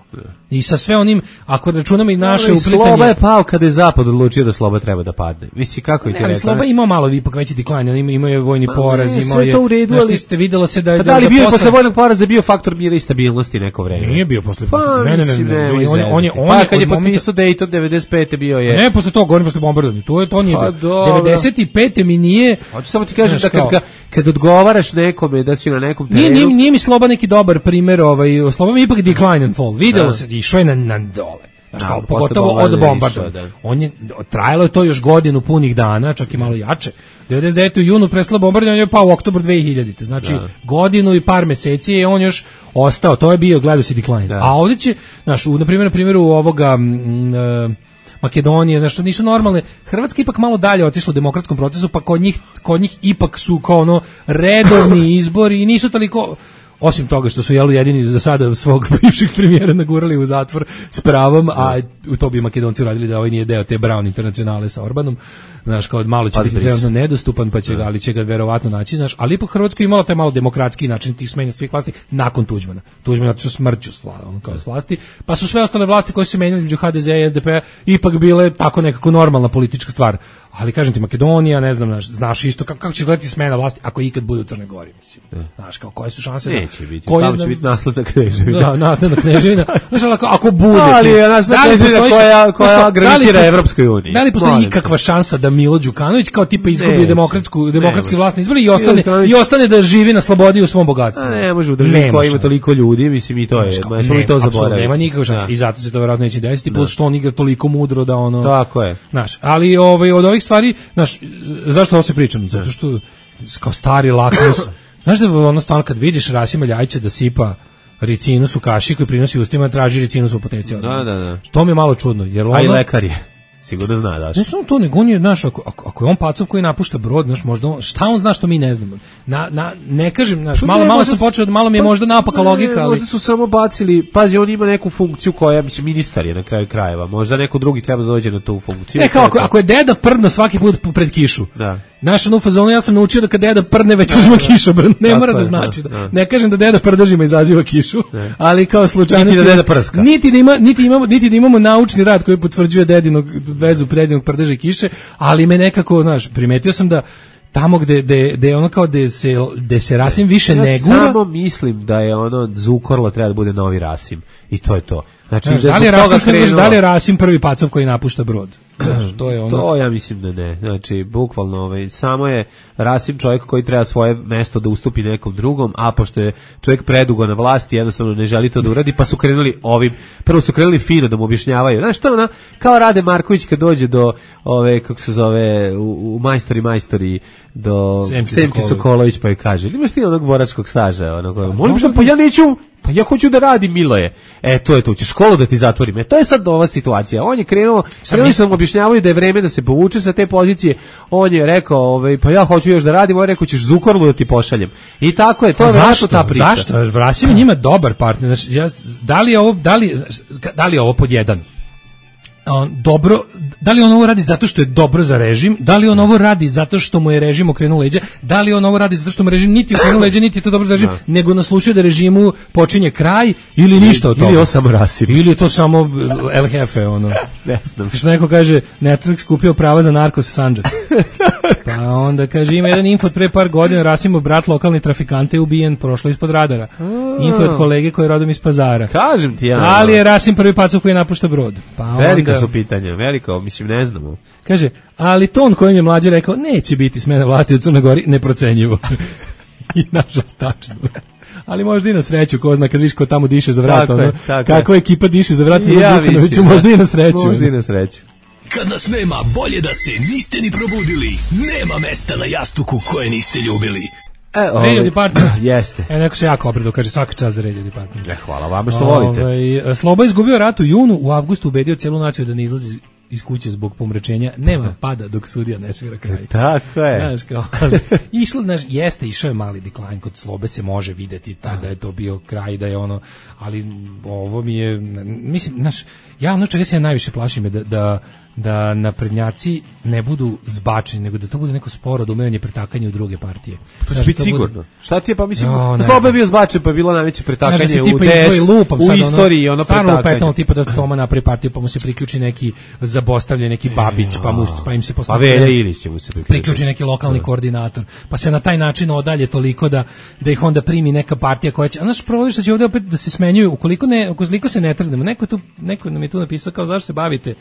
I sa sve onim, ako računamo i naše uplitanje... Sloba je pao kada je Zapad odlučio da Sloba treba da padne. Misli, kako je ti rekao? Sloba imao malo ipak veći decline, on imao je vojni poraz, imao je... Sve to u redu, ali... Ste vidjelo se da... Pa da li bio je posle vojnog poraza bio faktor mira i stabilnosti neko vreme? Nije bio posle... Pa, pa kad je potpisao Dayton 95. bio je... Ne, posle toga, govorim posle bombardovanja. To nije bio. 95. mi nije... Samo ti kažem da kad odgovaraš nekome da si na nekom terenu... Nije mi Sloba neki dobar primjer, Sloba mi ipak decline and fall. Videlo se, išao je na dole. Pogotovo od bombardovanja. Trajalo je to još godinu punih dana, čak i malo jače. 99. u junu prestalo bombardovanje, je pao u oktobru 2000. Znači, godinu i par meseci je on još ostao. To je bio, gledao si decline. A ovdje će, na primjeru ovoga... Makedonije, znači nisu normalne. Hrvatska ipak malo dalje otišla u demokratskom procesu, pa kod njih ipak su kao redovni izbori i nisu toliko, osim toga što su jedini za sada svog bivšeg premijera nagurali u zatvor s pravom, a to bi Makedonci uradili da ovaj nije deo te Brown internacionale sa Orbanom. Znaš, kao malo će biti trenutno nedostupan, pa će ga verovatno naći, znaš, ali ipak Hrvatska imala taj malo demokratski način tih smenja svih vlasti nakon Tuđmana. Tuđman je smrću kao s vlasti, pa su sve ostale vlasti koje su se menjali između HDZ i SDP-a ipak bile tako nekako normalna politička stvar. Ali kažem ti, Makedonija, ne znam, znaš isto kako će gledati smena vlasti ako ikad bude u Crnoj Gori, mislim. Znaš, kao koje su šanse? Neće biti. Tamo će biti nasledna kneževina. Da, nasledna kneževina. Znaš, ako bude, koja gravitira Evropskoj uniji. Da li postoji ikakva šansa da Milo Đukanović kao tipa izgubi demokratski vlasni izbor i ostane da živi na slobodi u svom bogatstvu? Ne može u državi koja ima toliko ljudi, mislim i to je. Smo mi to zaboravili. Nema nikakve šanse i zato se to verovatno neće desiti, plus što on igra toliko mudro da Tako je. Znaš, ali od ovih stvari, znaš, zašto ovo se pričam? Zato što kao stari lakmus, znaš da stvarno kad vidiš Rasima Ljajića da sipa ricinus u kaši koji prinosi ustima, traži ricinus u apoteci. Da. To mi je malo čudno. Jer a i lekar je. Sigurno zna, daš. Ne samo to, nego on je, znaš, ako je on pacov koji napušta brod, znaš, možda šta on zna što mi ne znamo. Ne kažem, znaš, malo sam počeo, malo mi je možda napaka logika, ali... Možda su samo bacili, pazi, on ima neku funkciju koja, mislim, ministar je na kraju krajeva, možda neko drugi treba da dođe na tu funkciju. Kao, ako je deda prdno svaki put pred kišu, znaš, u fazonu ja sam naučio da kad deda prdne već uzma kišobran, ne mora da znači. Ne kažem da deda prdežima izaziva kišu, ali kao slučajnosti... Niti da deda prska. Niti da imamo naučni rad koji potvrđuje dedinog vezu predinog prdeža i kiše, ali me nekako, znaš, primetio sam da tamo gde ono kao gde se Rasim više ne gura. Ja samo mislim da je Zukorlo treba da bude novi Rasim i to je to. Znači, da li je Rasim prvi pacov koji napušta brod? To ja mislim da ne. Znači, bukvalno, samo je Rasim čovjek koji treba svoje mesto da ustupi nekom drugom, a pošto je čovjek predugo na vlasti, jednostavno ne želi to da uradi, pa su krenuli prvo su krenuli fino da mu objašnjavaju. Znaš, to kao Rade Marković kad dođe do kako se zove, u majstori, do Semke Sokolović, pa je kaže, imaš ti onog boračkog staža? Molim što, pa ja neću, pa ja hoću da radim, Miloje. To je to, ćeš školu da ti zatvorim. To je sad ova situacija. On je krenuli su mu objašnjavaju da je vreme da se povuče sa te pozicije. On je rekao, pa ja hoću još da radim, on je rekao ćeš Zukorlu da ti pošaljem. I tako je, to je zašto ta priča. Zašto? Vraćam njima dobar partner. Znači, da li je ovo pod jedan? Dobro, da li on ovo radi zato što je dobro za režim, da li on ovo radi zato što mu je režim okrenuo leđa, da li on ovo radi zato što mu režim niti okrenuo leđa, niti je to dobro za režim, nego naslučuje da režimu počinje kraj ili ništa od toga. Ili je samo rasim. Ili je to samo El Jefe, ono. Ne znam. Što neko kaže, Netflix kupio prava za narkos Sandžak. Pa onda kaže, ima jedan info od pre par godina, Rasimov brat lokalni trafikante je ubijen, prošlo ispod radara. Info od kolege koji je rodom iz Pazara. Kažem ti ja. Ali je Rasim prvi pacov koji napušta brod. Pa velika su pitanja, veliko, mislim, ne znamo. Kaže, ali ton kojim je mlađe rekao, neće biti smena vlasti u Crnoj Gori, neprocenjivo. I nažalost, tačno. Ali možda i na sreću, ko zna, kad viš ko tamo diše za vrat, kakva ekipa diše za vrat, možda i na sreću. Možda i na sreću. Kad nas nema, bolje da se niste ni probudili. Nema mesta na jastuku koje niste ljubili. Radio Department. Jeste. Neko se jako obradao, kaže svaka čast za Radio Department. Hvala vama što volite. Sloba izgubio rat u junu, u avgustu ubedio cijelu naciju da ne izlazi iz kuće zbog pomračenja. Nema pada dok sudija ne svira kraj. Tako je. Znaš, kao, išao je mali decline, kod Slobe se može videti da je to bio kraj, da je ono, ali ovo mi je, mislim, znaš, ja ono čega se ja najviše plašim je da naprednjaci ne budu zbačeni, nego da to bude neko sporo odumiranje, pretakanje u druge partije. To će biti sigurno. Šta ti je, pa mislim, Sloba je bio zbačen, pa je bilo najveće pretakanje u istoriji, ono pretakanje. Petalo tipa da Toma napravi partiju, pa mu se priključi neki zabostavljen, neki Babić, pa im se pa Velja Ilić će mu se priključi neki lokalni koordinator, pa se na taj način odalje toliko da ih onda primi neka partija koja će, a naš provodi što će ovdje opet da se smenjuju, ukoliko se ne trgnemo, neko nam je tu napisao kao zašto se bavite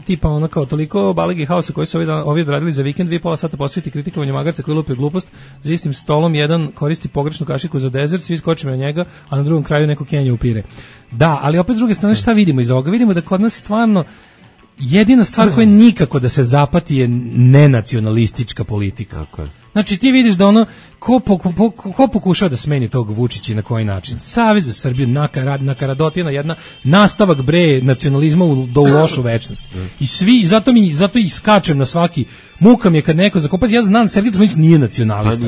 tipa ono kao toliko balegi haosa koji su ovi odradili za vikend, 2,5 sata posveti kritikovanju magarca koji lupi glupost, za istim stolom jedan koristi pogrešnu kašiku za dezert, svi skočimo na njega, a na drugom kraju neko Kenja upire. Da, ali opet s druge strane šta vidimo iz ovoga? Vidimo da kod nas stvarno jedina stvar koja nikako da se zapati je nenacionalistička politika. Tako je. Znači ti vidiš da ono ko pokušava da smeni tog Vučića i na koji način. Savez za Srbiju, nakaradotina jedna, nastavak nacionalizma do u lošu večnost. I svi, zato i skačem na svaki, muka mi je kad neko zakopazi, ja znam Sergej Trifunović nije nacionalista.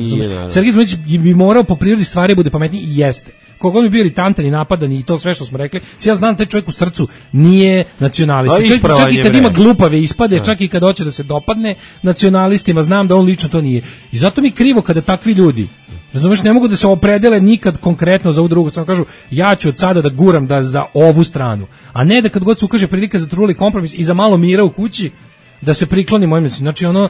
Sergej Trifunović bi morao po prirodi stvari bude pametniji i jeste. Kogod bi bio iritantan i napadan i to sve što smo rekli, ja znam taj čovjek u srcu nije nacionalista. Čak i kad ima glupave ispade, čak i kad hoće da se dopadne nacionalistima, znam da on lično to nije. I zato mi krivo kada takvi ljudi, razumeš, ne mogu da se opredele nikad konkretno za ovu drugu stranu, kažu ja ću od sada da guram da za ovu stranu, a ne da kad god se ukaže prilika za truli kompromis i za malo mira u kući da se prikloni mojim mislim. Znači ono,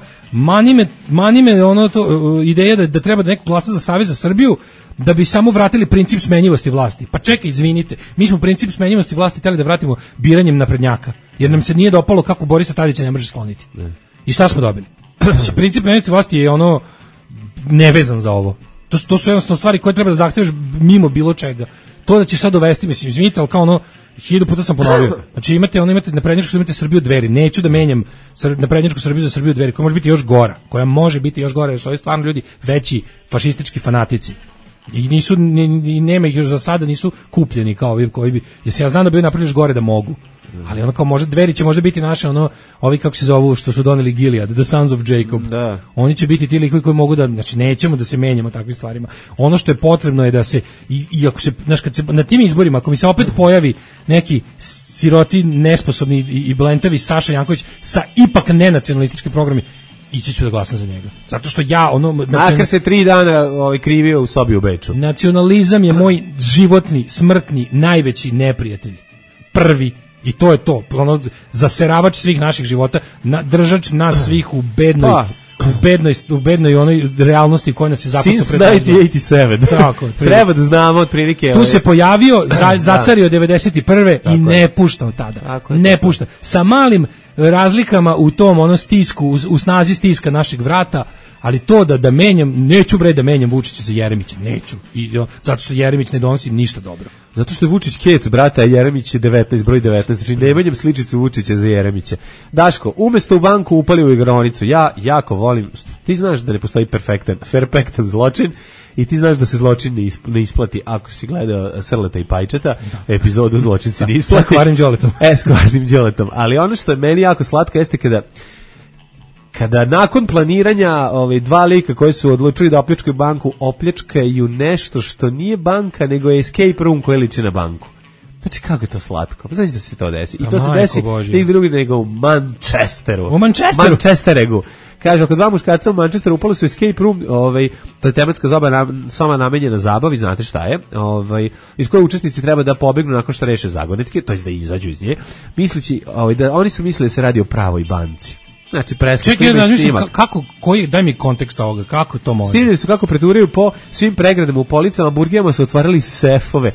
mani me ono to, ideja da treba da neko glasa za Savez za Srbiju da bi samo vratili princip smenjivosti vlasti. Pa čekaj, izvinite, mi smo princip smenjivosti vlasti hteli da vratimo biranjem naprednjaka, jer nam se nije dopalo kako Borisa Tadića ne može skloniti. I šta smo dobili? Princip smenjivosti vlasti je ono nevezan za ovo. To su jednostavno stvari koje treba da zahtevaš mimo bilo čega. To da ćeš sad dovesti, mislim, izvinite, ali kao ono 1000 puta sam ponovio. Znači imate naprednjačku, imate Srbiju Dveri. Neću da menjam naprednjačku Srbiju za Srbiju Dveri, koja može biti još gora, jer su ovi stvarno ljudi veći fašistički fanatici. I nema ih još za sada, nisu kupljeni kao ovi koji bi, jer ja znam da bi oni napravili još gore da mogu. Ali ono kao može Dveri će možda biti naše ono, ovi kako se zovu što su doneli Gilead, the sons of Jacob. Da. Oni će biti ti likovi koji mogu da, znači nećemo da se menjamo takvim stvarima. Ono što je potrebno je da se i ako se, znači kad se na tim izborima, ako mi se opet pojavi neki siroti, nesposobni i blentavi Saša Janković sa ipak nenacionalističkim programima, ići ću da glasam za njega. Zato što ja ono makar se 3 dana krivio u sobi u Beču. Nacionalizam je moj životni, smrtni, najveći neprijatelj. Prvi. I to je to, ono, zaseravač svih naših života, držač nas svih u bednoj onoj realnosti koja nas je zapucao pred nas. Since 1987. Tako, treba da znamo otprilike. Tu se pojavio, zacario 91. i ne pušta od tada. Ne pušta. Sa malim razlikama u tom ono stisku, u snazi stiska našeg vrata, ali to da menjam, neću da menjam Vučića za Jeremića, neću. Zato što Jeremić ne donosi ništa dobro. Zato što je Vučić Kec, brata, a Jeremić je 19, broj 19, znači ne menjam sličicu Vučića za Jeremića. Daško, umesto u banku upali u igronicu, ja jako volim, ti znaš da ne postoji perfektan zločin, i ti znaš da se zločin ne isplati ako si gledao Srleta i Pajčeta, epizodu Zločin se ne isplati. Sa Kvarnim Đoletom. S Kvarnim Đoletom. Ali ono što je meni jako slatko jeste kada nakon planiranja dva lika koji su odlučili da opljačkaju banku, opljačkaju nešto što nije banka, nego je escape room koji liči na banku. Znači, kako je to slatko? Pa znači da se to desi. I to se desi nigde drugi nego u Manchesteru. U Manchesteru? Manchesteregu. Kaže, oko 2 muškarca u Manchesteru upali su escape room, to je tematska soba namenjena zabavi, znate šta je, iz koje učesnici treba da pobegnu nakon što reše zagonetke, to je da izađu iz nje, misleći, da oni su mislili da se radi o pravoj banci. Znači, daj mi kontekst ovoga, kako to može? Snimili su kako preturaju po svim pregradama u policama, burgijama su otvarali sefove.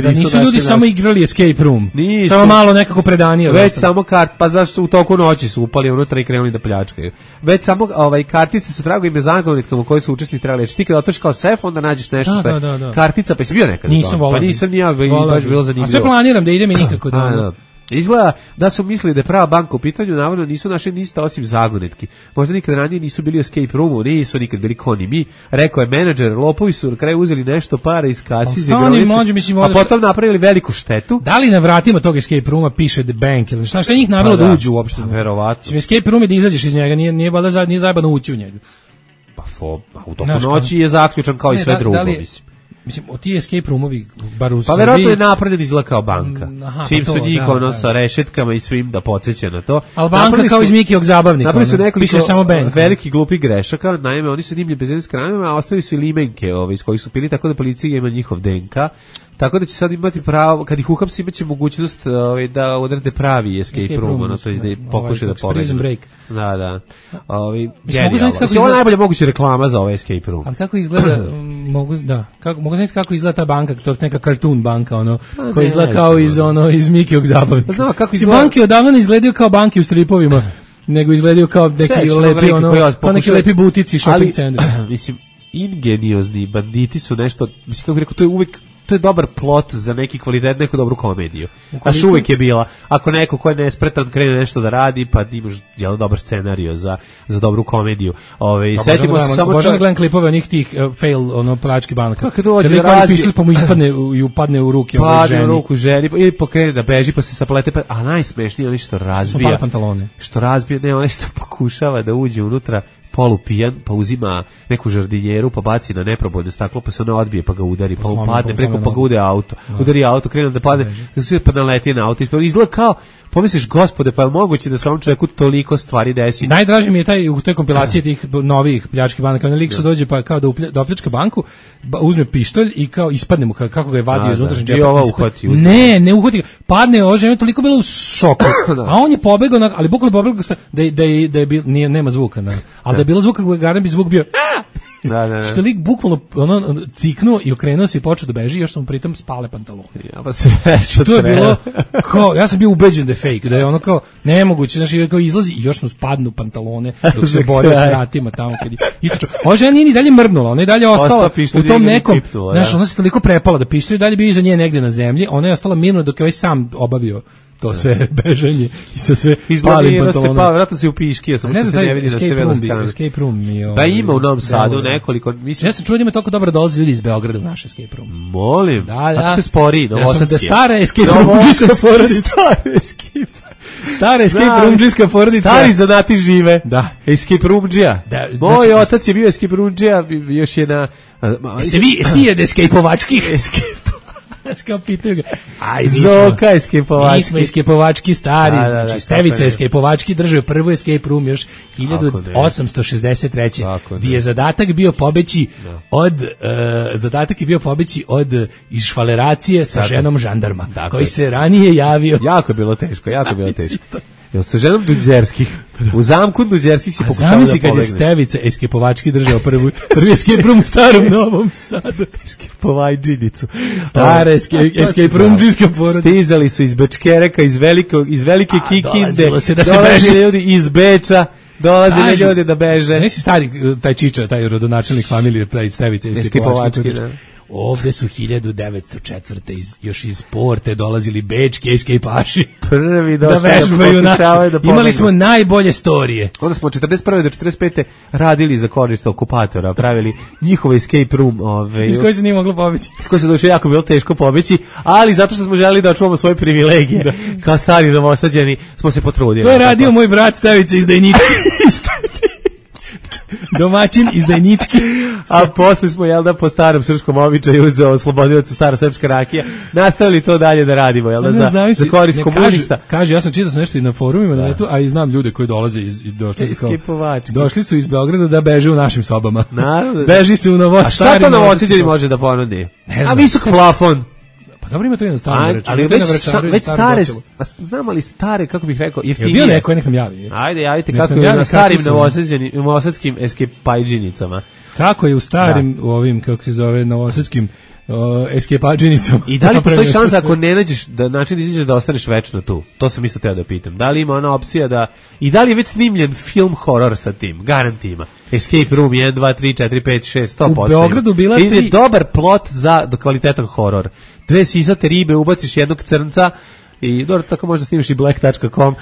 Da nisu ljudi samo igrali escape room, samo malo nekako predanije. Već samo pa zašto u toku noći su upali unutra i krenuli da pljačkaju. Već samo kartice sa tragovima zagonetkama koji su učesnici trebali reći. Ti kada otvoriš kao sef, onda nađeš nešto što je kartica, pa jesi bio nekada? Nisam volao. Pa nisam ni ja, baš bilo zanimljivo. A sve planiram da idem i nikako da... Izgleda da su mislili da je prava banka u pitanju, navodno nisu našli ništa osim zagonetki. Možda nikad ranije nisu bili u escape roomu, nisu nikad bili koni mi. Rekao je menadžer, lopovi su na kraju uzeli nešto para iz kasi iz igronice, a potom napravili veliku štetu. Da li na vratima tog escape rooma piše The Bank ili šta njih navelo da uđu uopšte? Verovatno. Escape room je da izađeš iz njega, nije valjda nije zajebano ući u njega. Pa u toku noći je zaključan kao i sve drugo, mislim. Mislim, ti escape roomovi, bar u Srbiji... Pa verovatno je napravljen izgleda kao banka. Čim su njih sa rešetkama i svim da podsjeća na to. Ali banka kao iz Mikijog zabavnika. Napravili su nekoliko veliki glupi grešaka. Naime, oni su snimili bez skramima, a ostali su i limenke iz kojih su pili, tako da policija ima njihov DNK. Tako da će sad imati pravo, kad ih uhapsi, imaće mogućnost da odrede pravi escape room, to je da pokušaju da pobegnu. Da. Ovo je najbolja moguća reklama za ovaj escape room. Ali kako izgleda, mogu znati kako izgleda ta banka, to je neka cartoon banka, koja izgleda kao iz Mikijog zabavnika. Znamo kako izgleda. Banke odavno ne izgledaju kao banke u stripovima, nego izgledaju kao neki lepi butici, shopping centri. Mislim, ingeniozni banditi su nešto, mislim, kako rekao, to je uvijek to je dobar plot za neki kvalitet, neku dobru komediju. A uvijek je bila. Ako neko ko je nespretan krene nešto da radi, pa imaš dobar scenarijo za dobru komediju. Setimo se samo da gledam klipove onih tih fail plački banaka. Kad dođe razbije, pa mu upadne u ruke ženi. U ruku ženi ili pokrene da beži pa se saplete, a najsmešnije je što razbija. Što razbija, ne, on što pokušava da uđe unutra polupijan, pa uzima neku žardinjeru, pa baci na neprobojno staklo, pa se ona odbije, pa ga udari, pa upadne preko, pa ga ude auto. Udari auto, krene da padne, pa naleti na auto. Izgleda kao, pomisliš, gospode, pa je moguće da se ovom čovjeku toliko stvari desi. Najdraži mi je u toj kompilaciji tih novih pljačkih banaka, lik su dođe pa kao da opljačka banku, uzme pištolj i kao ispadne mu, kako ga je vadio iz unutrašnjeg džepa. I ova uhvati. Ne uhvati ga. Padne, ova žena toliko bila u šoku. A on je pobegao, ali bukvalno pobegao da je bil, nema zvuka, ali da je bilo zvuka, garan bi zvuk bio Da. Što lik bukvalno ciknuo i okrenuo se i počeo da beži, još sam pritom spale pantalone. Ja, pa sve što je bilo kao, ja sam bio ubeđen da je fake, da je ono kao nemoguće, znači kao izlazi i još mu spadnu pantalone dok se borio s vratima tamo kad je istračao. Ova žena nije ni dalje mrdnula, ona je dalje ostala u tom nekom, znaš, ona se toliko prepala da pištolj dalje bio iza nje negdje na zemlji, ona je ostala mirno dok je ovaj sam obavio to sve bežanje i sa sve palim pantalona. Vratno se u piški, sam što se ne vidi da se vela skane. Escape room mi je... Da ima u Novom Sadu nekoliko... Ja sam čuo da ima toliko dobro dolazi ljudi iz Beograda u naš escape room. Molim, da. Što je sporiji, novosadski. Da stara escape roomđiska porodica. Stara escape roomđiska porodica. Stari zanati žive. Da. Escape roomđija. Moj otac je bio escape roomđija, još je na... Jeste vi od escape-ovački? Kao pitaju ga. Zoka escape-ovački. Mi smo escape-ovački stari, znači Stevica escape-ovački držao prvu escape room još 1863. Gdje je zadatak bio pobeći od išvaleracije sa ženom žandarma, koji se ranije javio. Jako je bilo teško. Jel sa ženom Duđerskih? U zamku Duđerskih si pokušao da pobegne. Zamisli kad je Stevica escape-ovački držao prvi escape room u starom Novom Sadu. Escape-ovačinicu. Stara escape roomđiska porodica. Stizali su iz Bečkereka, iz velike Kikinde. Dolaze ljudi iz Beča. Dolaze ljudi da beže. Nisi stari taj Čiča, taj rodonačelnik familije Stevice escape-ovački. ovde su 1904. Još iz Porte dolazili bečki eskejpaši. Prvi da vežbaju naše. Imali smo najbolje storije. Onda smo od 41. do 45. radili za korist okupatora, pravili njihove escape room. Iz koje se nije moglo pobeći. Iz koje se došlo jako bilo teško pobeći, ali zato što smo želeli da očuvamo svoje privilegije, kao stari Novosađani, smo se potrudili. To je radio moj brat Stavica izdajnički. Domaćin izdajnički. A posle smo, jel da, po starom srpskom običaju uzeo oslobodilac stara srpska rakija, nastavili to dalje da radimo, jel da, za korist komunista. Kaže, ja sam čitao nešto i na forumima na netu, a i znam ljude koji dolaze došli su iz Beograda da beže u našim sobama. Beži se u Novosađani. A šta to Novosađani može da ponudi? A visok plafon. Pa dobro, ima to i na starom Vračaru. Ali već stare, znam ali stare, kako bih rekao, jeftinije. Je bio neko, nekam javi. Ajde, javite kako je na starim novosadskim eskepajđinicama. Kako je u starim, u ovim, kako se zove, novosadskim eskepađinicama. I da li postoji šansa ako ne nađeš da način da izađeš da ostaneš večno tu? To sam isto teo da pitam. Da li ima ona opcija da... I da li je već snimljen film horor sa tim? Garant ima. Escape Room 1, 2, 3, 4, 5, 6, 100%. U Beogradu bila 3... je dobar plot za kvalitetan horor. 2 sisate ribe, ubaciš jednog crnca i dobro, tako možda snimiš i black.com,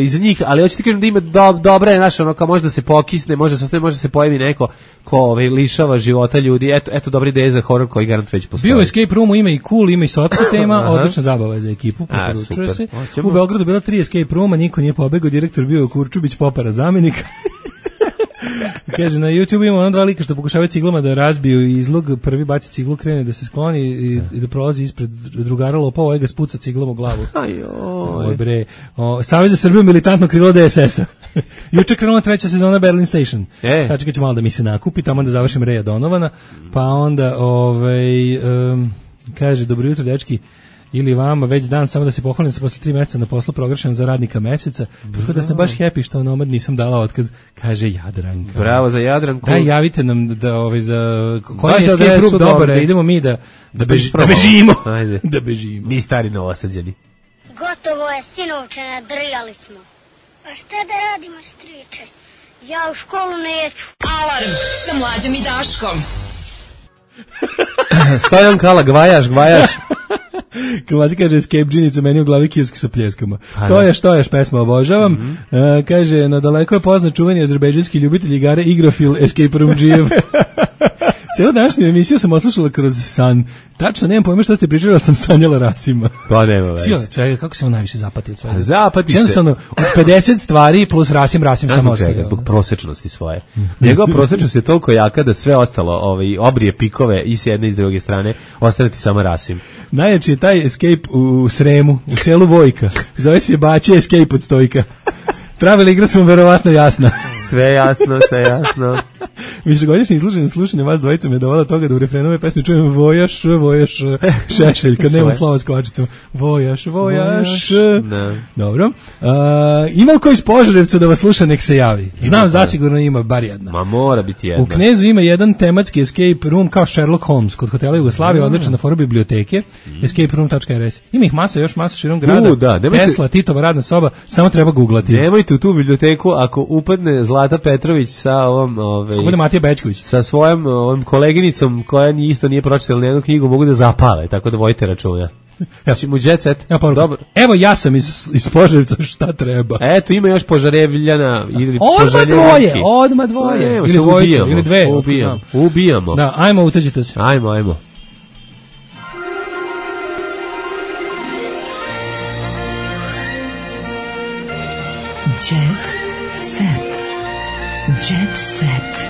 iz njih, ali hoću ti kažem da ima dobra je naša, ono, kao može da se pokisne, može da se pojavi neko ko lišava života ljudi, eto dobra ideja za horor koji garant već postoji. Bio Escape Roomu, ima i cool, ima i sotska tema, odlična zabava za ekipu, preporučuje se. U Beogradu bila 3 Escape Rooma, niko nije pobegao, direktor bio Kurčubić, Popara zamenik. Kaže, na YouTube ima ono 2 lika što pokušavaju ciglama da razbiju izlog, prvi baci ciglu, krene da se skloni i da prolazi ispred drugara lopova, ovaj ga spuca ciglom u glavu. Bre. Savez za Srbiju, militantno krilo DSS-a. Juče krenula 3. sezona Berlin Station. Sad ću malo da mi se nakupi, tamo da završim Reja Donovana, pa onda kaže, dobro jutro dečki, ili vama već dan, samo da se pohvalim, sam posle 3 meseca na poslu proglašen za radnika meseca, tako da sam baš happy što Nomad nisam dala otkaz, kaže Jadranka. Bravo za Jadranku. Daj, javite nam da za koji je escape room dobar, da idemo mi da bežimo. Ajde. Da bežimo. Mi stari Novosađani. Gotovo je, sinovče, nadrljali smo. A šta da radimo, striče? Ja u školu neću. Alarm sa Mlađom i Daškom. Stojan Kala, gvajaš. Mlađi kaže, Escape džinicu, meni u glavi kioski sa pljeskama. To je pesma, obožavam. Kaže, na daleko je poznat čuveni azerbejdžanski ljubitelj igara Igrofil Escape Room Džijev. Cijelu današnju emisiju sam oslušala kroz san. Tačno, nemam pojma što ste pričali, ali sam sanjala Rasima. Pa nema veze. Kako se on najviše zapati od svega? Zapati se. Jednostavno, 50 stvari plus Rasim samo ostaje. Zbog prosečnosti svoje. Njegova prosečnost je toliko jaka da sve ostalo, obrije pikove i s jedne i s druge strane, ostane ti samo Rasim. Najjači je taj Escape u Sremu, u selu Vojka. Zove se Baće Escape od Stojka. Pravila igra su vam verovatno jasna. Sve jasno. Višegodišnje izloženo slušanje vas dvojica me je dovela toga da u refrenu ove pesme čujem vojaš, šešelj, kad nema slova s kvačicom. Vojaš. Dobro. Ima li koji iz Požarevca da vas sluša, nek se javi? Znam, zasigurno ima bar jedna. Ma mora biti jedna. U Knezu ima jedan tematski escape room kao Sherlock Holmes kod hotela Jugoslavije, odličan na foru biblioteke, escaperoom.rs. Ima ih masa širom grada. Tesla, Titova radna soba, samo treba googlati. Nemojte u tu biblioteku ako upadne Zlata Petrović sa ovom Matija Bečković sa svojom koleginicom koja isto nije pročitala nijednu knjigu, mogu da zapale, tako da vojte računa. Znači mu jet set. Dobro. Evo ja sam iz Požarevca, šta treba? Eto, ima još Požarevljana ili Odmah dvoje. Ili dvojica, ili dve. Ubijamo. Da, ajmo, utađite se. Ajmo. Jet set.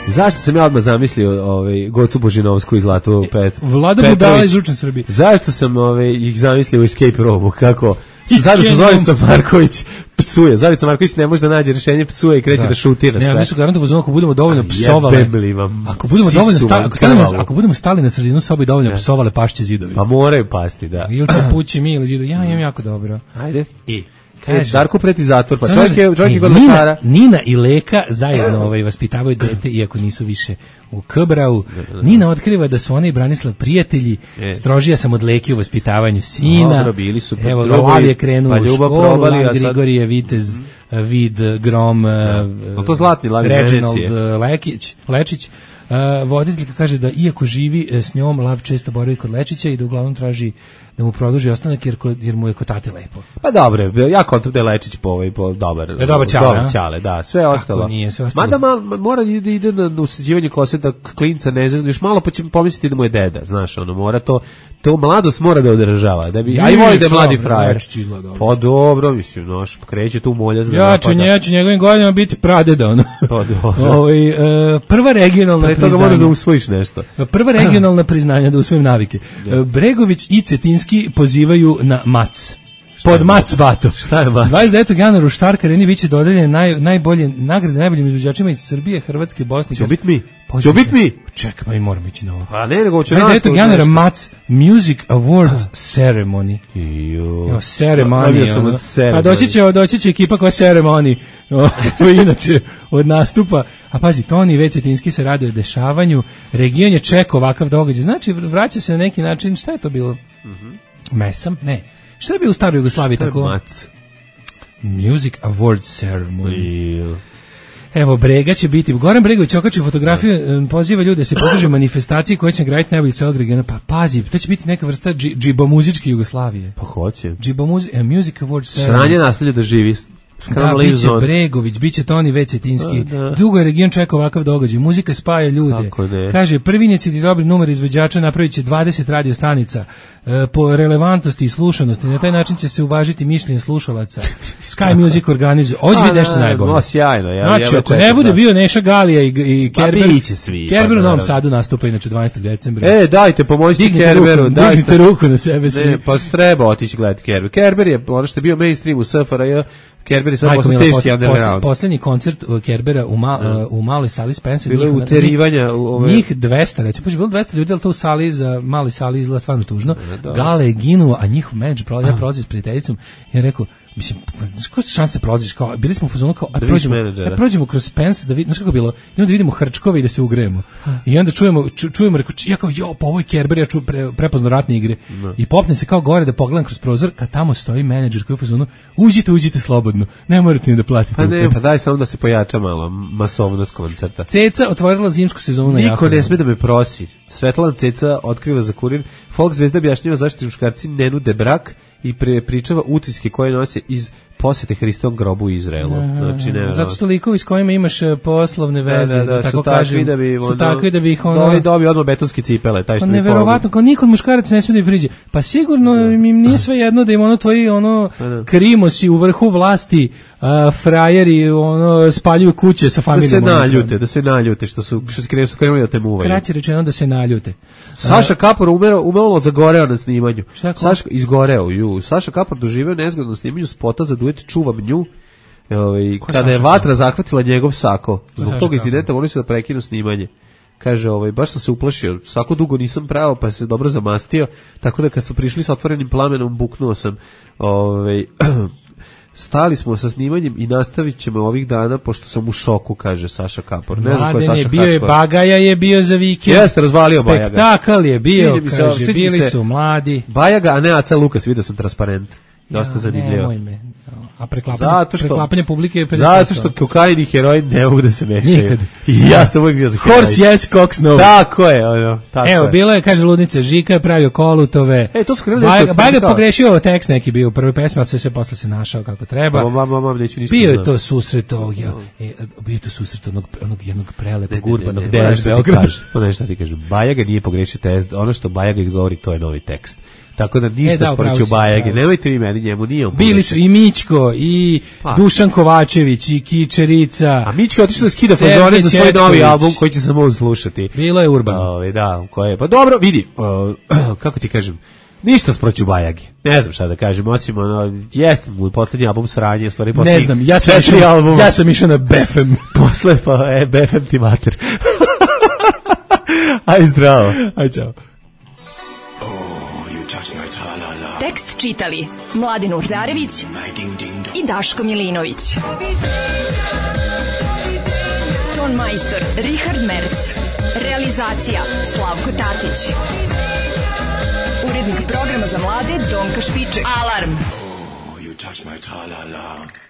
Zašto sam ja odmah zamislio Gocu Božinovsku iz Zlatu Vlada Budala iz Učen Srbije. Zašto sam ih zamislio u Escape Roomu, kako sada sa Zoricom Marković psuje. Zorica Marković ne može da nađe rješenje, psuje i kreće da šutira sve. Ne, nisu garantovano ako budemo dovoljno psovale. Ako budemo stali na sredinu sobe i dovoljno psovale, pašće zidovi. Pa moraju pasti, da. Ili će pući mi ili zidovi. Ja imam jako dobro. Ajde. Darko preti zatvor, pa čovjek je kod lekara. Nina i Leka zajedno vaspitavaju dete, iako nisu više u K-brau. Nina otkriva da su ona i Branislav prijatelji, strožija sam od Leke u vaspitavanju sina. Dobro, bili su. Evo, Lav je krenuo u školu, Lav Grigorije, Vitez, Vid, Grom, to zlatni Lav Reginald Lečić. Voditeljka kaže da iako živi s njom, Lav često boravi kod Lečića i da uglavnom traži da mu produži ostanak jer mu je kod tate lepo. Pa dobro, ja kontam da je Lečić po dobar ćale, da, sve ostalo. Ako nije, sve ostalo. Mada mora da ide na usađivanje kose da klinca ne zeznu, još malo pa će pomisliti da mu je deda, znaš, ono, mora to mladost mora da održava, da bi, a i voli da je mladi frajer. Pa dobro, mislim, znaš, kreće tu moljaz. Ja ću njegovim godinama biti pradeda, ono. Pa dobro. Prva regionalna priznanja. Pre toga moraš da usvojiš nešto. Prva regionalna priznanja da usvojim navike. Bregović i Cetinski pozivaju na mac. Pod mac vato. Šta je mac? 29. januara u Štark Areni biće dodeljene nagrade najboljim izvođačima iz Srbije, Hrvatske, Bosne. Će biti mi? Će biti mi? Čekaj, pa i moramo ići na ovo. Pa ne, nego će 29. januara Mac Music Awards Ceremony. Jo, ceremony. A doći će ekipa koja ceremony. Inače, od nastupa. A pazi, Toni i Cetinski se raduje dešavanju. Region je čekao ovakav događaj. Znači, vraća se na neki način. Šta je to bilo? Mesam? Ne. Šta je bio u staroj Jugoslaviji tako? Mac? Music Awards Ceremony. Evo, Brega će biti. Goran Bregović okači fotografiju, poziva ljude da se podrže manifestacije koje će graditi najbolji celog regiona. Pa pazi, to će biti neka vrsta džibomuzičke Jugoslavije. Pa hoće. Music Awards Ceremony. Sranje nasljeđe da živi. Da, biće Bregović, biće Toni Cetinski. Dugo je region čekao ovakav događaj. Muzika spaja ljude. Kaže, prvi inicijativ dobri numer izvođača napravit će 20 radio stanica po relevantnosti i slušanosti. Na taj način će se uvažiti mišljenje slušalaca. Sky Music organizuje. Ovo će biti nešto najbolje. Sjajno. Znači, ako ne bude bio Neša Galija i Kerber, Kerber u Novom Sadu nastupa inače 12. decembra. Dajte, pomozite Kerberu. Dignite ruku na sebe svi. Ne, pa treba otići gledati Kerber. Kerber je ono što je bio mainstream u SFRJ. Kerber je sad posle teški underground. Poslednji koncert Kerbera u maloj sali Spencer. Bilo je uterivanja. Njih 200, recimo, pa je bilo 200 ljudi, ali to u sali, za maloj sali izgleda stvarno tužno. Gale je ginuo, a njihov menadžer, ja prolazim s prijateljicom i ja rekao, mislim, koja se šanse prolaziš, kao, bili smo u fazonu kao, prođemo kroz Spence, da vidimo, znaš kako bilo, i onda vidimo hrčkove i da se ugrejemo. I onda čujemo, rekao, ja kao, pa ovo je Kerber, ja čujem prepozno ratne igre. I popne se kao gore da pogledam kroz prozor, kad tamo stoji menadžer koji je u fazonu, uđite slobodno, ne morate ni da platite. Pa ne, pa daj samo da se pojača malo masovnost koncerta. Ceca otvorila zimsku sezonu na Niko ne sme da me prosi. Svetlana Ceca otkriva za Kurir. Folk zvezda objašnjava zašto muškarci ne nude brak i pričava utiske koje nose iz posete Hristovom grobu u Izraelu. Znači, zato što likovi s kojima imaš poslovne veze, da tako kažem, su takvi da bi ih ono... Dobio odmah betonske cipele, taj što mi pomogu. Neverovatno, kao niko od muškaraca ne smije da ih priđe. Pa sigurno im nije sve jedno da im ono tvoji krimosi u vrhu vlasti, frajeri, spaljuju kuće sa familijom. Da se naljute, što su krenuli da te muvaju. Kraće rečeno da se naljute. Saša Kapor umalo zagoreo na snimanju. Saša Kapor doživeo nezgodno snimanju spota za duet Čuvam nju, kada je vatra zahvatila njegov sako. Zbog tog incidenta morali su da prekinu snimanje. Kaže, baš sam se uplašio, sako dugo nisam pravo, pa se dobro zamastio, tako da kad su prišli sa otvorenim plamenom, buknuo sam. Stali smo sa snimanjem i nastavit ćemo ovih dana, pošto sam u šoku, kaže Saša Kapor. Ne znam ko je Saša Kapor. Bio je Bagaja, je bio za vikend. Jeste, razvalio Bajaga. Spektakl je bio, kaže, bili su mladi. Bajaga, a ne Aca Lukas, vidio sam transparent. Dosta zanimljivo. Nemoj me. A preklapanje publike je... Zato što kokain i heroin ne mogu da se mešaju. I ja sam uvijek bio za heroin. Horse yes, cox no. Tako je. Evo, bilo je, kaže Ludnica, Žika je pravio kolutove. To su krenuli Bajaga pogrešio tekst neki bio u prvoj pesmi, ali sve posle se našao kako treba. Bio je to susret onog jednog prelepog urbanog DS Beograda. Nešto ti kažem, Bajaga nije pogrešio tekst, ono što Bajaga izgovori, to je novi tekst. Tako da ništa sporeću Bajage. Nemojte vi meni, njemu nije on. Bili su i Mićko, i Dušan Kovačević, i Kičerica. A Mićko je otišao da skida fazone za svoj novi album koji će se mogu slušati. Bilo je Urban. Pa dobro, vidi, kako ti kažem, ništa sproću Bajagi. Ne znam šta da kažem, osim jeste mu poslednji album sranje, u stvari poslednji. Ne znam, ja sam išao na BFM. Posle BFM ti mater. Aj zdravo. Aj čao. Tekst čitali Mladen Urdarević i Daško Milinović. Ton majstor Richard Merc. Realizacija Slavko Tatić. Urednik programa za mlade Donka Špiček. Alarm! You touch my tra-la-la.